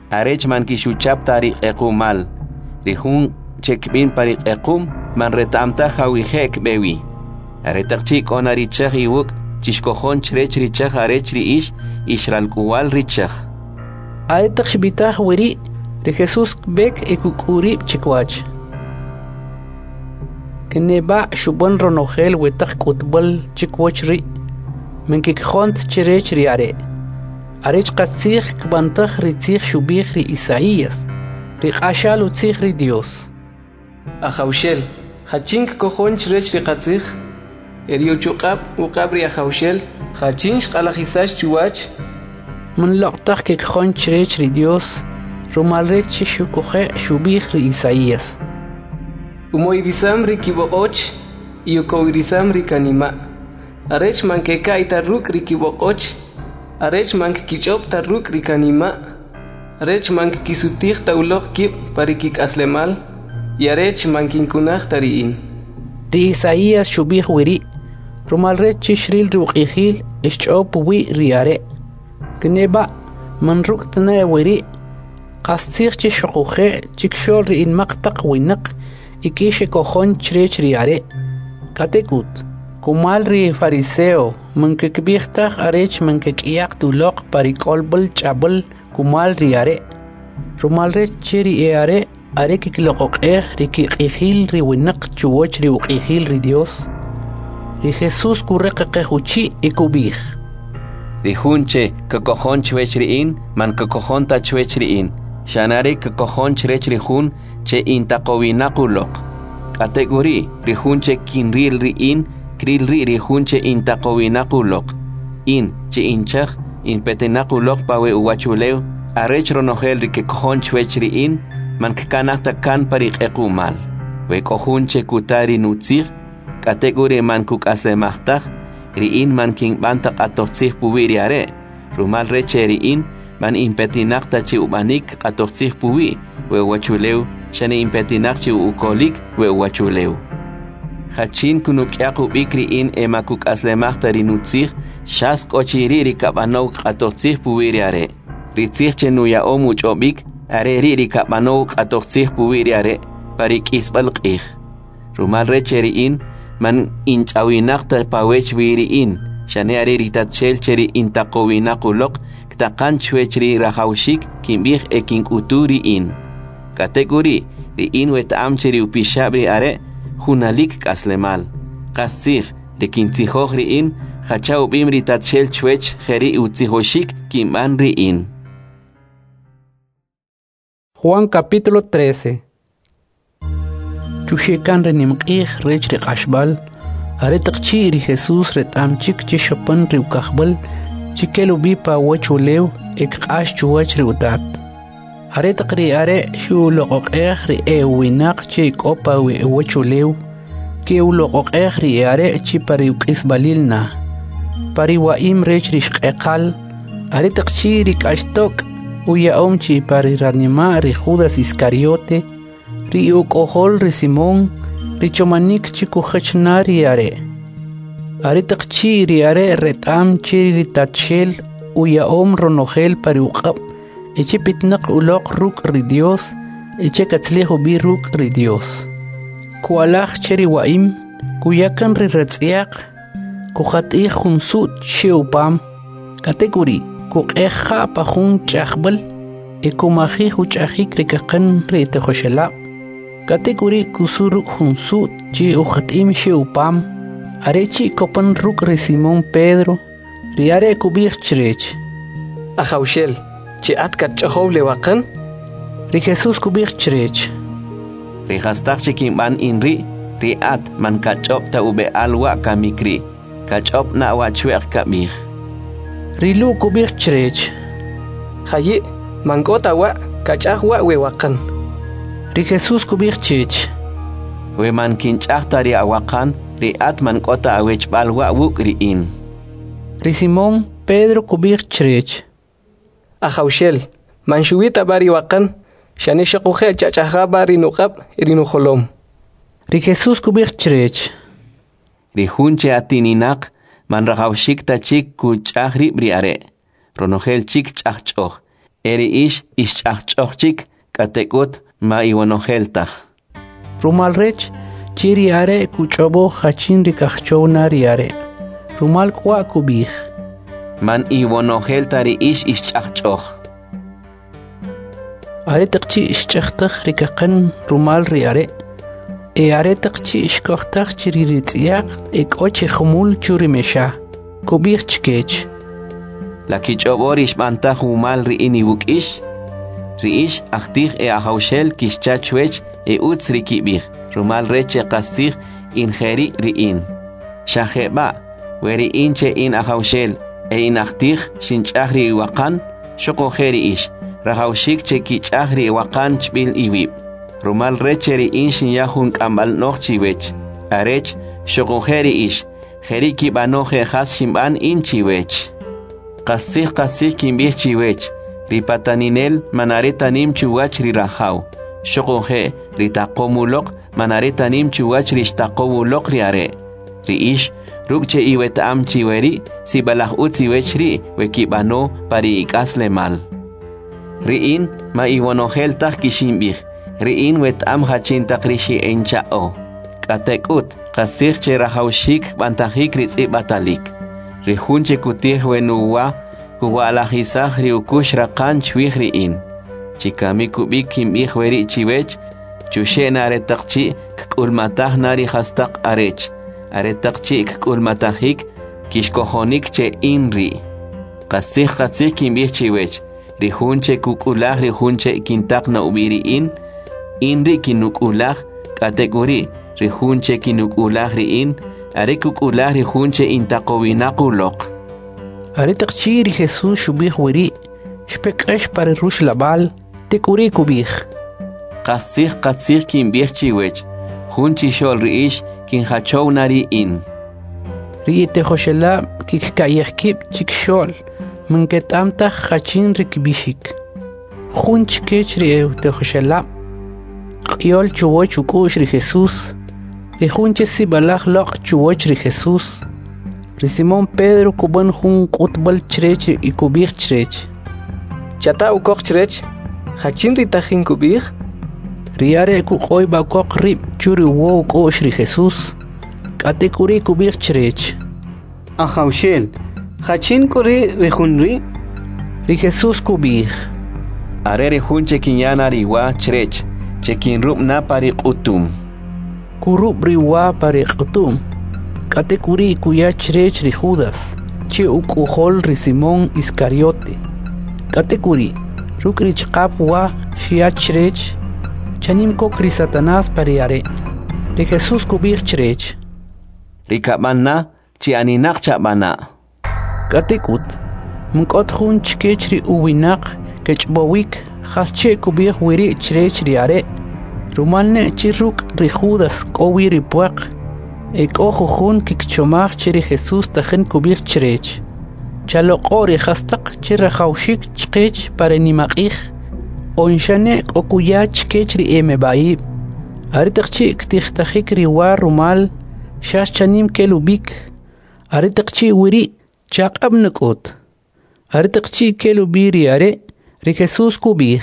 arech man kixuchap ta ri q'equmal. Ri jun che kb'in pa ri q'equm man reta'm taj jawije' kb'e wi. Aretaq chi' k'o na ri chaj iwuk', Chixkojon chrech ri chaj arech ri ix ix ralk'uwal ri chaj. Aretaq xb'itaj weri', ri Jesus kb'ek e kuk'u rib' chikwach. Keneb'a' xub'an ronojel we taq k'utb'al chikwach ri', man kikojont chrech ri are'. Arech qastzij kb'antaj ri tzij xub'ij ri Isaías, ri q'axal utzij ri Dios. Ajawxel, jachin kkojon chrech ri qatzij? E ri uchuq'ab' uq'ab' ri Ajawxel, jachin xq'alajisax chuwach? Man loq' taj kikojon chrech ri Dios, rumal rech che xuquje' xub'ij ri Isaías. Umoyrisam ri kib'oq'och y ukowirisam ri kanima', arech man keka'y ta ruk' ri kib'oq'och, arech man kkich'ob' ta ruk' ri kanima', arech man kkisutij ta uloq kib' pa ri kik'aslemal, y arech man kinkunaj ta ri in. Ri Isaías xub'ij weri', rumal rech che xril ri uq'ijil e xch'aw puwi' ri are'. Kneb'a' man ruk' ta ne weri', qastzij che xuquje' chikxo'l ri inmaq taq winaq ek'i xekojon chrech ri are'. K'atek'ut, kumal ri fariseo man kkib'ij taj arech man kek'yaq ta uloq pa ri k'olb'al ch'ab'al kumal ri are', rumal rech che ri e'are' are kkiloq'oq'ej ri kiq'ijil ri winaq chuwach ri uq'ijil ri Dios. Ri Jesus kureqeqej uchi' e kub'ij: Ri jun che kkojon chwech ri in, man kkojon ta chwech ri in, xane are kkojon chrech ri jun che intaqowinaq uloq. K'atek'uri', ri jun che kinril ri in, kril ri' ri jun che intaqowinaq uloq. In, che in chaj, inpetinaq uloq pa we uwachulew, arech ronojel ri kekojon chwech ri in, man kkanaj ta kan pa ri q'equ'mal. We k'o jun che kuta ri nutzij, k'atek'uri' man kuk'aslemaj taj, ri in man kinb'an ta q'atoj tzij puwi' ri are', rumal rech che ri in man inpetinaq ta chi ub'anik q'atoj tzij puwi' we uwachulew, xane inpetinaq chi ukolik we uwachulew. Jachin kunuk'yaq ub'ik ri in e ma kuk'aslemaj ta ri nutzij, xas k'o chi ri' ri kab'anow q'atoj tzij puwi' ri are'. Ri tzij che nuya'om uch'ob'ik, are ri' ri kab'anow q'atoj tzij puwi' ri are' pa ri k'isb'al q'ij. Rumal rech che ri in man inch'awinaq ta pawech wi ri in, xane are ri Tatxel che ri intaqowinaq uloq ktaqan chwech ri rajawxik kinb'ij e kink'utu ri in. K'atek'uri', ri in weta'am che ri upixab' ri are' junalik k'aslemal. Qastzij, ri kintzijoj ri in, jacha ub'im ri Tatxel chwech jeri' utzijoxik kinb'an ri in. Juan capítulo trece. Chuxekan ri nimq'ij rech ri q'axb'al, aretaq chi' ri Jesus reta'm chik che xopan ri ukajb'al chikel ub'i pa uwachulew e kq'ax chuwach ri utat. Aretaq ri are' xuloq'oq'ej ri e'uwinaq che k'o pa uwachulew, ke'uloq'oq'ej ri e'are' chi pa ri uk'isb'alil na. Pa ri wa'im rech ri xq'eqal, aretaq chi' ri k'axtok' uya'om chi pa ri ranima' ri Judas Iscariote, ri uk'ojol ri Simón, ri chomanik chi kujach na ri are'. Aretaq chi' ri are' reta'm che ri Tatxel uya'om ronojel pa ri uq'ab' e che petinaq uloq ruk' ri Dios e che katzalij ub'i ruk' ri Dios. Ku'alaj che ri wa'im, kuya kan ri ratz'yaq, kujat'ij jun su't che upam, k'atek'uri' kuq'ej ja' pa jun ch'ajb'al e kumajij uch'ajik ri kaqan ri tijoxelab'. K'atek'uri' kusu' ruk' jun su't che ujat'im xe upam. Are chi' kopan ruk' ri Simón Pedro, ri are' kub'ij chrech: Ajawxel, che at katch'ojow le waqan? Ri Jesús kub'ij chrech: Ri jastaq che kinb'an in ri', ri at man kach'ob' ta ub'e'al wa' kamik ri', kach'ob' na wa' chwe'q kab'ij. Ri Lu' kub'ij chrech: Jayi', man k'o ta wa' kach'aj wa' we waqan. Ri Jesús kub'ij chech: We man kinch'aj ta ri awaqan, ri at man k'o ta awechb'al wa' wuk' ri in. Ri Simón Pedro kub'ij chrech: Ajawxel, man xuwi ta b'a ri waqan, xane xuquje' chach'aja b'a ri nuq'ab' e ri nujolom. Ri Jesús kub'ij chrech: Ri jun che atininaq man rajawxik ta chik kuch'aj rib' ri are', ronojel chik ch'ajch'oj, e ri ix ix ch'ajch'oj chik, k'atek'ut ma iwonojel taj. Rumal rech che ri are' kuch'ob'o jachin ri kajchow na ri are'. Rumal k'uwa' kub'ij: Man iwonojel ta ri ix ix ch'ajch'oj. Aretaq chi' xch'ajtaj ri kaqan rumal ri are', e aretaq chi' xkojtaj chi ri ritz'yaq e k'o chi jumul chu ri mexa, kub'ij chkech: La kich'ob'o ri xb'antaj wumal ri in iwuk' ix? Ri ix ajtij e ajawxel kixcha chwech e utz ri kib'ij, rumal rech che qastzij in jeri' ri in. Xa jeb'a', we ri in che in ajawxel e in ajtij xinch'aj ri iwaqan, xuquje' ri ix, rajawxik che kich'aj ri iwaqan chb'il iwib'. Rumal rech che ri in xinya jun k'amb'al no'j chiwech, arech xuquje' ri ix, jeri' kib'ano je' jas xinb'an in chiwech. Qastzij qastzij kinb'ij chiwech, ri pataninel man are ta nim chuwach ri rajaw, xuquje' ri taqom uloq man are ta nim chuwach ri xtaqow uloq ri are'. Ri ix, ruk' che iweta'am chi weri', sib'alaj utz iwech ri' we kib'ano pa ri ik'aslemal. Ri in ma iwonojel taj kixinb'ij, ri in weta'am jachin taq ri xi'encha'o. K'atek'ut, qastzij che rajawxik b'antajik ri tz'ib'atalik. Ri jun che kutij we nuwa, kuwa'lajisaj ri ukux raqan chwij ri in. Chikamik ub'ik kinb'ij weri' chiwech, chuxe' na aretaq chi' kk'ulmataj na ri jastaq arech, aretaq chi' kk'ulmatajik, kixkojonik che in ri'. Qastzij qastzij kinb'ij chiwech, ri jun che kuk'ulaj ri jun che kintaq na ub'i ri in, in ri' kinuk'ulaj, k'atek'uri', ri jun che kinuk'ulaj ri in, are kuk'ulaj ri jun che intaqowinaq uloq. Aretaq chi' ri Jesús xub'ij weri', xpe k'ax pa ri ruxlab'al, tek'uri' kub'ij: Qastzij qastzij kinb'ij chiwech, jun chixo'l ri ix kinjachow na ri in. Ri itijoxelab' kikka'yej kib' chikxo'l, man keta'm taj jachin ri kb'ixik. Jun chkech ri etijoxelab', q'iyol chuwach uk'u'x ri Jesús, ri jun che sib'alaj loq' chuwach ri Jesús. Ri Simón Pedro kub'an jun k'utb'al chrech y kub'ij chrech: Chata' ukoq chrech, jachin ri tajin kub'ij? Ri are' kuq'oyb'a ukoq rib' chu ri uwo uk'u'x ri Jesús, k'atek'uri' kub'ij chrech: Ajawxel, jachin k'u ri' ri jun ri'? Ri Jesús kub'ij: Are ri jun che kinya na ri wa chrech, che kinrub' na pa ri q'utum. Kurub' ri wa pa ri q'utum, k'atek'uri' kuya chrech ri Judas, che uk'ojol ri Simón Iscariote. K'atek'uri', ruk' ri ch'aqap wa xya chrech, chanim kok ri Satanás pa ri are'. Ri Jesús kub'ij chrech: Ri kab'an na, chi aninaq chab'ana'. K'atek'ut, man k'o ta jun chkech ri uwinaq kech'ob'owik jasche kub'ij weri' chrech ri are', rumal ne chi ruk' ri Judas k'o wi ri pwaq. E k'o jujun kkichomaj che ri Jesús tajin kub'ij chrech: Chaloq'o' ri jastaq che rajawxik chqech pa ri nimaq'ij, on xane k'o kuya chkech ri emeb'a'ib'. Aretaq chi' ktijtajik ri wa rumal, xas chanim kel ub'ik. Aretaq chi' weri' chaq'ab' nak'ut. Aretaq chi' kel ub'i ri are', ri Jesús kub'ij: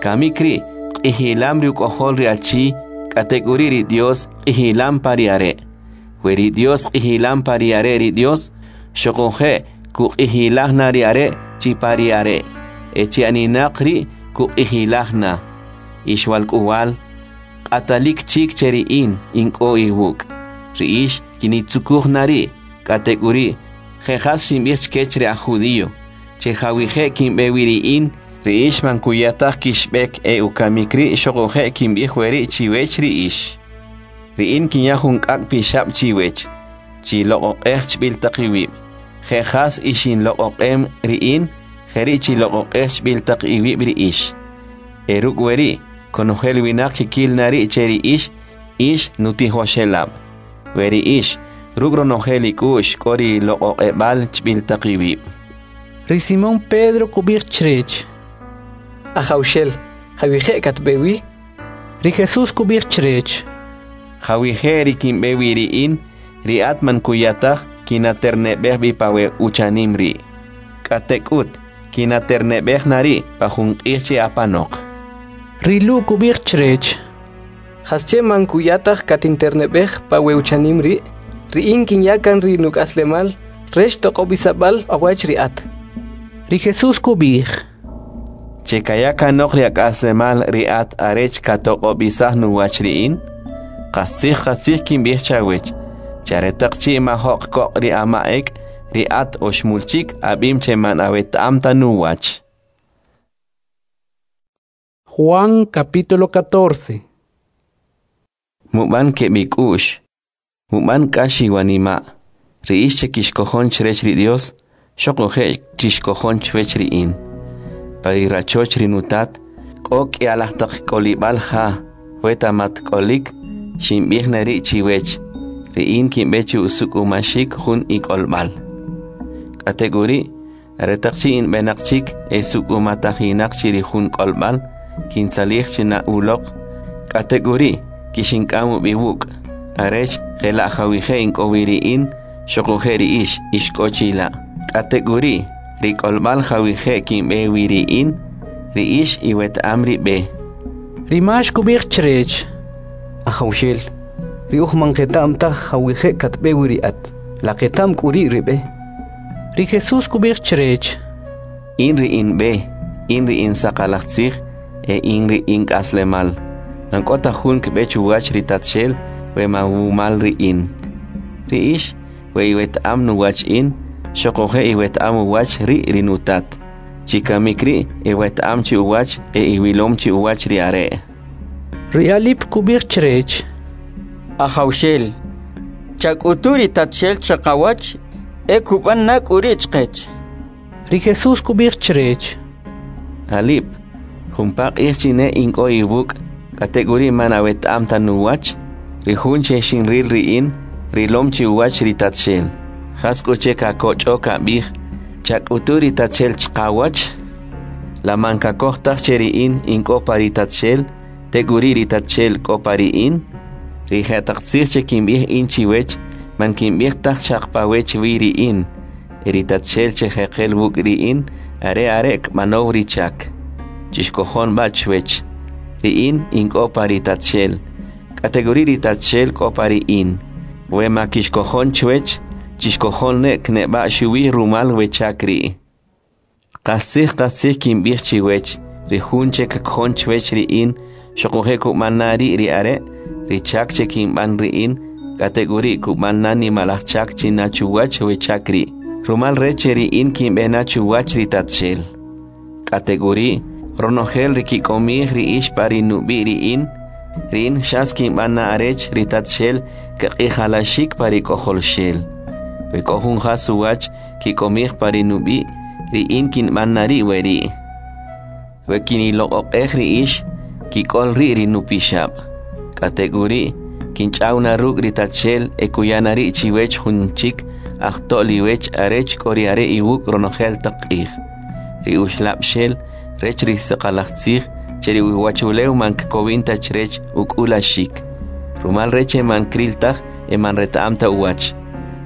Kamik ri' q'ijilam ri uk'ojol ri achi, k'atek'uri' ri Dios q'ijilam pa ri are'. We ri Dios q'ijilam pa ri are' ri Dios, xuquje' kuq'ijilaj na ri are' chi pa ri are', e chi aninaq ri' kuq'ijilaj na. Ix walk'uwal, q'atalik chik che ri in, in k'o iwuk'. Ri ix kinitzukuj na ri', k'atek'uri', je' jas xinb'ij chkech ri aj judío, che jawije' kinb'e wi ri in, ri ix man kuya taj kixb'ek e ukamik ri' xuquje' kinb'ij weri' chiwech ri ix. Ri in kinya jun k'ak' pixab' chiwech, chiloq'oq'ej chb'il taq iwib'. Je' jas ixinloq'oq'em ri in, jeri' chiloq'oq'ej chb'il taq iwib' ri ix. E ruk' weri', konojel winaq kikil na ri' che ri ix, ix nutijoxelab'. We ri ix, ruk' ronojel ik'u'x k'o ri loq'oq'eb'al chb'il taq iwib'. Ri Simón Pedro kub'ij chrech: Ajawxel, jawije' katb'e wi? Ri Jesús kub'ij chrech: Jawije' ri kinb'e wi ri in, ri at man kuya taj kinaterneb'ej b'i pa we uchanim ri'. K'atek'ut, kinaterneb'ej na ri' pa jun q'ij chi apanoq. Ri Lu' kub'ij chrech: Jasche man kuya taj katinterneb'ej pa we uchanim ri'? Ri in kinya kan ri nuk'aslemal rech toq'ob'isab'al awach ri at. Ri Jesús kub'ij: Che kaya kanoq ri ak'aslemal ri at arech katoq'ob'isaj nuwach ri in? Qastzij qastzij kinb'ij chawech, che aretaq chi' majo'q koq' ri ama' ek', ri at oxmul chik ab'im che man aweta'am ta nuwach. Juan capítulo catorce. Mub'an keb' ik'u'x, mub'an k'ax iwanima', ri ix che kixkojon chrech ri Dios, xoquje' chixkojon chwech ri in. Pa ri rachoch ri nutat, k'o k'i'alaj taq k'olib'al ja, weta mat k'olik, xinb'ij na ri' chiwech, ri in kinb'e chi usuk'umaxik jun ik'olb'al. K'atek'uri', aretaq chi' inb'enaq chik e suk'umatajinaq chi ri jun k'olb'al, kintzalij china uloq, k'atek'uri' kixink'am ub'i wuk', arech jela' jawije' ink'o wi ri in, xoquje' ri ix, ix k'o chila'. K'atek'uri', ri k'olb'al jawije' kinb'e wi ri in, ri ix iweta'am ri b'e. Ri Max kub'ij chrech: Ajawxel, ri uj man qeta'm taj jawije' katb'e wi ri at, la qeta'm k'u ri' ri b'e? Ri Jesús kub'ij chrech: In ri in b'e, in ri in saqalaj tzij, e in ri in k'aslemal. Man k'o ta jun kb'e chuwach ri Tatxel we ma wumal ri in. Ri ix, we iweta'am nuwach in, xoquje' iweta'am uwach ri' ri nutat. Chikamik ri' iweta'am chi uwach e iwilom chi uwach ri are'. Ri Alip kub'ij chrech: Ajawxel, chak'utu ri Tatxel chaqawach e kub'an na k'u ri' chqech. Ri Jesús kub'ij chrech: Alip, jumpa q'ij chine ink'o iwuk', k'atek'uri' man aweta'am ta nuwach, ri jun che xinril ri in, rilom chi uwach ri Tatxel. Jas k'u che kakoch'o kab'ij, chak'utu ri Tatxel chqawach? La man kakoj taj che ri in ink'o pa ri Tatxel, tek'uri' ri Tatxel k'o pa ri in? Ri jetaq tzij che kinb'ij in chiwech, man kinb'ij taj xaq pawech wi ri in, e ri Tatxel che jeqel wuk' ri in, are are' kb'anow ri chak. Chixkojon b'a chwech. Ri in ink'o pa ri Tatxel, k'atek'uri' ri Tatxel k'o pa ri in. We ma kixkojon chwech, chixkojon ne kneb'a xuwi rumal we chak ri'. Qastzij qastzij kinb'ij chiwech, ri jun che kakojon chwech ri in, xoquje' kub'an na ri' ri are', ri chak che kinb'an ri in, k'atek'uri' kub'an na nimalaj chak china chuwach we chak ri', rumal rech che ri in kinb'e na chuwach ri Tatxel. K'atek'uri', ronojel ri kik'omij ri ix pa ri nub'i' ri in, ri in xas kinb'an na arech ri Tatxel kaq'ijalaxik pa ri K'ojolxel. We k'o jun jas uwach kik'omij pa ri nub'i', ri in kinb'an na ri' weri'. We kiniloq'oq'ej ri ix, kik'ol ri' ri nupixab'. K'atek'uri', kinch'aw na ruk' ri Tatxel e kuya na ri' chiwech jun chik ajto'l iwech arech k'o ri are' iwuk' ronojel taq q'ij. Ri uxlab'xel rech ri saqalaj tzij che ri uwachulew man kkowin ta chrech uk'ulaxik, rumal rech che man kril taj e man reta'am ta uwach.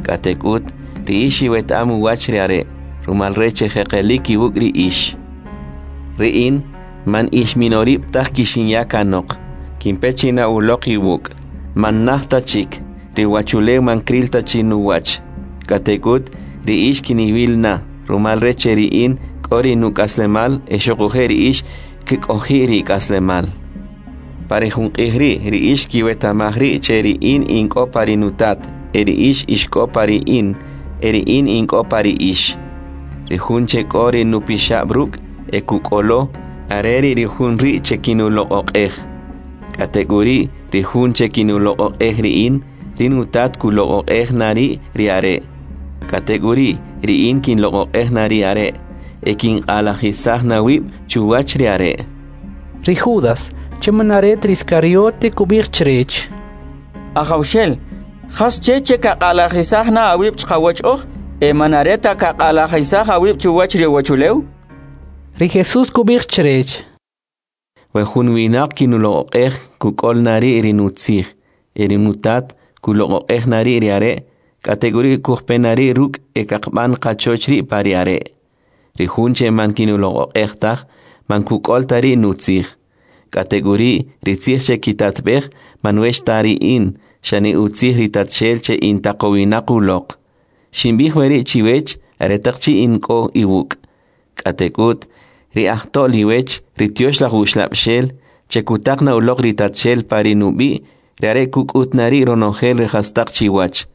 K'atek'ut, ri ix iweta'am uwach ri are', rumal rech che jeqelik iwuk' ri ix. Ri in, man ix minorib' taj kixinya kanoq, kinpe china uloq iwuk', man naj ta chik, ri uwachulew man kril ta chi nuwach. K'atek'ut, ri ix kiniwil na, rumal rech che ri in k'o ri nuk'aslemal e xoquje' ri ix kk'oji' ri ik'aslemal. Pa ri jun q'ij ri', ri ix kiweta'maj ri' che ri in ink'o pa ri nutat, e ri ix ix k'o pa ri in, e ri in ink'o pa ri ix. Ri jun che k'o ri nupixab' ruk' e kuk'olo, are ri' ri jun ri' che kinuloq'oq'ej. K'atek'uri', ri jun che kinuloq'oq'ej ri in, ri nutat kuloq'oq'ej na ri' ri are'. K'atek'uri', ri in kinloq'oq'ej na ri are', e kinq'alajisaj na wib' chuwach ri are'. Ri Judas, che man are ta ri Iscariote, kub'ij chrech: Ajawxel, jas che che kaq'alajisaj na awib' chqawach oj, e man are ta kaq'alajisaj awib' chuwach ri uwachulew? Ri Jesús kub'ij chrech: We jun winaq kinuloq'oq'ej, kuk'ol na ri' ri nutzij, e ri nutat kuloq'oq'ej na ri' ri are', k'atek'uri' kujpe na ri' ruk' e kaqb'an qachoch ri' pa ri are'. Ri jun che man kinuloq'oq'ej taj, man kuk'ol ta ri' nutzij. K'atek'uri', ri tzij che kitatb'ej, man wech ta ri in, xane utzij ri Tatxel che intaqowinaq uloq. Xinb'ij weri' chiwech aretaq chi' in k'o iwuk'. K'atek'ut, ri ajto'l iwech, ri Tyoxlaj Uxlab'xel, che kutaq na uloq ri Tatxel pa ri nub'i', ri are' kuk'ut na ri' ronojel ri jastaq chiwach.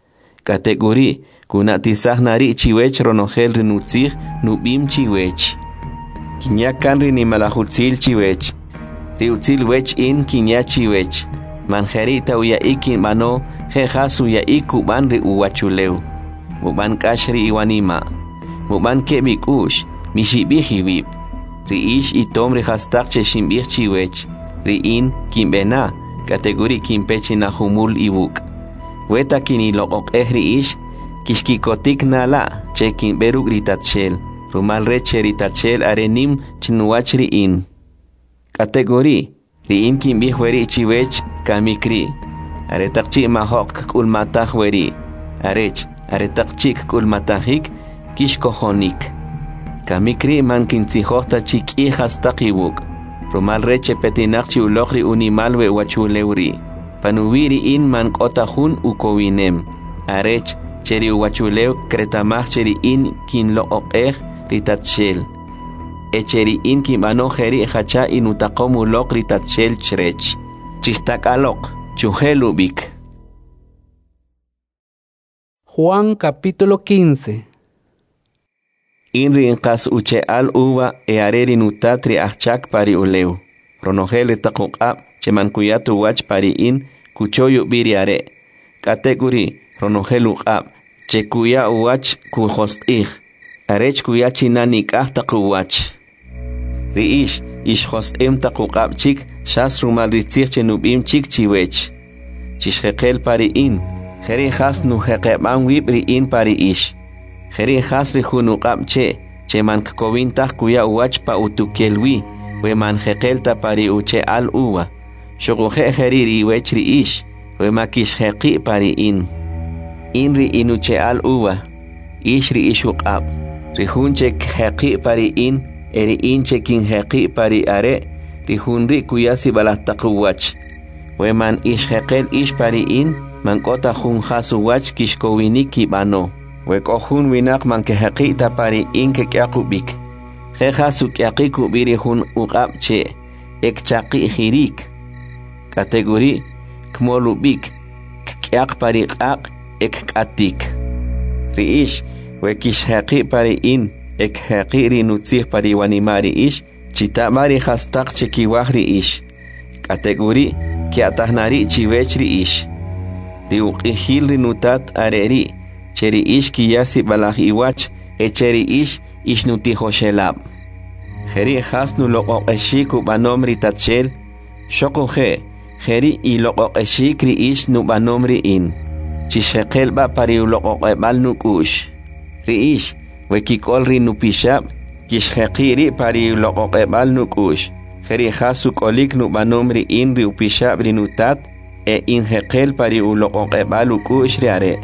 K'atek'uri', kuna'tisaj na ri' chiwech ronojel ri nutzij nub'im chiwech. Kinya kan ri nimalaj utzil chiwech. Ri utzil wech in kinya chiwech. Man jeri' ta uya'ik kinb'ano, je' jas uya'ik kub'an ri uwachulew. Mub'an k'ax ri iwanima'. Mub'an keb' ik'u'x, mixib'ij iwib'. Ri ix itom ri jastaq che xinb'ij chiwech. Ri in kinb'e na, k'atek'uri' kinpe chi na jumul iwuk'. Weta kiniloq'oq'ej ri ix, kixkikotik na la' che kinb'e ruk' ri Tatxel, rumal rech che ri Tatxel are nim chnuwach ri in. K'atek'uri', ri in kinb'ij weri' chiwech kamik ri', aretaq chi' majo'q kk'ulmataj weri', arech, aretaq chi' kk'ulmatajik, kixkojonik. Kamik ri' man kintzijoj ta chi k'i jastaq iwuk', rumal rech che petinaq chi uloq ri unimal we uwachulew ri'. Panuwi' ri in man k'o ta jun ukowinem, arech che ri uwachulew kreta'maj che ri in kinloq'oq'ej ri Tatxel, e che ri in kinb'ano jeri' jacha inutaqom uloq ri Tatxel chrech. Chixtak'aloq, chujel ub'ik. Juan capítulo quince. In ri inqas uche'al uva e are ri nutat ri ajchak pa ri ulew. Ronojel ri taq uq'ab' che man kuya ta uwach pa ri in kuchoy ub'i ri are'. K'atek'uri', ronojel uq'ab' che kuya uwach kujosq'ij, arech kuya china nik'aj taq uwach. Ri ix, ix josq'im taq uq'ab' chik xas rumal ri tzij che nub'im chik chiwech. Chixjeqel pa ri in, jeri' jas nujeqeb'am wib' ri in pa ri ix. Jeri' jas ri jun uq'ab' che, che man kkowin taj kuya uwach pa utukel wi, we man jeqel ta pa ri uche'al uva. Xuquje' jeri' ri iwech ri ix, we ma kixjeqi' pa ri in. In ri inuche'al uva, ix ri ix uq'ab'. Ri jun che kjeqi' pa ri in, e ri in che kinjeqi' pa ri are', ri jun ri' kuya sib'alaj taq uwach. We man ix jeqel ix pa ri in, man k'o ta jun jas uwach kixkowinik kib'ano. We k'o jun winaq man kejeqi' ta pa ri in kek'yaq ub'ik. Je' jas uk'yaqik ub'i ri jun uq'ab' che, e kchaqi'jirik. K'atek'uri', kmol ub'ik, kk'yaq pa ri q'aq' e kk'atik. Ri ix, we kixjeqi' pa ri in, e kjeqi' ri nutzij pa ri wanima' ri ix, chita'b'a ri jastaq che kiwaj ri ix. K'atek'uri', kya'taj na ri' chiwech ri ix. Ri uq'ijil ri nutat are ri', che ri ix kiya sib'alaj iwach, e che ri ix ixnutijoxelab'. Jeri' jas nuloq'oq'exik ub'anom ri Tatxel, xoquje' jeri' iloq'oq'exik ri ix nub'anom ri in. Chixjeqel b'a pa ri uloq'oq'eb'al nuk'u'x. Ri ix, we kik'ol ri nupixab', kixjeqi' ri' pa ri uloq'oq'eb'al nuk'u'x. Jeri' jas uk'olik nub'anom ri in ri upixab' ri nutat, e injeqel pa ri uloq'oq'eb'al uk'u'x ri are'.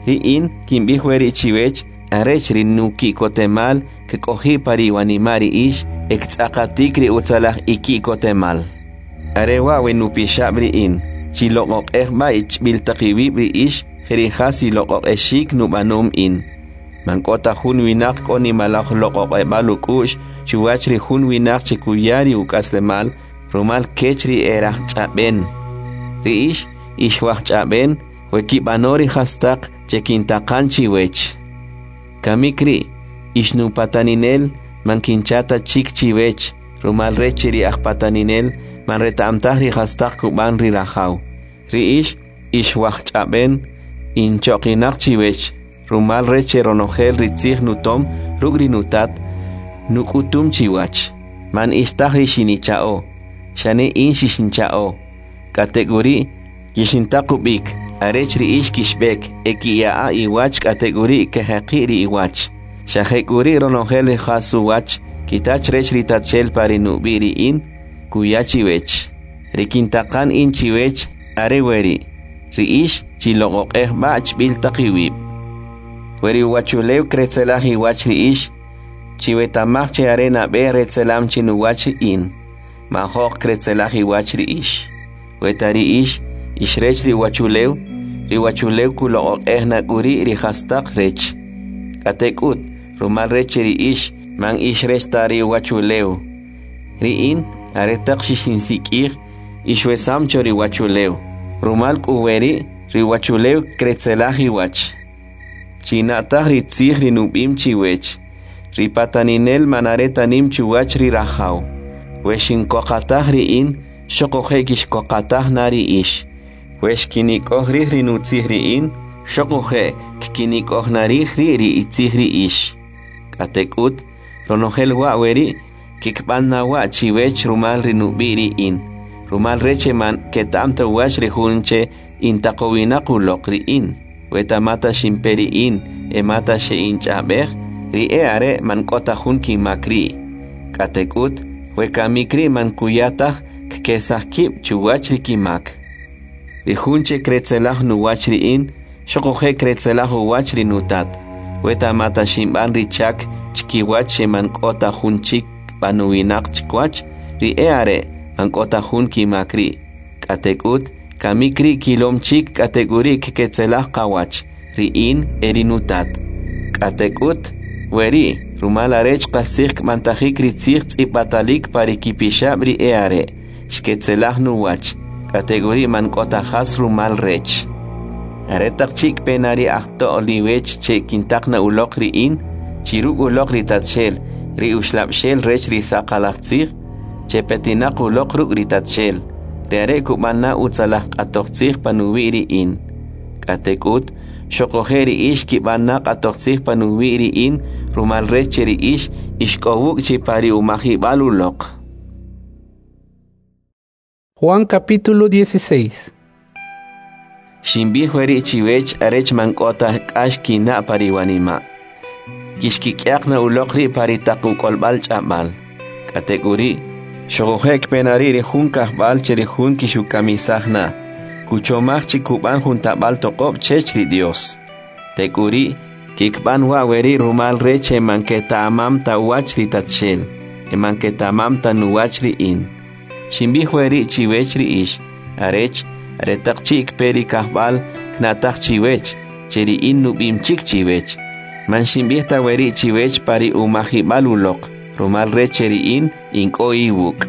Ri in kinb'ij weri' chiwech, arech ri nuki'kotemal kk'oji' pa ri wanima' ri ix, e ktz'aqatik ri utzalaj iki'kotemal. Are wa' we nupixab' ri in, chiloq'oq'ej b'a ichb'il taq iwib' ri ix, jeri' jas iloq'oq'exik nub'anom in. Man k'o ta jun winaq k'o nimalaj loq'oq'eb'al uk'u'x chuwach ri jun winaq che kuya ri uk'aslemal rumal kech ri erajch'ab'en. Ri ix, ix wajch'ab'en, we kib'ano ri jastaq che kintaqan chiwech. Kamik ri', ix nupataninel, man kincha ta chik chiwech, rumal rech che ri ajpataninel man reta'm taj ri jastaq kub'an ri rajaw. Ri ix, ix wajch'ab'en, inchoqinaq chiwech, rumal rech che ronojel ri tzij nutom ruk' ri nutat, nuk'utum chiwach. Man ix taj ri xinicha'o, xane in xixincha'o. K'atek'uri', kixintaq ub'ik, arech ri ix kixb'ek, e kiya'a iwach k'atek'uri' kejeqi' ri iwach. Xa jek'uri' ronojel ri jas uwach kita chrech ri Tatxel pa ri nub'i' ri in, kuya chiwech. Ri kintaqan in chiwech are weri', ri ix chiloq'oq'ej b'a chb'il taq iwib'. We ri uwachulew kretzelaj iwach ri ix, chiweta'maj che are nab'e retzelam chinuwach in, majo'q kretzelaj iwach ri ix. Weta ri ix, ix rech ri uwachulew, ri uwachulew kuloq'oq'ej na k'uri' ri jastaq rech. K'atek'ut, rumal rech che ri ix man ix rech ta ri uwachulew. Ri in, aretaq xixinsik'ij, ixwesam cho ri uwachulew. Rumal k'u weri', ri uwachulew kretzelaj iwach. China'taj ri tzij ri nub'im chiwech, ri pataninel man are ta nim chuwach ri rajaw. We xinkoqataj ri in, xoquje' kixkoqataj na ri ix. We xkinik'oj rij ri nutzij ri in, xoquje' kkinik'oj na rij ri ri itzij ri ix. K'atek'ut, ronojel wa' weri' kikb'an na wa' chiwech rumal ri nub'i' ri in, rumal rech che man keta'm ta uwach ri jun che intaqowinaq uloq ri in. We ta mata xinpe ri in e mata xe'inch'ab'ej, ri e are' man k'o ta jun kimak ri'. K'atek'ut, we kamik ri' man kuya taj kkesaj kib' chuwach ri kimak. Ri jun che kretzelaj nuwach ri in, xoquje' kretzelaj uwach ri nutat. We ta mata xinb'an ri chak chkiwach che man k'o ta jun chik b'anowinaq chkiwach, ri e are' man k'o ta jun kimak ri'. K'atek'ut, kamik ri' kilom chik k'atek'uri' kketzelaj qawach, ri in e ri nutat. K'atek'ut, weri' rumal arech qastzij kb'antajik ri tzij tz'ib'atalik pa ri kipixab' ri e are', xketzelaj nuwach, k'atek'uri' man k'o ta jas rumal rech. Aretaq chi' kpe na ri ajto'l iwech che kintaq na uloq ri in, chi ruk' uloq ri Tatxel, ri uxlab'xel rech ri saqalaj tzij, che petinaq uloq ruk' ri Tatxel, ri are' kub'an na utzalaj q'atoj tzij panuwi' ri in. K'atek'ut, xoquje' ri ix kib'an na q'atoj tzij panuwi' ri in, rumal rech che ri ix ix k'o wuk' chi pa ri umajib'al uloq. Juan capítulo dieciséis. Xinb'ij weri' chiwech arech man k'o ta k'ax kina' pa ri wanima'. Kixkik'yaq na uloq ri' pa ri taq uk'olb'al ch'ab'al. K'atek'uri', xoquje' kpe na ri' ri jun kajb'al che ri jun kixukamisaj na, kuchomaj chi kub'an jun tab'al toq'ob' chech ri Dios. Tek'uri', kikb'an wa' weri' rumal rech che man keta'mam ta uwach ri Tatxel, e man keta'mam ta nuwach ri in. Xinb'ij weri' chiwech ri ix, arech, aretaq chi' kpe ri kajb'al kna'taj chiwech, che ri in nub'im chik chiwech. Man xinb'ij ta weri' chiwech pa ri umajib'al uloq, rumal rech che ri in in k'o iwuk'.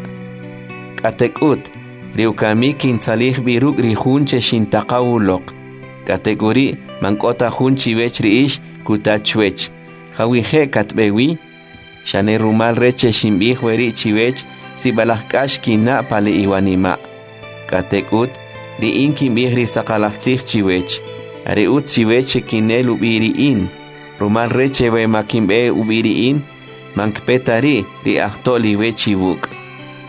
K'atek'ut, ri ukamik kintzalij b'i ruk' ri jun che xintaqaw uloq. K'atek'uri', man k'o ta jun chiwech ri ix kuta chwech, jawije' katb'e wi? Xane rumal rech che xinb'ij weri' chiwech, sib'alaj k'ax kina' pa le iwanima'. K'atek'ut, ri in kinb'ij ri saqalaj tzij chiwech, are utz chiwech che kinel ub'i ri in, rumal rech che we ma kinb'e ub'i ri in, man kpe ta ri' ri ajto'l iwech iwuk'.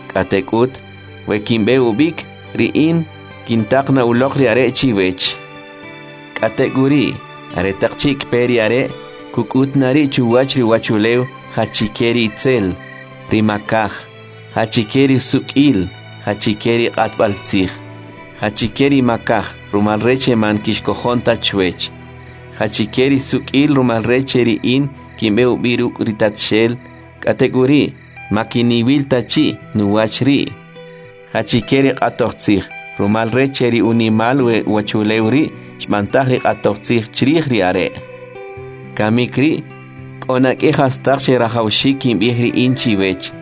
K'atek'ut, we kinb'e ub'ik, ri in kintaq na uloq ri are' chiwech. K'atek'uri', aretaq chi' kpe ri are', kuk'ut na ri' chuwach ri uwachulew jachike ri itzel, ri makaj, jachike ri suk'il, jachike ri q'atb'al tzij, jachike ri makaj, rumal rech che man kixkojon ta chwech, jachike ri suk'il rumal rech che ri in kinb'e ub'i ruk' ri Tatxel, k'atek'uri' ma kiniwil ta chi' nuwach ri', jachike ri q'atoj tzij, rumal rech che ri unimal we uwachulew ri' xb'antaj ri q'atoj tzij chrij ri are'. Kamik ri', k'o na k'i jastaq che rajawxik kinb'ij ri in chiwech,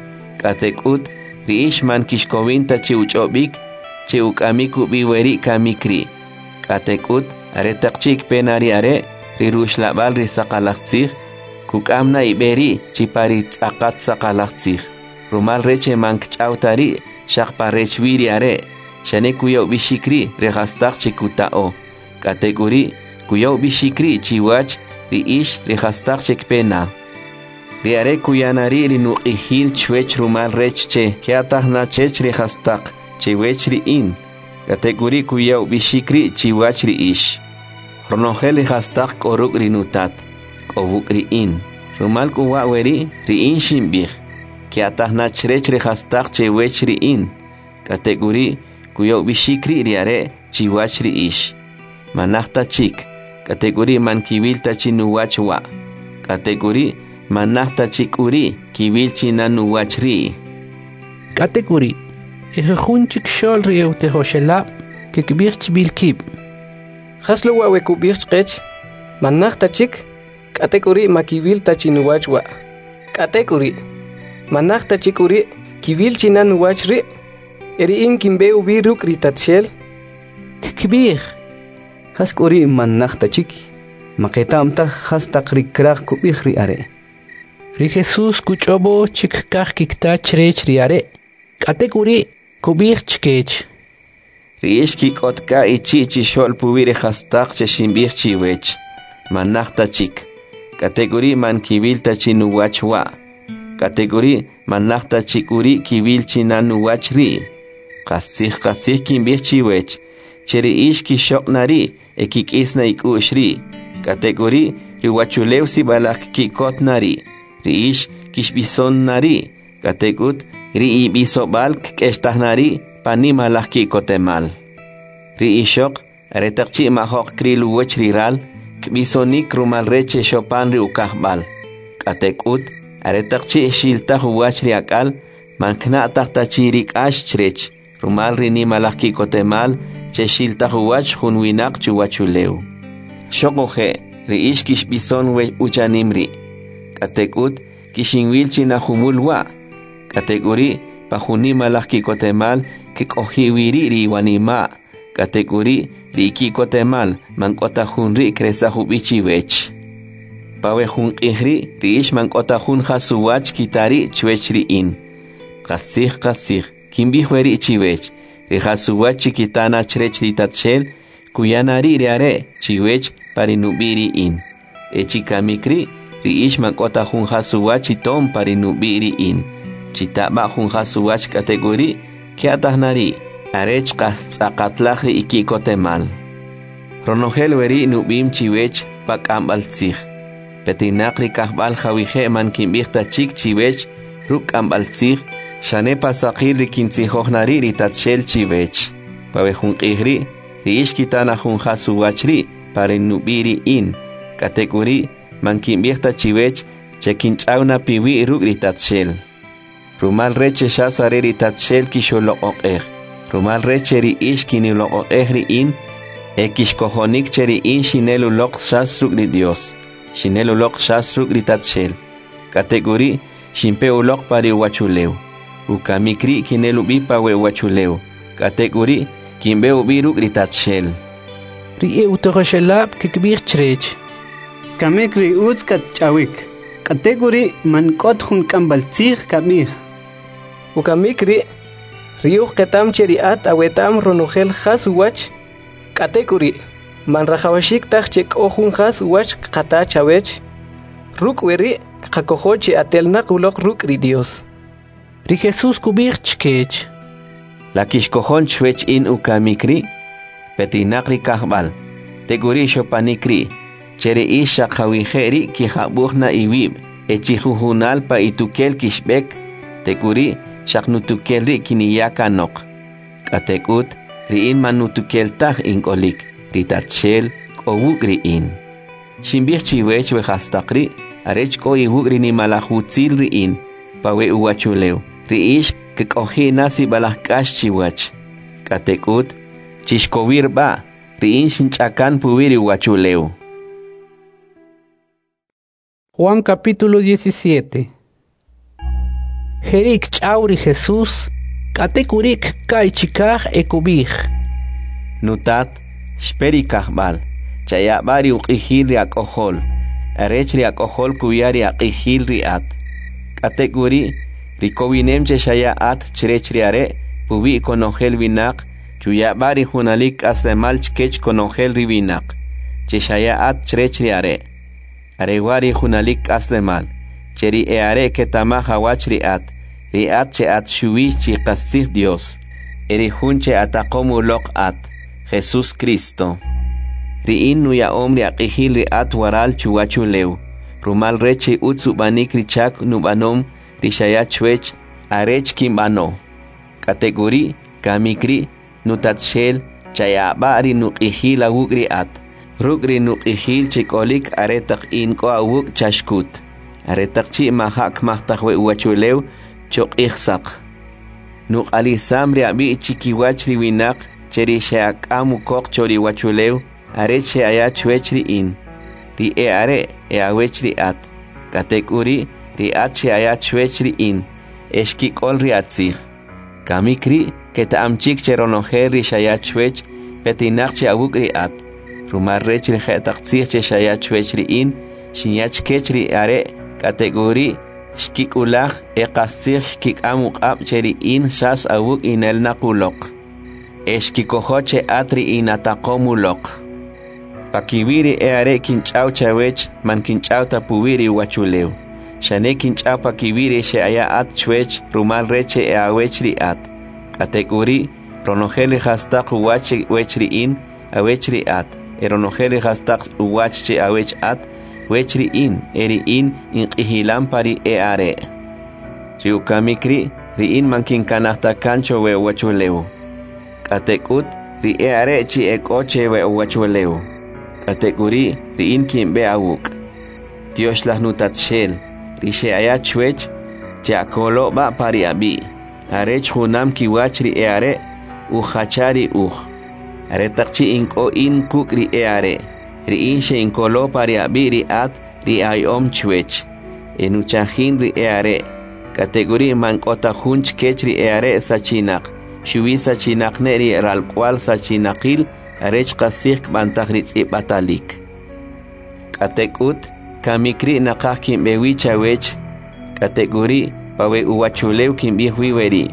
k'atek'ut, ri ix man kixkowin ta che uch'ob'ik, che uk'amik ub'i weri' kamik ri'. K'atek'ut, aretaq chi' kpe na ri are', ri ruxlab'al ri saqalaj tzij, kuk'am na ib'e ri' chi pa ri tz'aqat saqalaj tzij, rumal rech che man kch'aw ta ri' xaq pa rech wi ri are', xane kuya ub'ixik ri' ri jastaq che kuta'o. K'atek'uri', kuya ub'ixik ri' chiwach ri ix ri jastaq che kpe na. Ri are' kuya na ri' ri nuq'ijil chwech rumal rech che ke'ataj na chech ri jastaq chewech ri in, k'atek'uri' kuya ub'ixik ri' chiwach ri ix. Ronojel ri jastaq k'o ruk' ri nutat, k'o wuk' ri in. Rumal k'u wa' weri' ri in xinb'ij, ke'ataj na chrech ri jastaq chewech ri in, k'atek'uri' kuya ub'ixik ri' ri are' chiwach ri ix. Manaj ta chik, k'atek'uri' man kiwil ta chi nuwach wa', k'atek'uri' manaj ta chik k'uri' kiwil chi na nuwach ri'. K'atek'uri', e jujun chikxo'l ri e'utijoxelab' Kkib'ij chb'il kib': Jas lo wa' we kub'ij chqech? Man naj ta chik, k'atek'uri' ma kiwil ta chi nuwach wa'. K'atek'uri', man naj ta chik uri' kiwil chi na nuwach ri', e ri in kinb'e ub'i ruk' ri Tatxel. Kkib'ij: Jas k'u ri' man naj ta chik? Ma qeta'm taj jas taq ri kraj kub'ij ri are'. Ri Jesús kuch'ob'o che kkaj kikta chrech ri are', k'atek'uri' kub'ij chkech: Ri ix kik'ot k'a ichi' chixo'l puwi' ri jastaq che xinb'ij chiwech, man naj ta chik, k'atek'uri' man kiwil ta chi nuwach wa', k'atek'uri' man naj ta chi k'uri' kiwil chi na nuwach ri'. Qastzij, qastzij kinb'ij chiwech, che ri ix kixoq' na ri' e kik'is na ik'u'x ri', k'atek'uri' ri uwachulew sib'alaj kki'kot na ri'. Ri ix kixb'ison na ri', k'atek'ut ri ib'isob'al kk'extaj na ri' pa nimalaj ki'kotemal. Ri ixoq, aretaq chi' majo'q kril uwach ri ral, kb'isonik rumal rech che xopan ri ukajb'al. K'atek'ut, aretaq chi' xiltaj uwach ri ak'al, man kna'taj ta chi ri k'ax chrech, rumal ri nimalaj ki'kotemal che xiltaj uwach jun winaq chuwachulew. Xoquje', ri ix kixb'ison we uchanim ri'. K'atek'ut, kixinwil chi na jumul wa'. K'atek'uri', pa jun nimalaj ki'kotemal kk'oji' wi ri' ri iwanima'. K'atek'uri', ri iki'kotemal man k'o ta jun ri' kresaj ub'i chiwech. Pa we jun q'ij ri', ri ix man k'o ta jun jas uwach kita ri' chwech ri in. Qastzij, qastzij, kinb'ij weri' chiwech, ri jas uwach chi kita na chrech ri Tatxel, kuya na ri' ri are' chiwech pa ri nub'i' ri in. E chikamik ri', ri ix man k'o ta jun jas uwach itom pa ri nub'i' ri in. Chita b'a jun jas uwach k'atek'uri' kya'taj na ri', arech qas tz'aqatlaj ri iki'kotemal. Ronojel weri' nub'im chiwech pa k'amb'al tzij. Petinaq ri kajb'al jawije' man kinb'ij ta chik chiwech ruk' k'amb'al tzij, xane pa saqil ri kintzijoj na ri' ri Tatxel chiwech. Pa we jun q'ij ri', ri ix kita na jun jas uwach ri' pa ri nub'i' ri in. K'atek'uri', man kinb'ij ta chiwech che kinch'aw na piwi' ruk' ri Tatxel. Rumal rech che xas are ri Tatxel kixuloq'oq'ej. Rumal rech che ri ix kiniloq'oq'ej ri in, e kixkojonik che ri in xinel uloq xas ruk' ri Dios. Xinel uloq xas ruk' ri Tatxel. K'atek'uri', xinpe uloq pa ri uwachulew. Ukamik ri' kinel ub'i pa we uwachulew. K'atek'uri', kinb'e ub'i ruk' ri Tatxel. Ri e'utijoxelab' kkib'ij chrech: Kamik ri utz katch'awik, k'atek'uri' man k'ot jun k'amb'al tzij kab'ij. Ukamik ri', ri uj qeta'm che ri at aweta'm ronojel jas uwach, k'atek'uri' man rajawaxik taj che k'o jun jas uwach kqata chawech. Ruk' weri' kqakojo che atelnaq uloq ruk' ri Dios. Ri Jesús kub'ij chkech: La kixkojon chwech in ukamik ri'? Petinaq ri kajb'al, tek'uri' xopanik ri', che ri ix xaq jawije' ri' kijab'uj na iwib', e chijujunal pa itukel kixb'ek, tek'uri' xaq nutukel ri' kiniya kanoq. K'atek'ut, ri in man nutukel taj ink'olik, ri Tatxel k'o wuk' ri in. Xinb'ij chiwech we jastaq ri', arech k'o iwuk' ri nimalaj utzil ri in, pa we uwachulew. Ri ix kk'oji' na sib'alaj k'ax chiwach. K'atek'ut, chixkowir b'a', ri in xinch'akan puwi' ri uwachulew. Juan capítulo diecisiete. Jerik ch'aw ri Jesús, k'atek'uri' kka'y chikaj e kub'ij: Nutat, xpe ri kajb'al, chayab'a ri uq'ijil ri ak'ojol, arech ri ak'ojol kuya ri aq'ijil ri at. K'atek'uri', ri kowinem che xaya at chrech ri are' puwi' konojel winaq, chuyab'a ri junalik k'aslemal chkech konojel ri winaq, che xaya at chrech ri are'. Are wa' ri junalik k'aslemal, che ri e are' keta'maj awach ri at, ri at che at xuwi chi qastzij Dios, e ri jun che ataqom uloq at, Jesús Cristo. Ri in nuya'om ri aq'ijil ri at waral chuwachulew, rumal rech che utz ub'anik ri chak nub'anom ri xaya chwech arech kinb'ano. K'atek'uri', kamik ri', nutatxel, chayab'a ri nuq'ijil awuk' ri at, ruk' ri nuq'ijil che k'olik aretaq in k'o awuk' chaxkut. Aretaq chi' maja' kmajtaj we uwachulew choq'ij saq. Nuq'alisam ri ab'i' chikiwach ri winaq che ri xe'ak'am ukoq cho ri uwachulew arech xe'aya chwech ri in. Ri e'are' e'awech ri at, k'atek'uri' ri at xe'aya chwech ri in, e xkik'ol ri atzij. Kamik ri' keta'am chik che ronojel ri xaya chwech petinaq che awuk' ri at, rumal rech ri je'taq tzij che xaya chwech ri in, xinya chkech ri are' k'atek'uri' xkik'ulaj e qastzij xkik'am uq'ab' che ri in xas awuk' inelnaq uloq. E xkikojo che at ri inataqom uloq. Pakiwi' ri e'are' kinch'aw chawech man kinch'aw ta puwi' ri uwachulew, xane kinch'aw pakiwi' ri xe'aya at chwech rumal rech che e'awech ri at. K'atek'uri' ronojel ri jastaq uwach wech ri in, awech ri at, e ronojel ri jastaq uwach che awech at, wech ri in, e ri in inq'ijilam pa ri e'are'. Ri ukamik ri', ri in man kinkanaj ta kan cho we uwachulew. K'atek'ut, ri e'are' chi ek'o che we uwachulew. K'atek'uri', ri in kinb'e awuk'. Tyoxlaj nutatxel, ri xe'aya chwech, che'akolo b'a pa ri ab'i', arech junam kiwach ri e'are' ujacha ri uj. Aretaq chi' ink'o in kuk' ri e'are', ri in xe'inkolo pa ri ab'i' ri at ri aya'om chwech, e nuchajin ri e'are', k'atek'uri' man k'o ta jun chkech ri e'are' sachinaq, xuwi sachinaq ne ri ralk'wa'l sachinaqil arech qastzij kb'antaj ri tz'ib'atalik. K'atek'ut, kamik ri' naqaj kinb'e wi chawech, k'atek'uri' pa we uwachulew kinb'ij wi weri',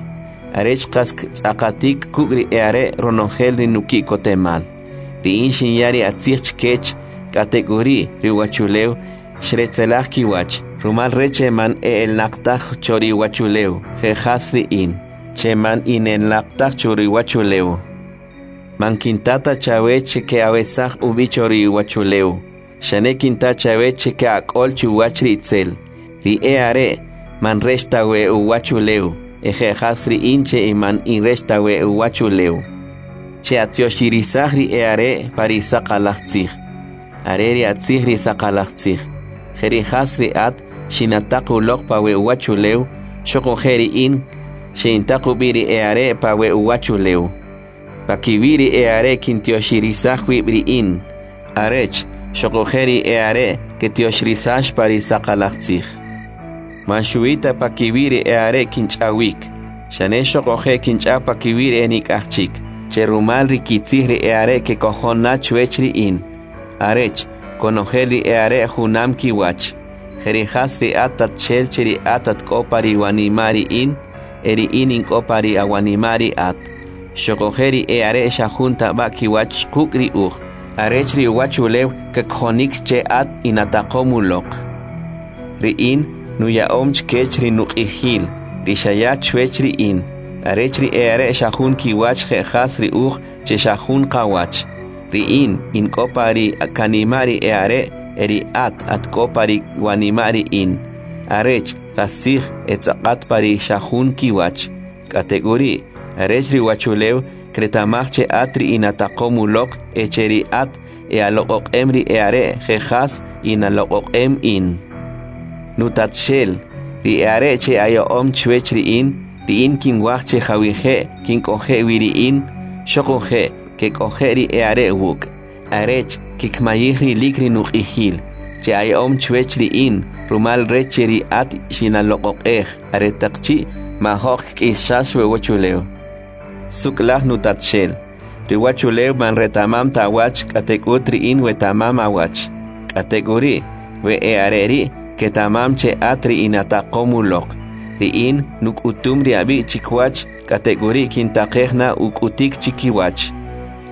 arech qas tz'aqatik kuk' ri e'are' ronojel ri nuki'kotemal. Ri in xinya ri atzij chkech, k'atek'uri' ri uwachulew xretzelaj kiwach, rumal rech che man e'elnaq taj cho ri uwachulew, je' jas ri in, che man inelnaq taj cho ri uwachulew. Man kinta ta chawech che ke'awesaj ub'i cho ri uwachulew, xane kinta chawech che ke'ak'ol chuwach ri itzel. Ri e'are' man rech ta we uwachulew, e je' jas ri in che man in rech ta we uwachulew. Che'atyoxirisaj ri e'are' pa ri saqalaj tzij. Are ri atzij ri saqalaj tzij. Jeri' jas ri at xinataq uloq pa we uwachulew, xuquje' ri in xe'intaq ub'i ri e'are' pa we uwachulew. Pakiwi' ri e'are' kintyoxirisaj wib' ri in, arech xuquje' ri e'are' ketyoxirisax pa ri saqalaj tzij. Man xuwi ta pakiwi' ri e'are' kinch'awik, xane xuquje' kinch'aw pakiwi' ri enik'aj chik, che rumal ri kitzij ri e'are' kekojon na chwech ri in, arech konojel ri e'are' junam kiwach. Jeri' jas ri at tatxel che ri at at k'o pa ri wanima' ri in, e ri in ink'o pa ri awanima' ri at. Xuquje' ri e'are' xa jun tab'a kiwach quk' ri uj, arech ri uwachulew kakojonik che at inataqom uloq. Ri in nuya'om chkech ri nuq'ijil, ri xaya chwech ri in, arech ri e'are' xa jun kiwach je' jas ri uj che xa jun qawach. Ri in ink'o pa ri kanima' ri e'are' e ri at at k'o pa ri wanima' ri in, arech qastzij etz'aqat pa ri xa jun kiwach. K'atek'uri', arech ri uwachulew kreta'maj che at ri inataqom uloq e che ri at e'aloq'oq'em ri e'are' je' jas inaloq'oq'em in. Nutatxel, ri e'are' che aya'om chwech ri in, ri in kinwaj che jawije' kink'oje' wi ri in, xuquje' kek'oje' ri e'are' wuk', arech kikmayij rilik ri nuq'ijil, che aya'om chwech ri in, rumal rech che ri at xinaloq'oq'ej aretaq chi' majo'q kk'isxax we uwachulew. Suk'laj nutatxel, ri uwachulew man reta'mam ta awach, k'atek'ut ri in weta'mam awach. K'atek'uri', we e'are' ri' keta'mam che at ri inataqom uloq. Ri in nuk'utum ri ab'i' chikiwach, k'atek'uri' kintaqej na uk'utik chikiwach.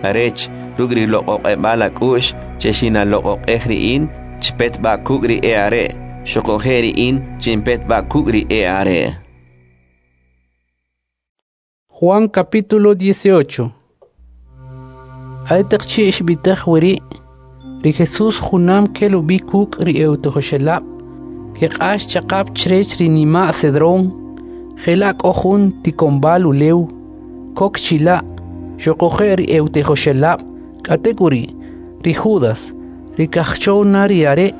Arech, ruk' ri loq'oq'eb'al ak'u'x che xinaloq'oq'ej ri in, chpet b'a kuk' ri e'are', xuquje' ri in chinpet b'a kuk' ri e'are'. Juan capítulo dieciocho. Aretaq chi' xb'itej weri', ri Jesús junam kel ub'i kuk' ri e'utijoxelab', keq'ax chaq'ab' chrech ri nima' Cedrón, jela' k'o jun tikonb'al ulew, kok chila', xuquje' ri e'utijoxelab', k'atek'uri', ri Judas, ri kajchow na ri are',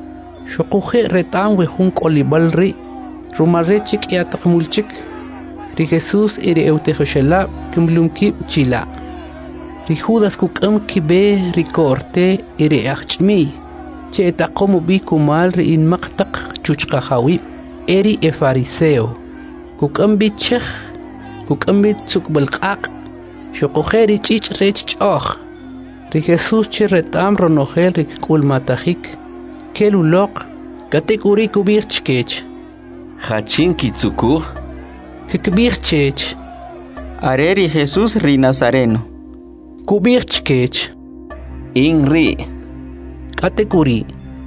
xuquje' reta'm we jun k'olib'al ri', rumal rech che k'ya taq mul chik, ri Jesús y ri e'utijoxelab' kimulum kib' chila'. Ri Judas kuk'am kib'e ri ko'rte e ri e'ajch'imi'y che etaqom ub'i kumal ri inmaq taq chuchqajawib' e ri efariseo. Kuk'am b'i chej, kuk'am b'i tzuk'b'al q'aq', xuquje' ri ch'ich' rech ch'o'j. Ri Jesús che reta'm ronojel ri kk'ulmatajik, kel uloq, k'atek'uri' kub'ij chkech: Jachin kitzukuj? Kkib'ij chech: Are ri Jesús ri Nazareno. Kub'ij chkech: In ri'. K'atek'uri',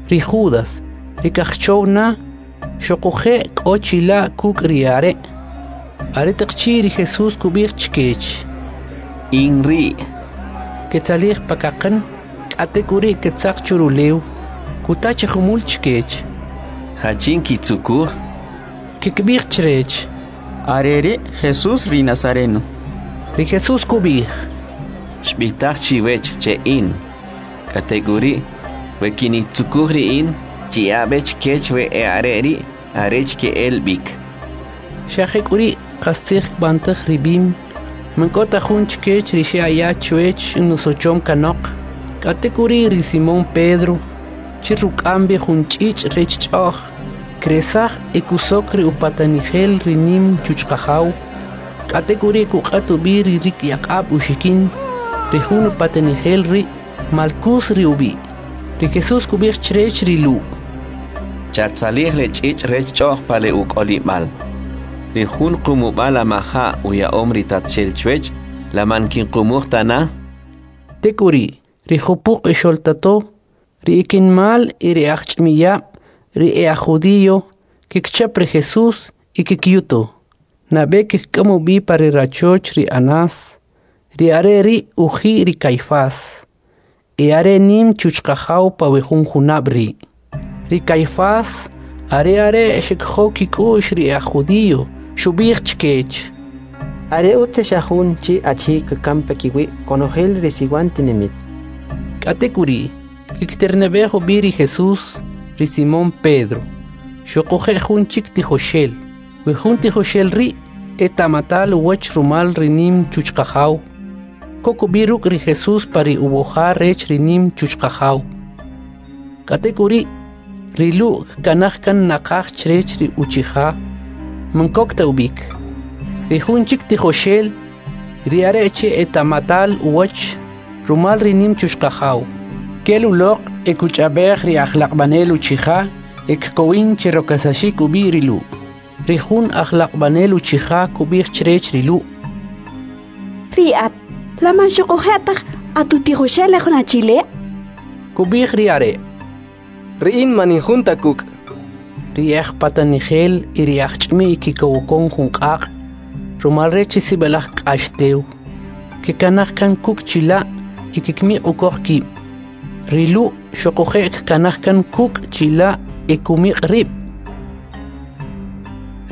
ri Judas, ri kajchow na, xuquje' k'o chila' kuk' ri are'. Aretaq chi' ri Jesús kub'ij chkech: In ri'. Ketzalij pa kaqan, k'atek'uri' ketzaq churulew. Kuta chi jumul chkech: Jachin kitzukuj? Kkib'ij chrech: Are ri' Jesús ri Nazareno. Ri Jesús kub'ij: Xb'itaj chiwech che in. K'atek'uri', we kinitzukuj ri in, chiya'a b'e chkech we e'are' ri' arech ke'el b'ik. Xa jek'uri' qastzij kb'antaj ri b'im: Man k'o ta jun chkech ri xe'aya chwech nusochom kanoq. K'atek'uri' ri Simón Pedro, che ruk'am b'i jun ch'ich' rech ch'o'j, kresaj e kusok ri upatanijel ri nim chuchqajaw. K'atek'uri' kuq'at ub'i ri rikyaq'ab' uxikin. Ri jun upatanijel ri' Malkus ri ub'i'. Ri Jesús kub'ij chrech ri Lu': Chatzalij le ch'ich' rech ch'o'j pa le uk'olib'al. Ri jun qumub'al amaja' uya'om ri Tatxel chwech, la man kinqumuj ta na? Tek'uri', ri jupuq ixoltato, ri ikinmal y ri ajch'imiyab', ri e'ajjudío, kikchap ri Jesús y kikyuto. Nab'e kikk'am ub'i pa ri rachoch ri Anás, ri are' ri' uji' ri Caifás, e are nim chuchqajaw pa we jun junab' ri'. Ri Caifás are are' xekjow kik'u'x ri e'ajjudío, xub'ij chkech: Are utz che xa jun chi achi kakam pakiwi' konojel ri siwan tinamit. K'atek'uri', kikterne'b'ej ub'i ri Jesús, ri Simón Pedro, xuquje' jun chik tijoxel. We jun tijoxel ri' eta'matal uwach rumal ri nim chuchqajaw. Kok ub'i ruk' ri Jesús pa ri uwoja rech ri nim chuchqajaw. K'atek'uri', ri Lu' kkanaj kan naqaj chrech ri uchija, man kok ta ub'ik. Ri jun chik tijoxel, ri are' che eta'matal uwach rumal ri nim chuchqajaw, kel uloq e kuch'ab'ej ri ajlaq'b'anel uchija e kkowin che rokasaxik ub'i ri Lu'. Ri jun ajlaq'b'anel uchija kub'ij chrech ri Lu': Ri at, la man xuquje' taj atutijoxel le jun achi le'? Kub'ij ri are': Ri in man in jun ta kuk'. Ri ajpatanijel y ri ajch'imi'y kikowokon jun q'aq', rumal rech che sib'alaj k'ax tew. Kekanaj kan kuk' chila' y kikmiq' ukoq kib'. Ri Lu' xuquje' kkanaj kan kuk' chila' e kumiq' rib'.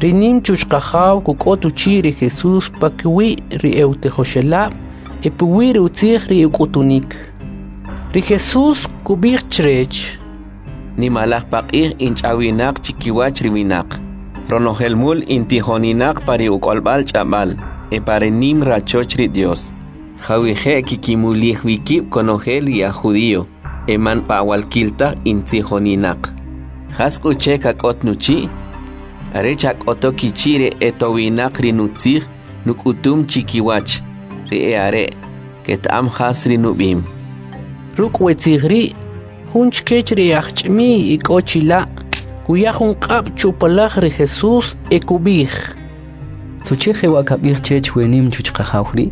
Ri nim chuchqajaw kuk'ot uchi' ri Jesús pakiwi' ri e'utijoxelab' e puwi' ri utzij ri uk'utunik. Ri Jesús kub'ij chrech: Nimalaj paq'ij inch'awinaq chikiwach ri winaq. Ronojel mul intijoninaq pa ri uk'olb'al ch'ab'al e pa ri nim rachoch ri Dios. Jawije' kikimulij wi kib' konojel ri aj judío, e man pa'walkil taj intzijoninaq. Jas k'u che kak'ot nuchi'? Are chak'oto kichi' ri etowinaq ri nutzij nuk'utum chikiwach, ri e are' keta'am jas ri nub'im. Ruk' we tzij ri', jun chkech ri ajch'imi'y ik'o chila', kuya jun q'ab' chupalaj ri Jesús e kub'ij: Suche jewa' kab'ij chech we nim chuchqajaw ri'?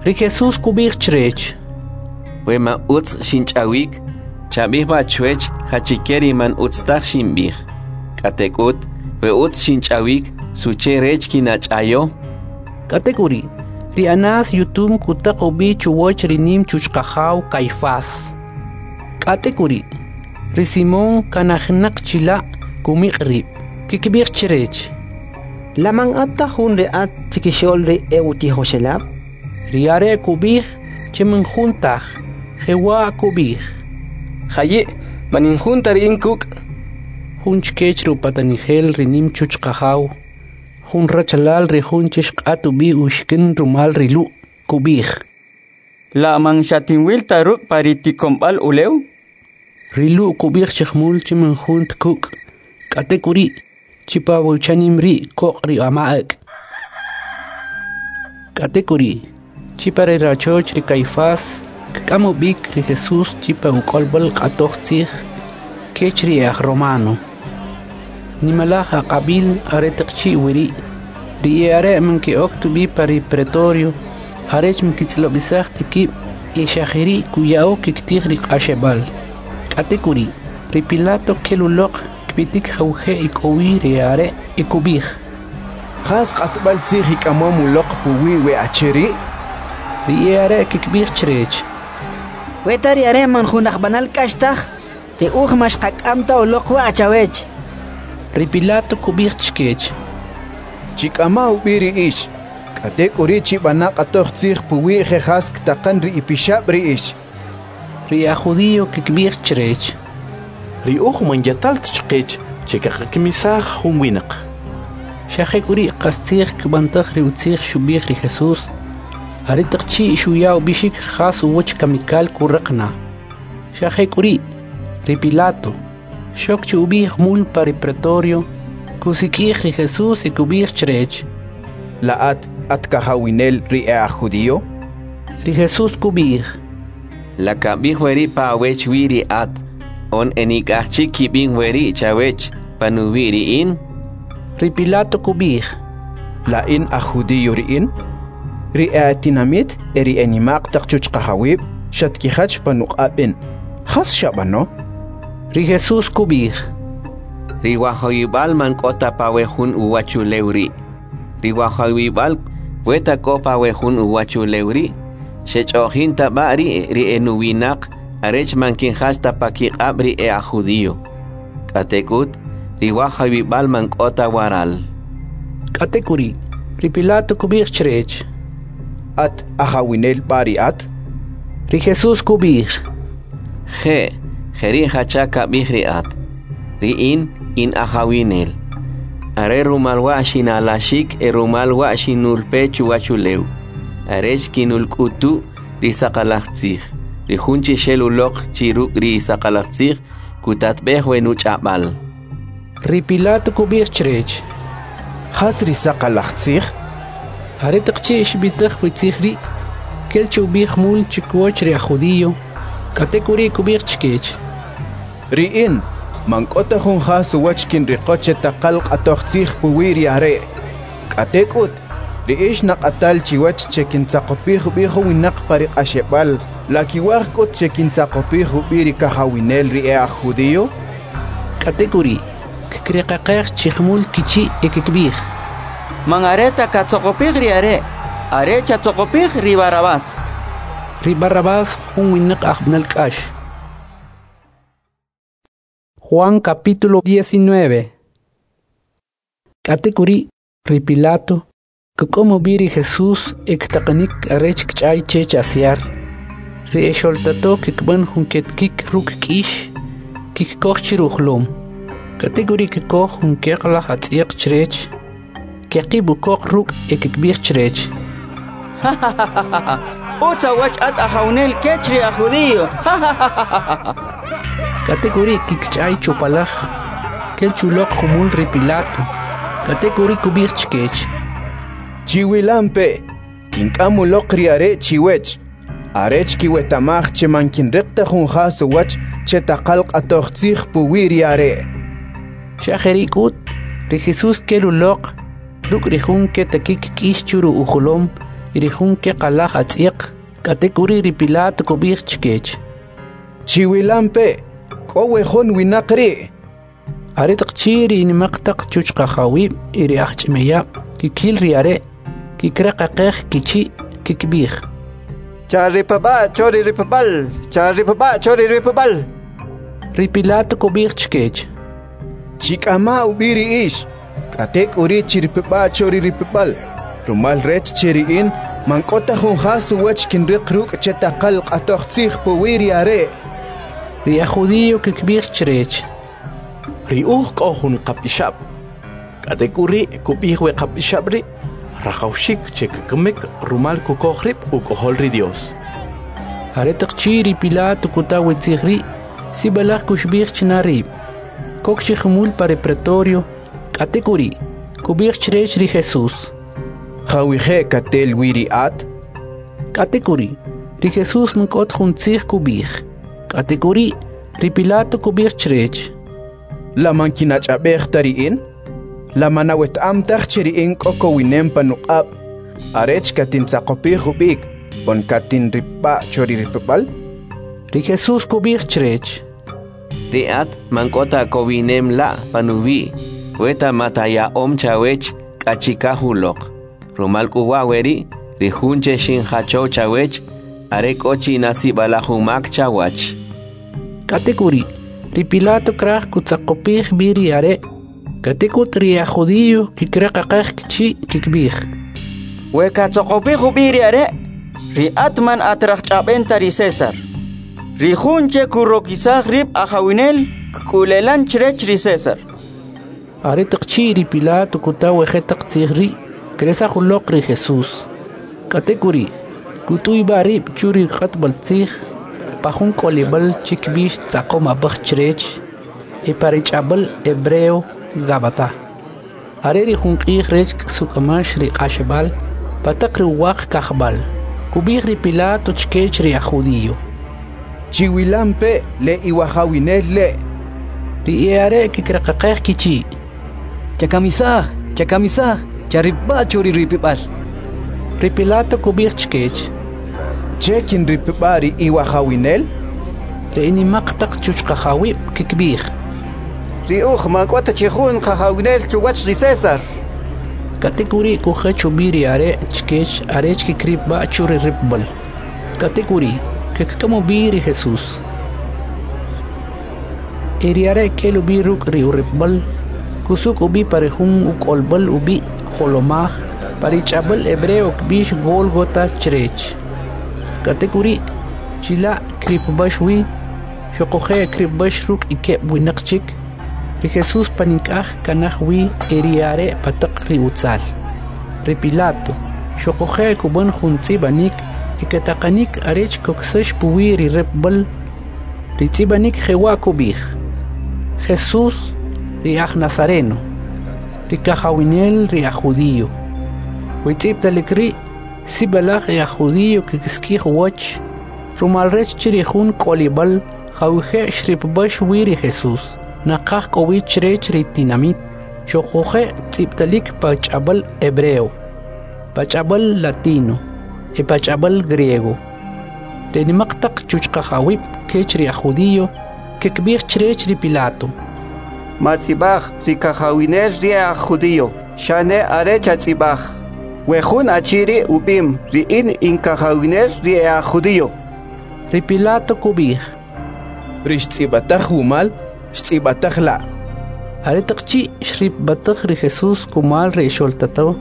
Ri Jesús kub'ij chrech: We ma utz xinch'awik, chab'ij b'a chwech jachike ri man utz taj xinb'ij. K'atek'ut, we utz xinch'awik, suche rech kinach'ayo? K'atek'uri', ri Anás yutum kutaq ub'i chuwach ri nim chuchqajaw Caifás. K'atek'uri', ri Simón kanajinaq chila' kumiq' rib'. Kikib'ij chrech: La man at ta jun ri at chikixo'l ri e'utijoxelab'? Ri are' kub'ij che man jun taj, jewa' kub'ij: Jayi', man in jun ta ri in kuk'. Jun chkech ri upatanijel ri nim chuchqajaw, jun rachalal ri jun che xq'at ub'i uxikin rumal ri Lu', kub'ij: La man xatinwil ta ruk' pa ri tikomb'al ulew? Ri Lu' kub'ij chi jumul che man jun ta kuk', k'atek'uri' chi pa we uchanim ri' koq' ri ama' ak'. K'atek'uri', chi pa ri rachoch ri Caifás kk'am ub'ik ri Jesús chi pa uk'olb'al q'atoj tzij kech ri e'ajromano. Nimalaj aq'ab'il aretaq chi' weri', ri e'are' man ke'ok ta ub'i pa ri pretorio arech man kitz'ilob'isaj ta kib' e xa jeri' kuya'o kkitij ri Q'axeb'al. K'atek'uri', ri Pilato kel uloq kpitik jawje' ek'o wi ri e'are' e kub'ij: Jas q'atb'al tzij ik'amom uloq puwi' we achi ri'? Ri e'are' kkib'ij chrech: Weta ri are' man jun ajb'anal k'ax taj, ri uj man xqak'am ta uloq wa' chawech. Ri Pilato kub'ij chkech: Chik'ama ub'i ri ix, k'atek'uri' chib'ana q'atoj tzij puwi' je' jas ktaqan ri ipixab' ri ix. Ri e'ajjudio kkib'ij chrech: Ri uj man yatal ta chqech che kaqakamisaj jun winaq. Xa jek'uri' qastzij kb'antaj ri utzij xub'ij ri Jesús, aretaq chi' xuya ub'ixik jas uwach kamikal kuriq na. Xa jek'uri', ri Pilato xok chi ub'i jumul pa ri pretorio, kusik'ij ri Jesús e kub'ij chrech: La at at kajawinel ri e'ajjudio? Ri Jesús kub'ij: La kab'ij weri' pa awech wi ri at, on enik'aj chik kib'im weri' chawech panuwi' ri in? Ri Pilato kub'ij: La in aj judío ri in? Ri e'atinamit e ri enima'q taq chuchqajawib' xatkijach panuq'ab' in. Jas xab'ano? Ri Jesús kub'ij: Ri wajawib'al man k'o ta pa we jun uwachulew ri'. Ri wajawib'al weta k'o pa we jun uwachulew ri', xech'o'jin ta b'a ri' ri enuwinaq arech man kinjach ta pa kiq'ab' ri e'ajjudio. K'atek'ut, ri wajawib'al man k'o ta waral. K'atek'uri', ri Pilato kub'ij chrech: At ajawinel b'a ri at? Ri Jesús kub'ij: Je', jeri' jacha kab'ij ri at. Ri in, in ajawinel. Are rumal wa' xinalaxik e rumal wa' xinulpe chuwachulew, arech kinulk'utu ri saqalaj tzij. Ri jun chi xel uloq chi ruk' ri saqalaj tzij kutatb'ej we nuch'ab'al. Ri Pilato kub'ij chrech: Jas ri saqalaj tzij? Aretaq chi' xb'itaj we tzij ri', kel chi ub'i jumul chkiwach ri ajjudio, k'atek'uri' kub'ij chkech: Ri in man k'o ta jun jas uwach kinriqo che taqal q'atoj tzij puwi' ri are'. K'atek'ut, ri ix naq'atal chiwach che kintzaqopij ub'i jun winaq pa ri Q'axeb'al. La kiwaj k'ut che kintzaqopij ub'i ri kajawinel ri e'ajjudio? K'atek'uri', kkiriqaqej chi jumul kichi' e kkib'ij: Man are ta katzoqopij ri are', are chatzoqopij ri Barrabás. Ri Barrabás jun winaq ajb'anal k'ax. Juan capítulo diecinueve. K'atek'uri', ri Pilato kuk'am ub'i ri Jesús e ktaqanik arech kch'ay chech asyar. Ri exoltato kikb'an jun ketkik ruk' k'ix, kikkoj chi rujlom. K'atek'uri' kikoj jun keqlaj atz'yaq chrech, keqib' ukoq ruk' e kikb'ij chrech: Utz awach at ajawnel kech ri ajjudio. K'atek'uri' kikch'ay chupalaj, kel chuloq jumul ri Pilato. K'atek'uri' kub'ij chkech: Chiwilampe', kink'am uloq ri are' chiwech, arech kiweta'maj che man kinriq ta jun jas uwach che taqal q'atoj tzij puwi' ri are'. Xa jeri' k'ut, ri Jesús kel uloq ruk' ri jun ketakik k'ix churu ujolom y ri jun keqalaj atz'yaq. K'atek'uri' ri Pilato kub'ij chkech: Chiwilampe', k'o we jun winaq ri'. Aretaq chi' ri nimaq taq chuchqajawib' y ri ajch'imeyab' kikil ri are', kikreqaqej kichi' kikb'ij: Charipab'a cho ri ripab'al, charipab'a cho ri ripab'al. Ri Pilato kub'ij chkech: Chik'ama ub'i ri ix, k'atek'uri' chiripab'a cho ri ripab'al, rumal rech che ri in man k'o ta jun jas uwach kinriq ruk' che taqal q'atoj tzij puwi' ri are'. Ri ajjudio kikb'ij chrech: Ri uj k'o jun qapixab', k'atek'uri' kub'ij we qapixab' ri' rajawxik che kkamik rumal kukoj rib' uk'ojol ri Dios. Aretaq chi' ri Pilato kuta we tzij ri', sib'alaj kuxib'ij china rib'. Kok chi jumul pa ri pretorio, k'atek'uri', kub'ij chrech ri Jesús: Jawije' katel wi ri at? K'atek'uri', ri Jesús man k'o ta jun tzij kub'ij. K'atek'uri', ri Pilato kub'ij chrech: La man kinach'ab'ej ta ri in? La man aweta'm taj che ri in k'o kowinem pa nuq'ab' arech katintzaqopij ub'ik on katinripb'a' cho ri ripib'al? Ri Jesús kub'ij chrech: Ri at man k'o ta kowinem la' panuwi' weta mata ya'om chawech k'a chikaj uloq. Rumal k'u wa' weri', ri jun che xinjachow chawech, are k'o chi na sib'alaj umak chawach. K'atek'uri', ri Pilato kraj kutzaqopij b'i ri are'. K'atek'ut ri aj judío kikreqaqej kichi' kikb'ij: We katzoqopij ub'i ri are', ri at man at rajch'ab'en ta ri César. Ri jun che kurokisaj rib' ajawinel kk'ulelan chrech ri César. Aretaq chi' ri Pilato kuta we jetaq tzij ri', kresaj uloq ri Jesús. K'atek'uri', kut'uyb'a' rib' chu ri q'atb'al tzij, pa jun k'olib'al che kb'ix Tzaqom Ab'aj chrech, e pa ri ch'ab'al hebreo Gabata. Are ri jun q'ij rech ksuk'umax ri Q'axeb'al pa taq ri uwaq kajb'al. Kub'ij ri Pilato chkech ri aj judío: Chiwilampe' le iwajawinel le'. Ri e'are' kikreqaqej kichi': Chakamisaj, chakamisaj, charipb'a' cho ri ripib'al. Ri Pilato kub'ij chkech: Che kinripb'a' ri iwajawinel? Ri enimaq taq chuchqajawib' kikb'ij: Ri uj man k'o ta chi jun qajawinel chuwach ri César. K'atek'uri' kujach ub'i ri are' chkech arech kikripb'a' chu ri ripb'al. K'atek'uri' kkik'am ub'i ri Jesús. E ri are' kel ub'i ruk' ri uripb'al, kusuk' ub'i pa ri jun uk'olb'al ub'i' Jolomaj, pa ri ch'ab'al hebreo kb'ix Gólgota chrech. K'atek'uri', chila' kripb'ax wi, xoquje' kripb'ax ruk' ikeb' winaq chik. Ri Jesús panik'aj kanaj wi e ri are' pa taq ri utzal. Ri Pilato xoquje' kub'an jun tz'ib'anik e kataqanik arech koksax puwi' ri ripb'al. Ri tz'ib'anik jewa' kub'ij: Jesús, ri aj Nazareno, ri kajawinel ri aj judío. We tz'ib'talik ri' sib'alaj e aj judío kikisik'ij uwach, rumal rech che ri jun k'olib'al jawije' xripb'ax wi ri Jesús naqaj k'o wi chrech ri tinamit, xoquje' tz'ib'talik pa ch'ab'al hebreo, pa ch'ab'al latino e pa ch'ab'al griego. Ri nimaq taq chuchqajawib' kech ri aj judío kikb'ij chrech ri Pilato: Matz'ib'aj ri kajawinel ri aj judío, xane are chatz'ib'aj: We jun achi ri' ub'im ri in in kajawinel ri aj judío. Ri Pilato kub'ij: Ri xtz'ib'ataj wumal, xtz'ib'ataj la'. Aretaq chi' xripb'ataj ri Jesús kumal ri ixoltato,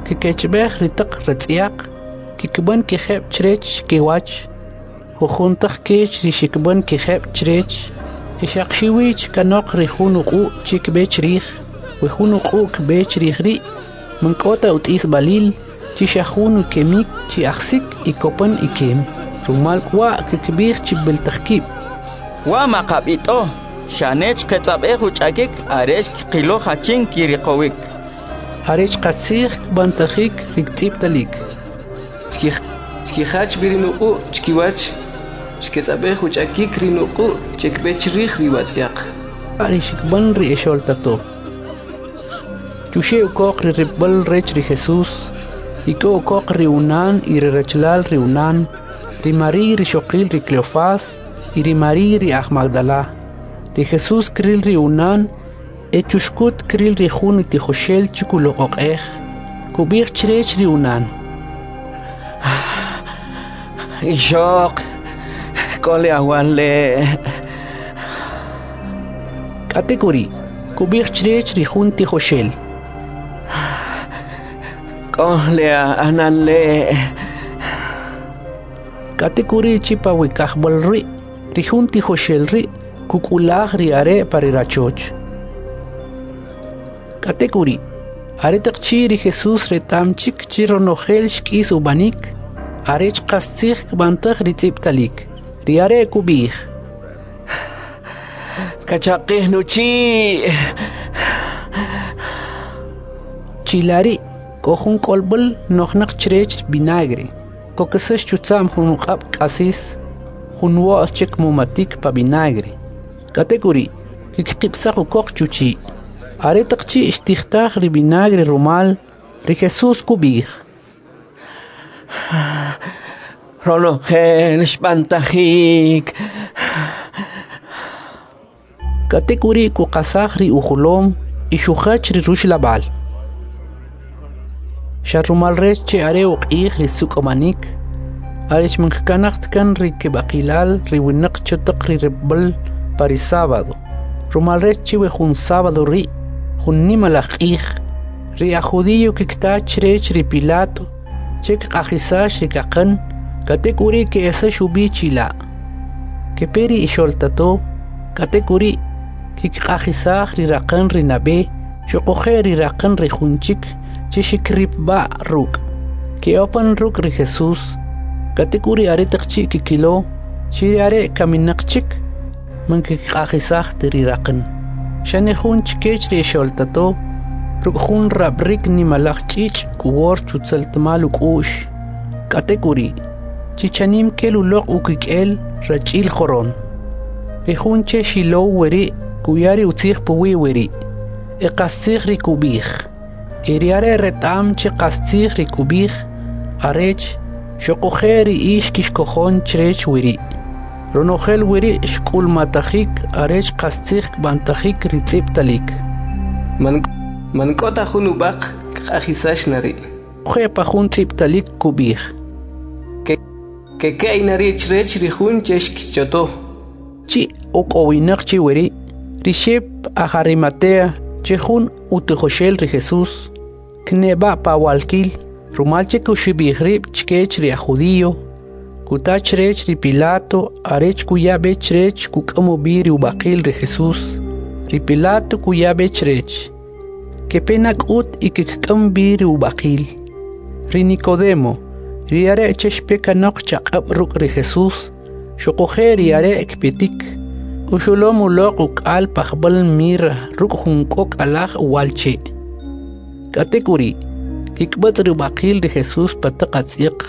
kikechb'ej ri taq ratz'yaq, kikb'an kijeb' chrech kiwach. Jujun taq kech ri xikb'an kijeb' chrech, e xaq xiwi chkanoq ri jun uq'u' che kb'e chrij. We jun uq'u' kb'e chrij ri' man k'o ta ut'isb'alil, chi xa jun ukemik chi ajsik y kopan ikem. Rumal k'wa' kikb'ij chib'il taq kib': Wa maqab'it'o, xane chqetz'ab'ej uch'akik arech kqilo jachin kiriqowik. Arech qastzij kb'antajik ri tz'ib'talik. Xkijach b'i ri nuq'u' chkiwach, xketz'ab'ej uch'akik ri nuq'u' che kb'e chrij ri watz'yaq. Ri xikb'an ri exoltato. Chuxe' ukoq ri ripb'al rech ri Jesús, ik'o ukoq ri unan y ri rachalal ri unan, ri María ri xoqil ri Cleofás y ri María ri aj Magdala. Ri Jesús kril ri unan e chuxkut kril ri jun tijoxel che kuloq'oq'ej. Kub'ij chrech ri unan: Ixoq, k'o le awal le'. K'atek'uri', kub'ij chrech ri jun tijoxel: K'o le anan le'. K'atek'uri' chi pa we kajb'al ri', ri jun tijoxel ri' kuk'ulaj ri are' pa ri rachoch. K'atek'uri', aretaq chi' ri Jesús reta'm chik chi ronojel xk'is ub'anik, Arech qastzij kb'antaj ri tz'ib'talik. Ri are' kub'ij: Kachaqij nuchi'. Chila' ri' k'o jun k'olb'al nojnaq chrech vinagre. Kokisax chutza'm jun uq'ab' k'asis, jun wo's che kmumatik pa vinagre. K'atek'uri', kkiqib'saj ukoq chuchi'. Aretaq chi' xtijtaj ri vinagre rumal, ri Jesús kub'ij: Ronojel xb'antajik. K'atek'uri' kuqasaj ri ujolom y xujach ri ruxlab'al. Xa rumal rech che are uq'ij ri suk'umanik, arech man kkanaj ta kan ri kib'aqilal ri winaq cho taq ri ripb'al pa ri sábado. Rumal rech che we jun sábado ri' jun nimalaj q'ij, ri aj judío kikta chrech ri Pilato che kq'ajisax ri kaqan, k'atek'uri' ke'esax ub'i chila'. Kepe ri ixoltato, k'atek'uri' kikq'ajisaj ri raqan ri nab'e, xuquje' ri raqan ri jun chik che xikripb'a' ruk'. Ke'opan ruk' ri Jesús, k'atek'uri' aretaq chi' kikilo chi ri are' kaminaq chik, man kikq'ajisaj ta ri raqan. Xane jun chkech ri ixoltato, ruk' jun rab'rik nimalaj ch'ich' kuwor chutzaltmal uk'u'x. K'atek'uri', chichanim kel uloq ukik'el rach'il joron. Ri jun che xilow weri' kuya ri utzij puwi' weri', e qastzij ri kub'ij. E ri are' reta'm che qastzij ri kub'ij, arech xuquje' ri ix kixkojon chrech weri'. Ronojel weri' xk'ulmatajik arech qastzij kb'antajik ri tz'ib'talik. Man, man k'o ta jun ub'aq kq'ajisax na ri'. Je' pa jun tz'ib'talik kub'ij: Keka'y na ri' chrech ri jun che xkichoto. Chi' ok'owinaq chi weri', ri Xep aj Arimatea, che jun utijoxel ri Jesús, kneb'a pa walkil, rumal che kuxib'ij rib' chkech ri aj judío, kuta chrech ri Pilato arech kuya b'e chrech kuk'am ub'i ri ub'aqil ri Jesús. Ri Pilato kuya b'e chrech. Kepe na k'ut y kkik'am b'i ri ub'aqil. Ri Nicodemo, ri are' che xpe kanoq chaq'ab' ruk' ri Jesús, xuquje' ri are' kpetik, uxulom uloq uk'al pajb'al mirra ruk' jun k'ok' alaj uwa'l che'. K'atek'uri', kikb'atz' ri ub'aqil ri Jesús pa taq atz'yaq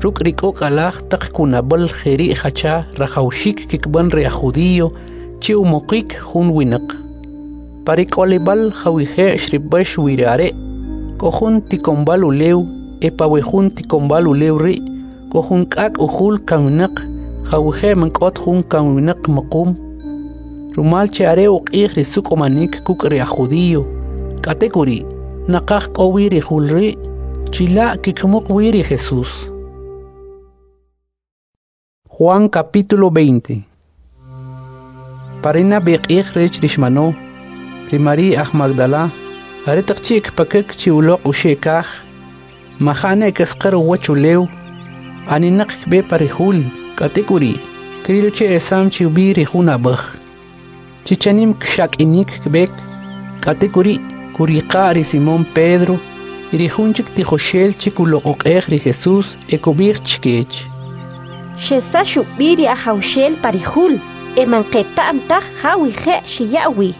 ruk' ri k'ok' alaj taq kunab'al jeri' jacha rajawxik kikb'an ri aj judío che umuqik jun winaq. Pa ri k'olib'al jawije' xripb'ax wi ri are', k'o jun tikonb'al ulew, e pa we jun tikonb'al ulew ri' k'o jun k'ak' ujul kaminaq jawije' man k'ot jun kaminaq muqum. Rumal che are uq'ij ri suk'umanik kuk' ri aj judío, k'atek'uri' naqaj k'o wi ri jul ri', chila' kikmuq wi ri Jesús. Juan capítulo veinte. Parina b'e q'ij rech ri xmano, ri María aj Magdala, aretaq chi' kpakak chi uloq uxe' kaj, majane kasqar uwach ulew, aninaq kb'e pa ri jul, k'atek'uri', krilo che esam chi ub'i ri jun ab'aj. Chichanim kxak'inik kb'ek, k'atek'uri' kuriqa' ri Simón Pedro, y ri jun chik tijoxel che kuloq'oq'ej ri Jesús e kub'ij chkech: Xesax ub'i ri Ajawxel pa ri jul, e man qeta'm taj jawije' xiya' wi.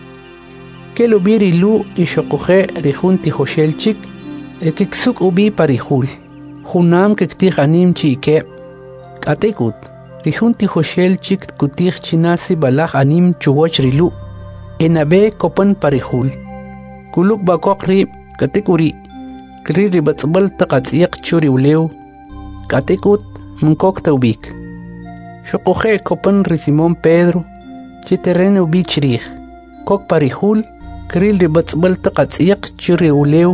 Kel ub'i ri Lu' y xuquje' ri jun tijoxel chik, e kiksuk' ub'i pa ri jul. Junam kiktij anim chi ikeb'. K'atek'ut, ri jun tijoxel chik kutij china sib'alaj anim chuwach ri Lu', e nab'e kopan pa ri jul. Kulukb'a koq rib', k'atek'uri', kril ri b'atz'b'al taq atz'yaq chu ri ulew, k'atek'ut man kok ta ub'ik. Xuquje' kopan ri Simón Pedro, che teren ub'i chrij. Kok pa ri jul, kril ri b'atz'b'al taq atz'yaq chu ri ulew,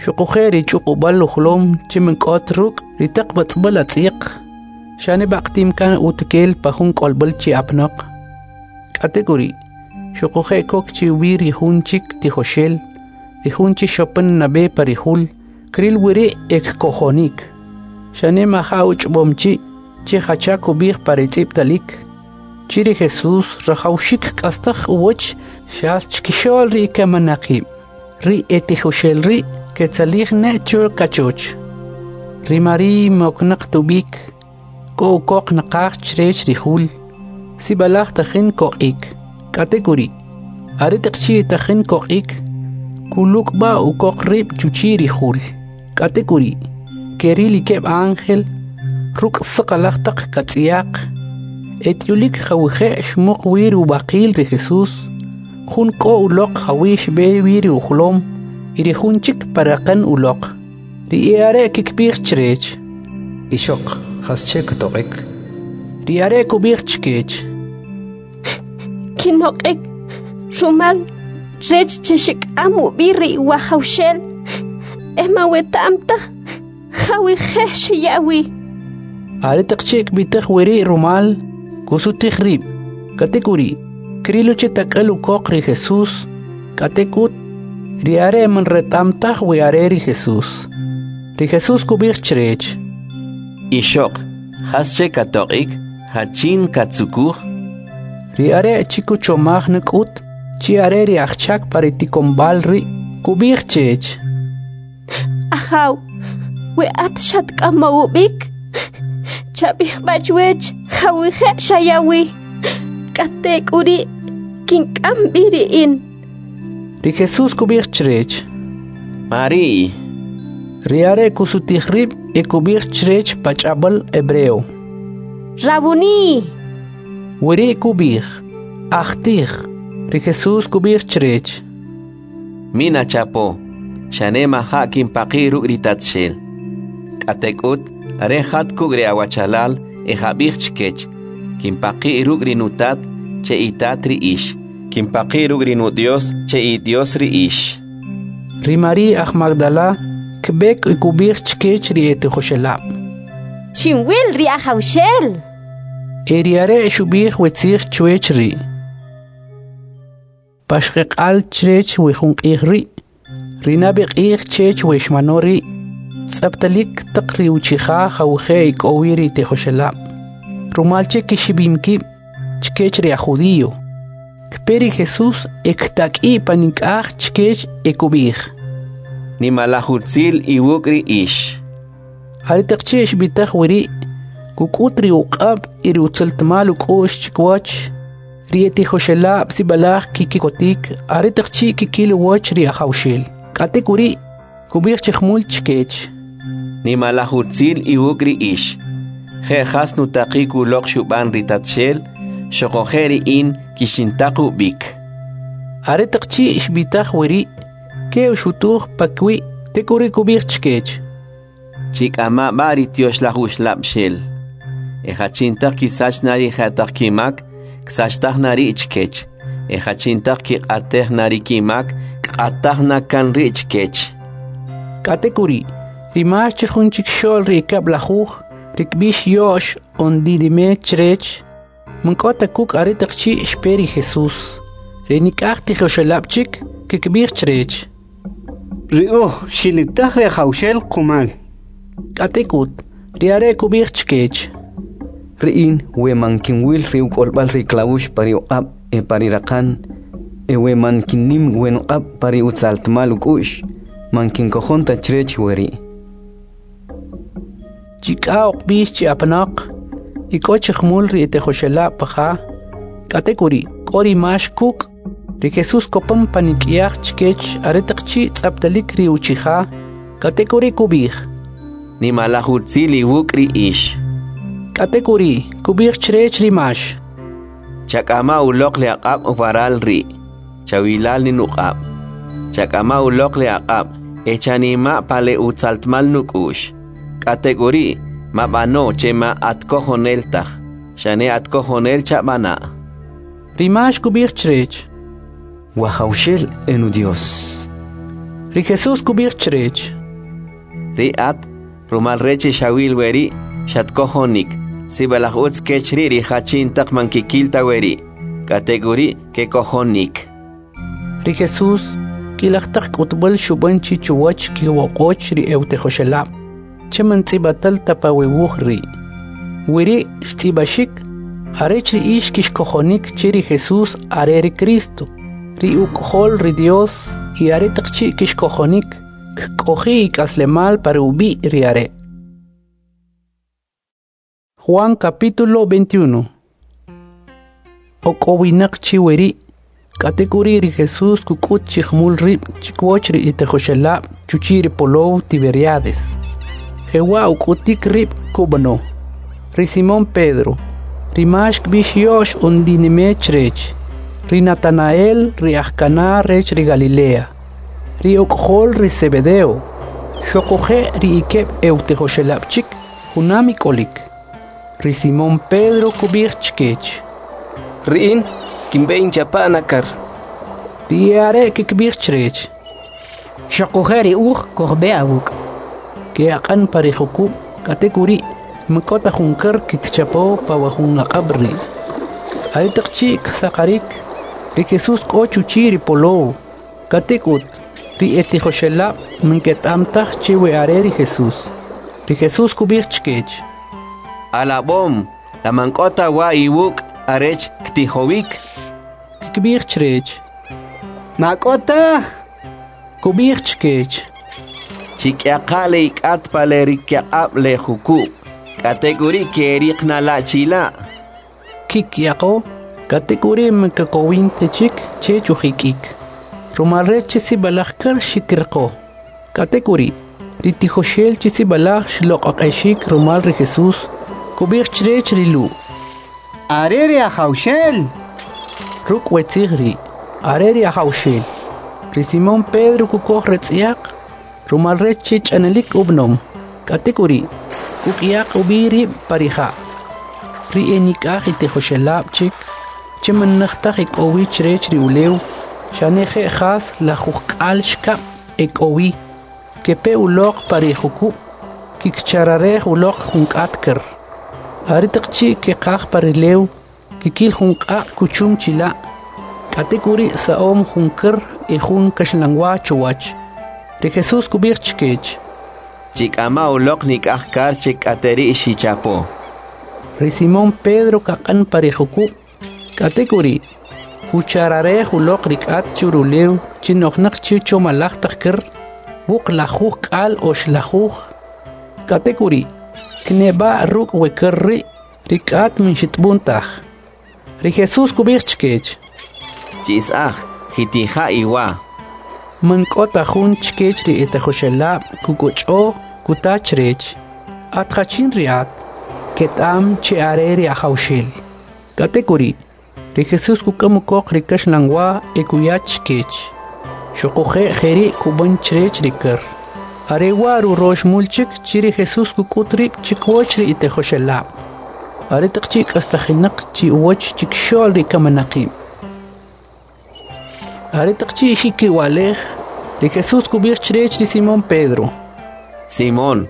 xuquje' ri ch'uqub'al ujolom che man k'ot ruk' ri taq b'atz'b'al atz'yaq, xane b'aqtim kan utukel pa jun k'olb'al chi apnoq. K'atek'uri', xuquje' kok chi ub'i ri jun chik tijoxel, ri jun chi xopan nab'e pa ri jul, kril wiri' e kkojonik. Xane maja uch'b'om chi' che jacha kub'ij pa ri tz'ib'talik. Chi ri Jesús rajawxik k'astaj uwach xas chkixo'l ri kamanaqib'. Ri e tijoxel ri' ketzalij ne cho kachoch. Ri Mari'y moknaq tub'ik, k'o ukoq naqaj chrech ri jul, sib'alaj tajin koq'ik. K'atek'uri', aretaq chi' tajin koq'ik, kulukb'a ukoq rib' chuchi' ri jul. K'atek'uri', keril ikeb' ángel ruk' saqalaj taq katz'yaq, et'ulik jawije' xmuq wi ri ub'aqil ri Jesús, jun k'o uloq jawi xb'e wi ri ujolom y ri jun chik pa raqan uloq. Ri e'are' kikb'ij chrech: Ixoq, jasche katoq'ik? Ri are' kub'ij chkech: Kinoq'ik rumal rech che xik'am ub'i ri Wajawxel e man weta'am taj jawije' xiya wi. Aretaq chi' kb'itaj weri' rumal, kusutij rib', k'atek'uri', krilo che tak'al ukoq ri Jesús, k'atek'ut, ri are' man reta'm taj we are ri Jesús. Ri Jesús kub'ij chrech: Ixoq, jasche katoq'ik? Jachin katzukuj? Ri are' chi kuchomaj nak'ut chi are ri ajchak pa ri tikonb'al ri', kub'ij chech: Ajaw, we at xatk'amow ub'ik, chab'ij b'a' chwech jawije' xaya wi, k'atek'uri' kink'am b'i ri in. Ri Jesús kub'ij chrech: Mari'y. Ri are' kusutij rib' e kub'ij chrech pa ch'ab'al hebreo: Rabuni. Weri' kub'ij: Ajtij. Ri Jesús kub'ij chrech: Minachapo, xane maja' kinpaqi' ruk' ri Tatxel. K'atek'ut, are jat kuk' ri awachalal e jab'ij chkech: Kinpaqi' ruk' ri Nutat, che itat ri ix. Kinpaqi' ruk' ri Nudyos, che Idyos ri ix. Ri Mari'y aj Magdala kb'ek e kub'ij chkech ri etijoxelab': Xinwil ri Ajawxel. E ri are' xub'ij we tzij chwech ri'. Paxqeq'al chrech we jun q'ij ri', ri nab'e q'ij chech we xmano ri', tz'aptalik taq ri uchija jawije' ek'o wi ri tijoxelab', rumal che kixib'im kib' chkech ri aj judío. Kpe ri Jesús e ktak'i' panik'aj chkech e kub'ij: Nimalaj utzil iwuk' ri ix. Aretaq chi' xb'itaj weri', kuk'ut ri uq'ab' y ri utzaltmal uk'u'x chikiwach. Ri etijoxelab' sib'alaj kikikotik aretaq chi' kikil uwach ri Ajawxel. K'atek'uri', kub'ij chi jumul chkech: Nimalaj utzil iwuk' ri ix. Je' jas nutaqik uloq xub'an ri Tatxel, xoquje' ri in kixintaq ub'ik. Aretaq chi' xb'itaj weri', ke'uxutuj pakiwi', tek'uri' kub'ij chkech: Chik'ama' b'a ri Tyoxlaj Uxlab'xel. E jachintaq kisach na ri jetaq kimak, ksachtaj na ri' chkech. E jachintaq kiq'atej na ri kimak, kq'ataj na kan ri' chkech. K'atek'uri', ri Max che jun chikxo'l ri ekab'lajuj, ri kb'ix Yo'x on Didime chrech, man k'o ta kuk' aretaq chi' xpe ri Jesús. Ri nik'aj tijoxelab' chik kikb'ij chrech: Ri uj xilitaj ri Ajawxel qumal. K'atek'ut, ri are' kub'ij chkech: Ri in we man kinwil ri uk'olb'al ri klawux pa ri uq'ab' e pa ri raqan, e we man kinnim we nuq'ab' pa ri utzaltmal uk'u'x, man kinkojon ta chrech weri'. Chik'a uqb'ix chi apanoq, y k'o chi jumul ri etijoxelab' pa ja. K'atek'uri', k'o ri Max kuk'. Ri Jesús kopan panik'yaj chkech aretaq chi' tz'aptalik ri uchija. K'atek'uri' kub'ij: Nimalaj utzil iwuk' ri ix. K'atek'uri', kub'ij chrech ri Max: Chak'ama uloq le aq'ab' waral ri', chawila' li nuq'ab'. Chak'ama uloq le aq'ab' e chanima' pa le utzaltmal nuk'u'x. K'atek'uri', mab'ano che ma atkojonel taj, xane atkojonel chab'ana'. Ri Max kub'ij chrech: Wajawxel e Nudyos. Ri Jesús kub'ij chrech: Ri at, rumal rech xawil weri', xatkojonik. Sib'alaj utz kech ri' ri jachin taq man kikil ta weri', k'atek'uri' kekojonik. Ri Jesús k'ilaj taq k'utb'al xub'an chi chuwach kiwoq'och ri e'utijoxelab', che man tz'ib'atal ta pa we wuj ri'. Weri' xtz'ib'axik arech ri ix kixkojonik che ri Jesús are ri Cristo, ri Uk'ojol ri Dios, y aretaq chi' kixkojonik, kk'oji' ik'aslemal pa ri ub'i' ri Are'. Juan capítulo veintiuno. Ok'owinaq chi weri', k'atek'uri' ri Jesús kuk'ut chi jumul rib' chikuwach ri itijoxelab' chuchi' ri polow Tiberiades. Jewa' uk'utik rib' kub'ano. Ri Simón Pedro, ri Max kb'ix Yo'x undinime chrech, ri Natanael ri aj Caná rech ri Galilea, ri uk'ojol ri Zebedeo, xuquje' ri ikeb' e'utijoxelab' chik junam ik'olik. Ri Simón Pedro kub'ij chkech: Ri in kinb'e inchapa' nakar. Ri e'are' kikb'ij chrech: Xuquje' ri uj kujb'e awuk'. Ke'aq'an pa ri jukub', k'atek'uri' man k'o ta jun kar kikchapo pa wa jun aq'ab' ri'. Aretaq chi' ksaqarik, ri Jesús k'o chuchi' ri polow, k'atek'ut ri etijoxelab' man keta'm taj che we are ri Jesús. Ri Jesús kub'ij chkech: Alab'om, la man k'o ta wa iwuk' arech ktijowik? Kikb'ij chrech: Ma k'o taj. Kub'ij chkech: Chik'yaqa' le ik'at pa le rikyaq'ab' le jukub', k'atek'uri' ke'eriq na la' chila'. Kikyaqo, k'atek'uri' man kekowin ta chik chech ujik'ik, rumal rech che sib'alaj kar xikiriqo. K'atek'uri', ri tijoxel che sib'alaj xloq'oq'exik rumal ri Jesús, kub'ij chrech ri Lu': Are ri Ajawxel. Ruk' we tzij ri', are ri Ajawxel. Ri Simón Pedro kukoj ratz'yaq, rumal rech che ch'analik ub'anom, k'atek'uri' kuk'yaq ub'i rib' pa ri ja'. Ri enik'aj itijoxelab' chik, che man naj taj ek'o wi chrech ri ulew, xane je' jas lajujk'al xkab' ek'o wi, kepe uloq pa ri jukub', kikchararej uloq jun k'at kar. Aretaq chi' keqaj pa ri ulew, kikil jun q'aq' kuchum chila', k'atek'uri' sa'om jun kar e jun kaxlanwa chuwach. Ri Jesús kub'ij chkech: Chik'ama uloq nik'aj kar che k'ateri' xichapo. Ri Simón Pedro kaq'an pa ri jukub', k'atek'uri' kuchararej uloq ri k'at churulew chi nojnaq chi chomalaj taq kar, wuqlajuj k'al oxlajuj. K'atek'uri' kneb'a' ruk' we kar ri' ri k'at man xitb'un taj. Ri Jesús kub'ij chkech: Ch'is'aj, jitija' iwa. Man k'o ta jun chkech ri etijoxelab' kukoch'o kuta chrech: At jachin ri at? Keta'am che are ri Ajawxel. K'atek'uri', ri Jesús kuk'am ukoq ri kaxlanwa e kuya chkech. Xuquje' jeri' kub'an chrech ri kar. Are wa' rurox mul chik chi ri Jesús kuk'ut rib' chikuwach ri itijoxelab'. Aretaq chi' k'astajinaq chi uwach chikxo'l ri kaminaqib'. Aretaq chi' xikiwalej, ri Jesús kub'ij chrech ri Simón Pedro: Simón,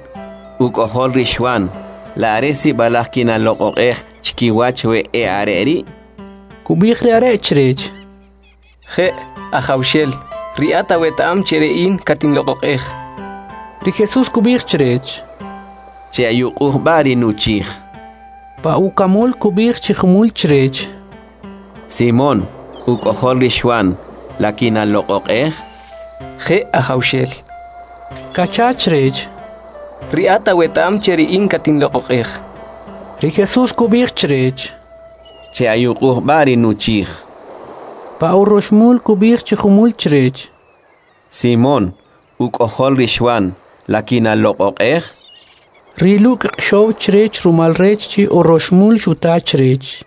uk'ojol ri Xwan, la are sib'alaj kinaloq'oq'ej chkiwach we e'are' ri'? Kub'ij ri are' chrech: Je', Ajawxel, ri at aweta'am che ri in katinloq'oq'ej. Ri Jesús kub'ij chrech: Che'ayuq'uj b'a' ri nuchij. Pa ukamul kub'ij chi jumul chrech: Simón, uk'ojol ri Xwan, la kinaloq'oq'ej? Je', Ajawxel. Kacha chrech: Ri at aweta'am che ri in katinloq'oq'ej. Ri Jesús kub'ij chrech: Che'ayuq'uj b'a' ri nuchij. Pa uroxmul kub'ij chi jumul chrech: Simón, uk'ojol ri Xwan, la kinaloq'oq'ej? Ri Lu' kq'axow chrech rumal rech chi uroxmul xuta chrech: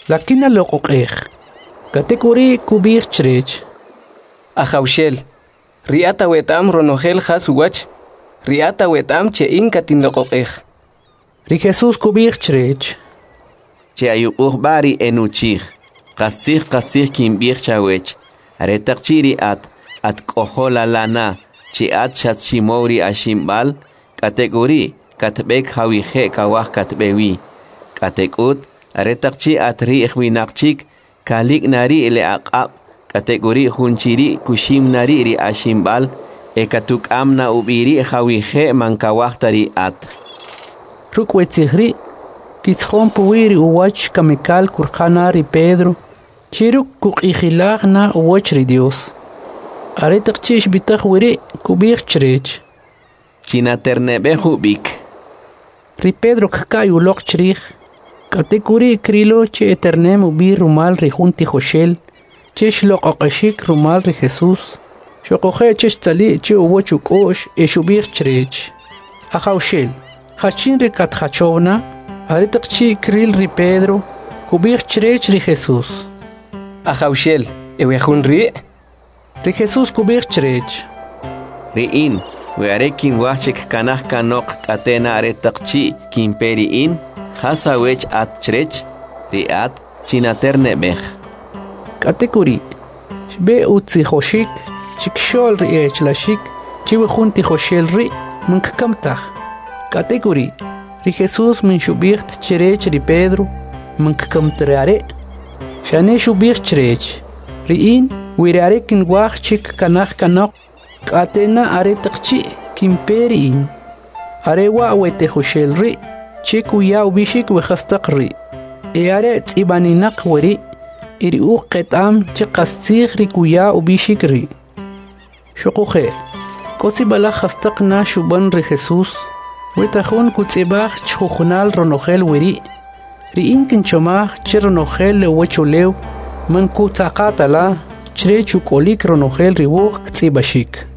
La kinaloq'oq'ej? K'atek'uri' kub'ij chrech: Ajawxel, ri at aweta'am ronojel jas uwach, ri at aweta'am che in katinloq'oq'ej. Ri Jesús kub'ij chrech: Che'ayuq'uj b'a' ri enuchij. Qastzij qastzij kinb'ij chawech, aretaq chi' ri at, at k'ojol ala na, chi at xatximow ri aximb'al, k'atek'uri' katb'ek jawije' kawaj katb'e wi. K'atek'ut, aretaq chi' at ri'j winaq chik, kalik' na ri' le aq'ab', k'atek'uri' jun chi ri' kuxim na ri' ri aximb'al, e katuk'am na ub'i ri' jawije' man kawaj ta ri at. Ruk' we tzij ri', kitzjon puwi' ri uwach kamikal kurqa na ri Pedro, che ruk' kuq'ijilaj na uwach ri Dios. Aretaq chi' xb'itaj weri', kub'ij chrech: Chinaterneb'ej ub'ik. Ri Pedro kka'y uloq chrij, k'atek'uri' krilo che eternem ub'i rumal ri jun tijoxel che xloq'oq'exik rumal ri Jesús, xoquje' che xtzali' che uwach uk'u'x e xub'ij chrech: Ajawxel, jachin ri katjachow na? Aretaq chi' kril ri Pedro, kub'ij chrech ri Jesús: Ajawxel, e we jun ri'? Ri Jesús kub'ij chrech: Ri in, we are kinwaj che kkanaj kanoq k'ate na aretaq chi' kinpe ri in, jas awech at chrech? Ri at chinaterne'b'ej. K'atek'uri', xb'e utzijoxik chikxo'l ri e'achlaxik che we jun tijoxel ri' man kkam taj. K'atek'uri', ri Jesús man xub'ij ta chrech ri Pedro man kkam ta ri are', xane xub'ij chrech: Ri in, we ri are' kinwaj che kkanaj kanoq k'ate na aretaq chi' kinpe ri in. Are wa' we tijoxel ri' che kuya ub'ixik we jastaq ri', e are tz'ib'aninaq weri', y ri uj qeta'am che qastzij ri kuya ub'ixik ri'. Xoquje', k'o sib'alaj jastaq na xub'an ri Jesús, weta jun kutz'ib'aj chjujunal ronojel weri', ri in kinchomaj che ronojel le uwachulew man kutzaqatala chrech uk'olik ronojel ri wuj ktz'ib'axik.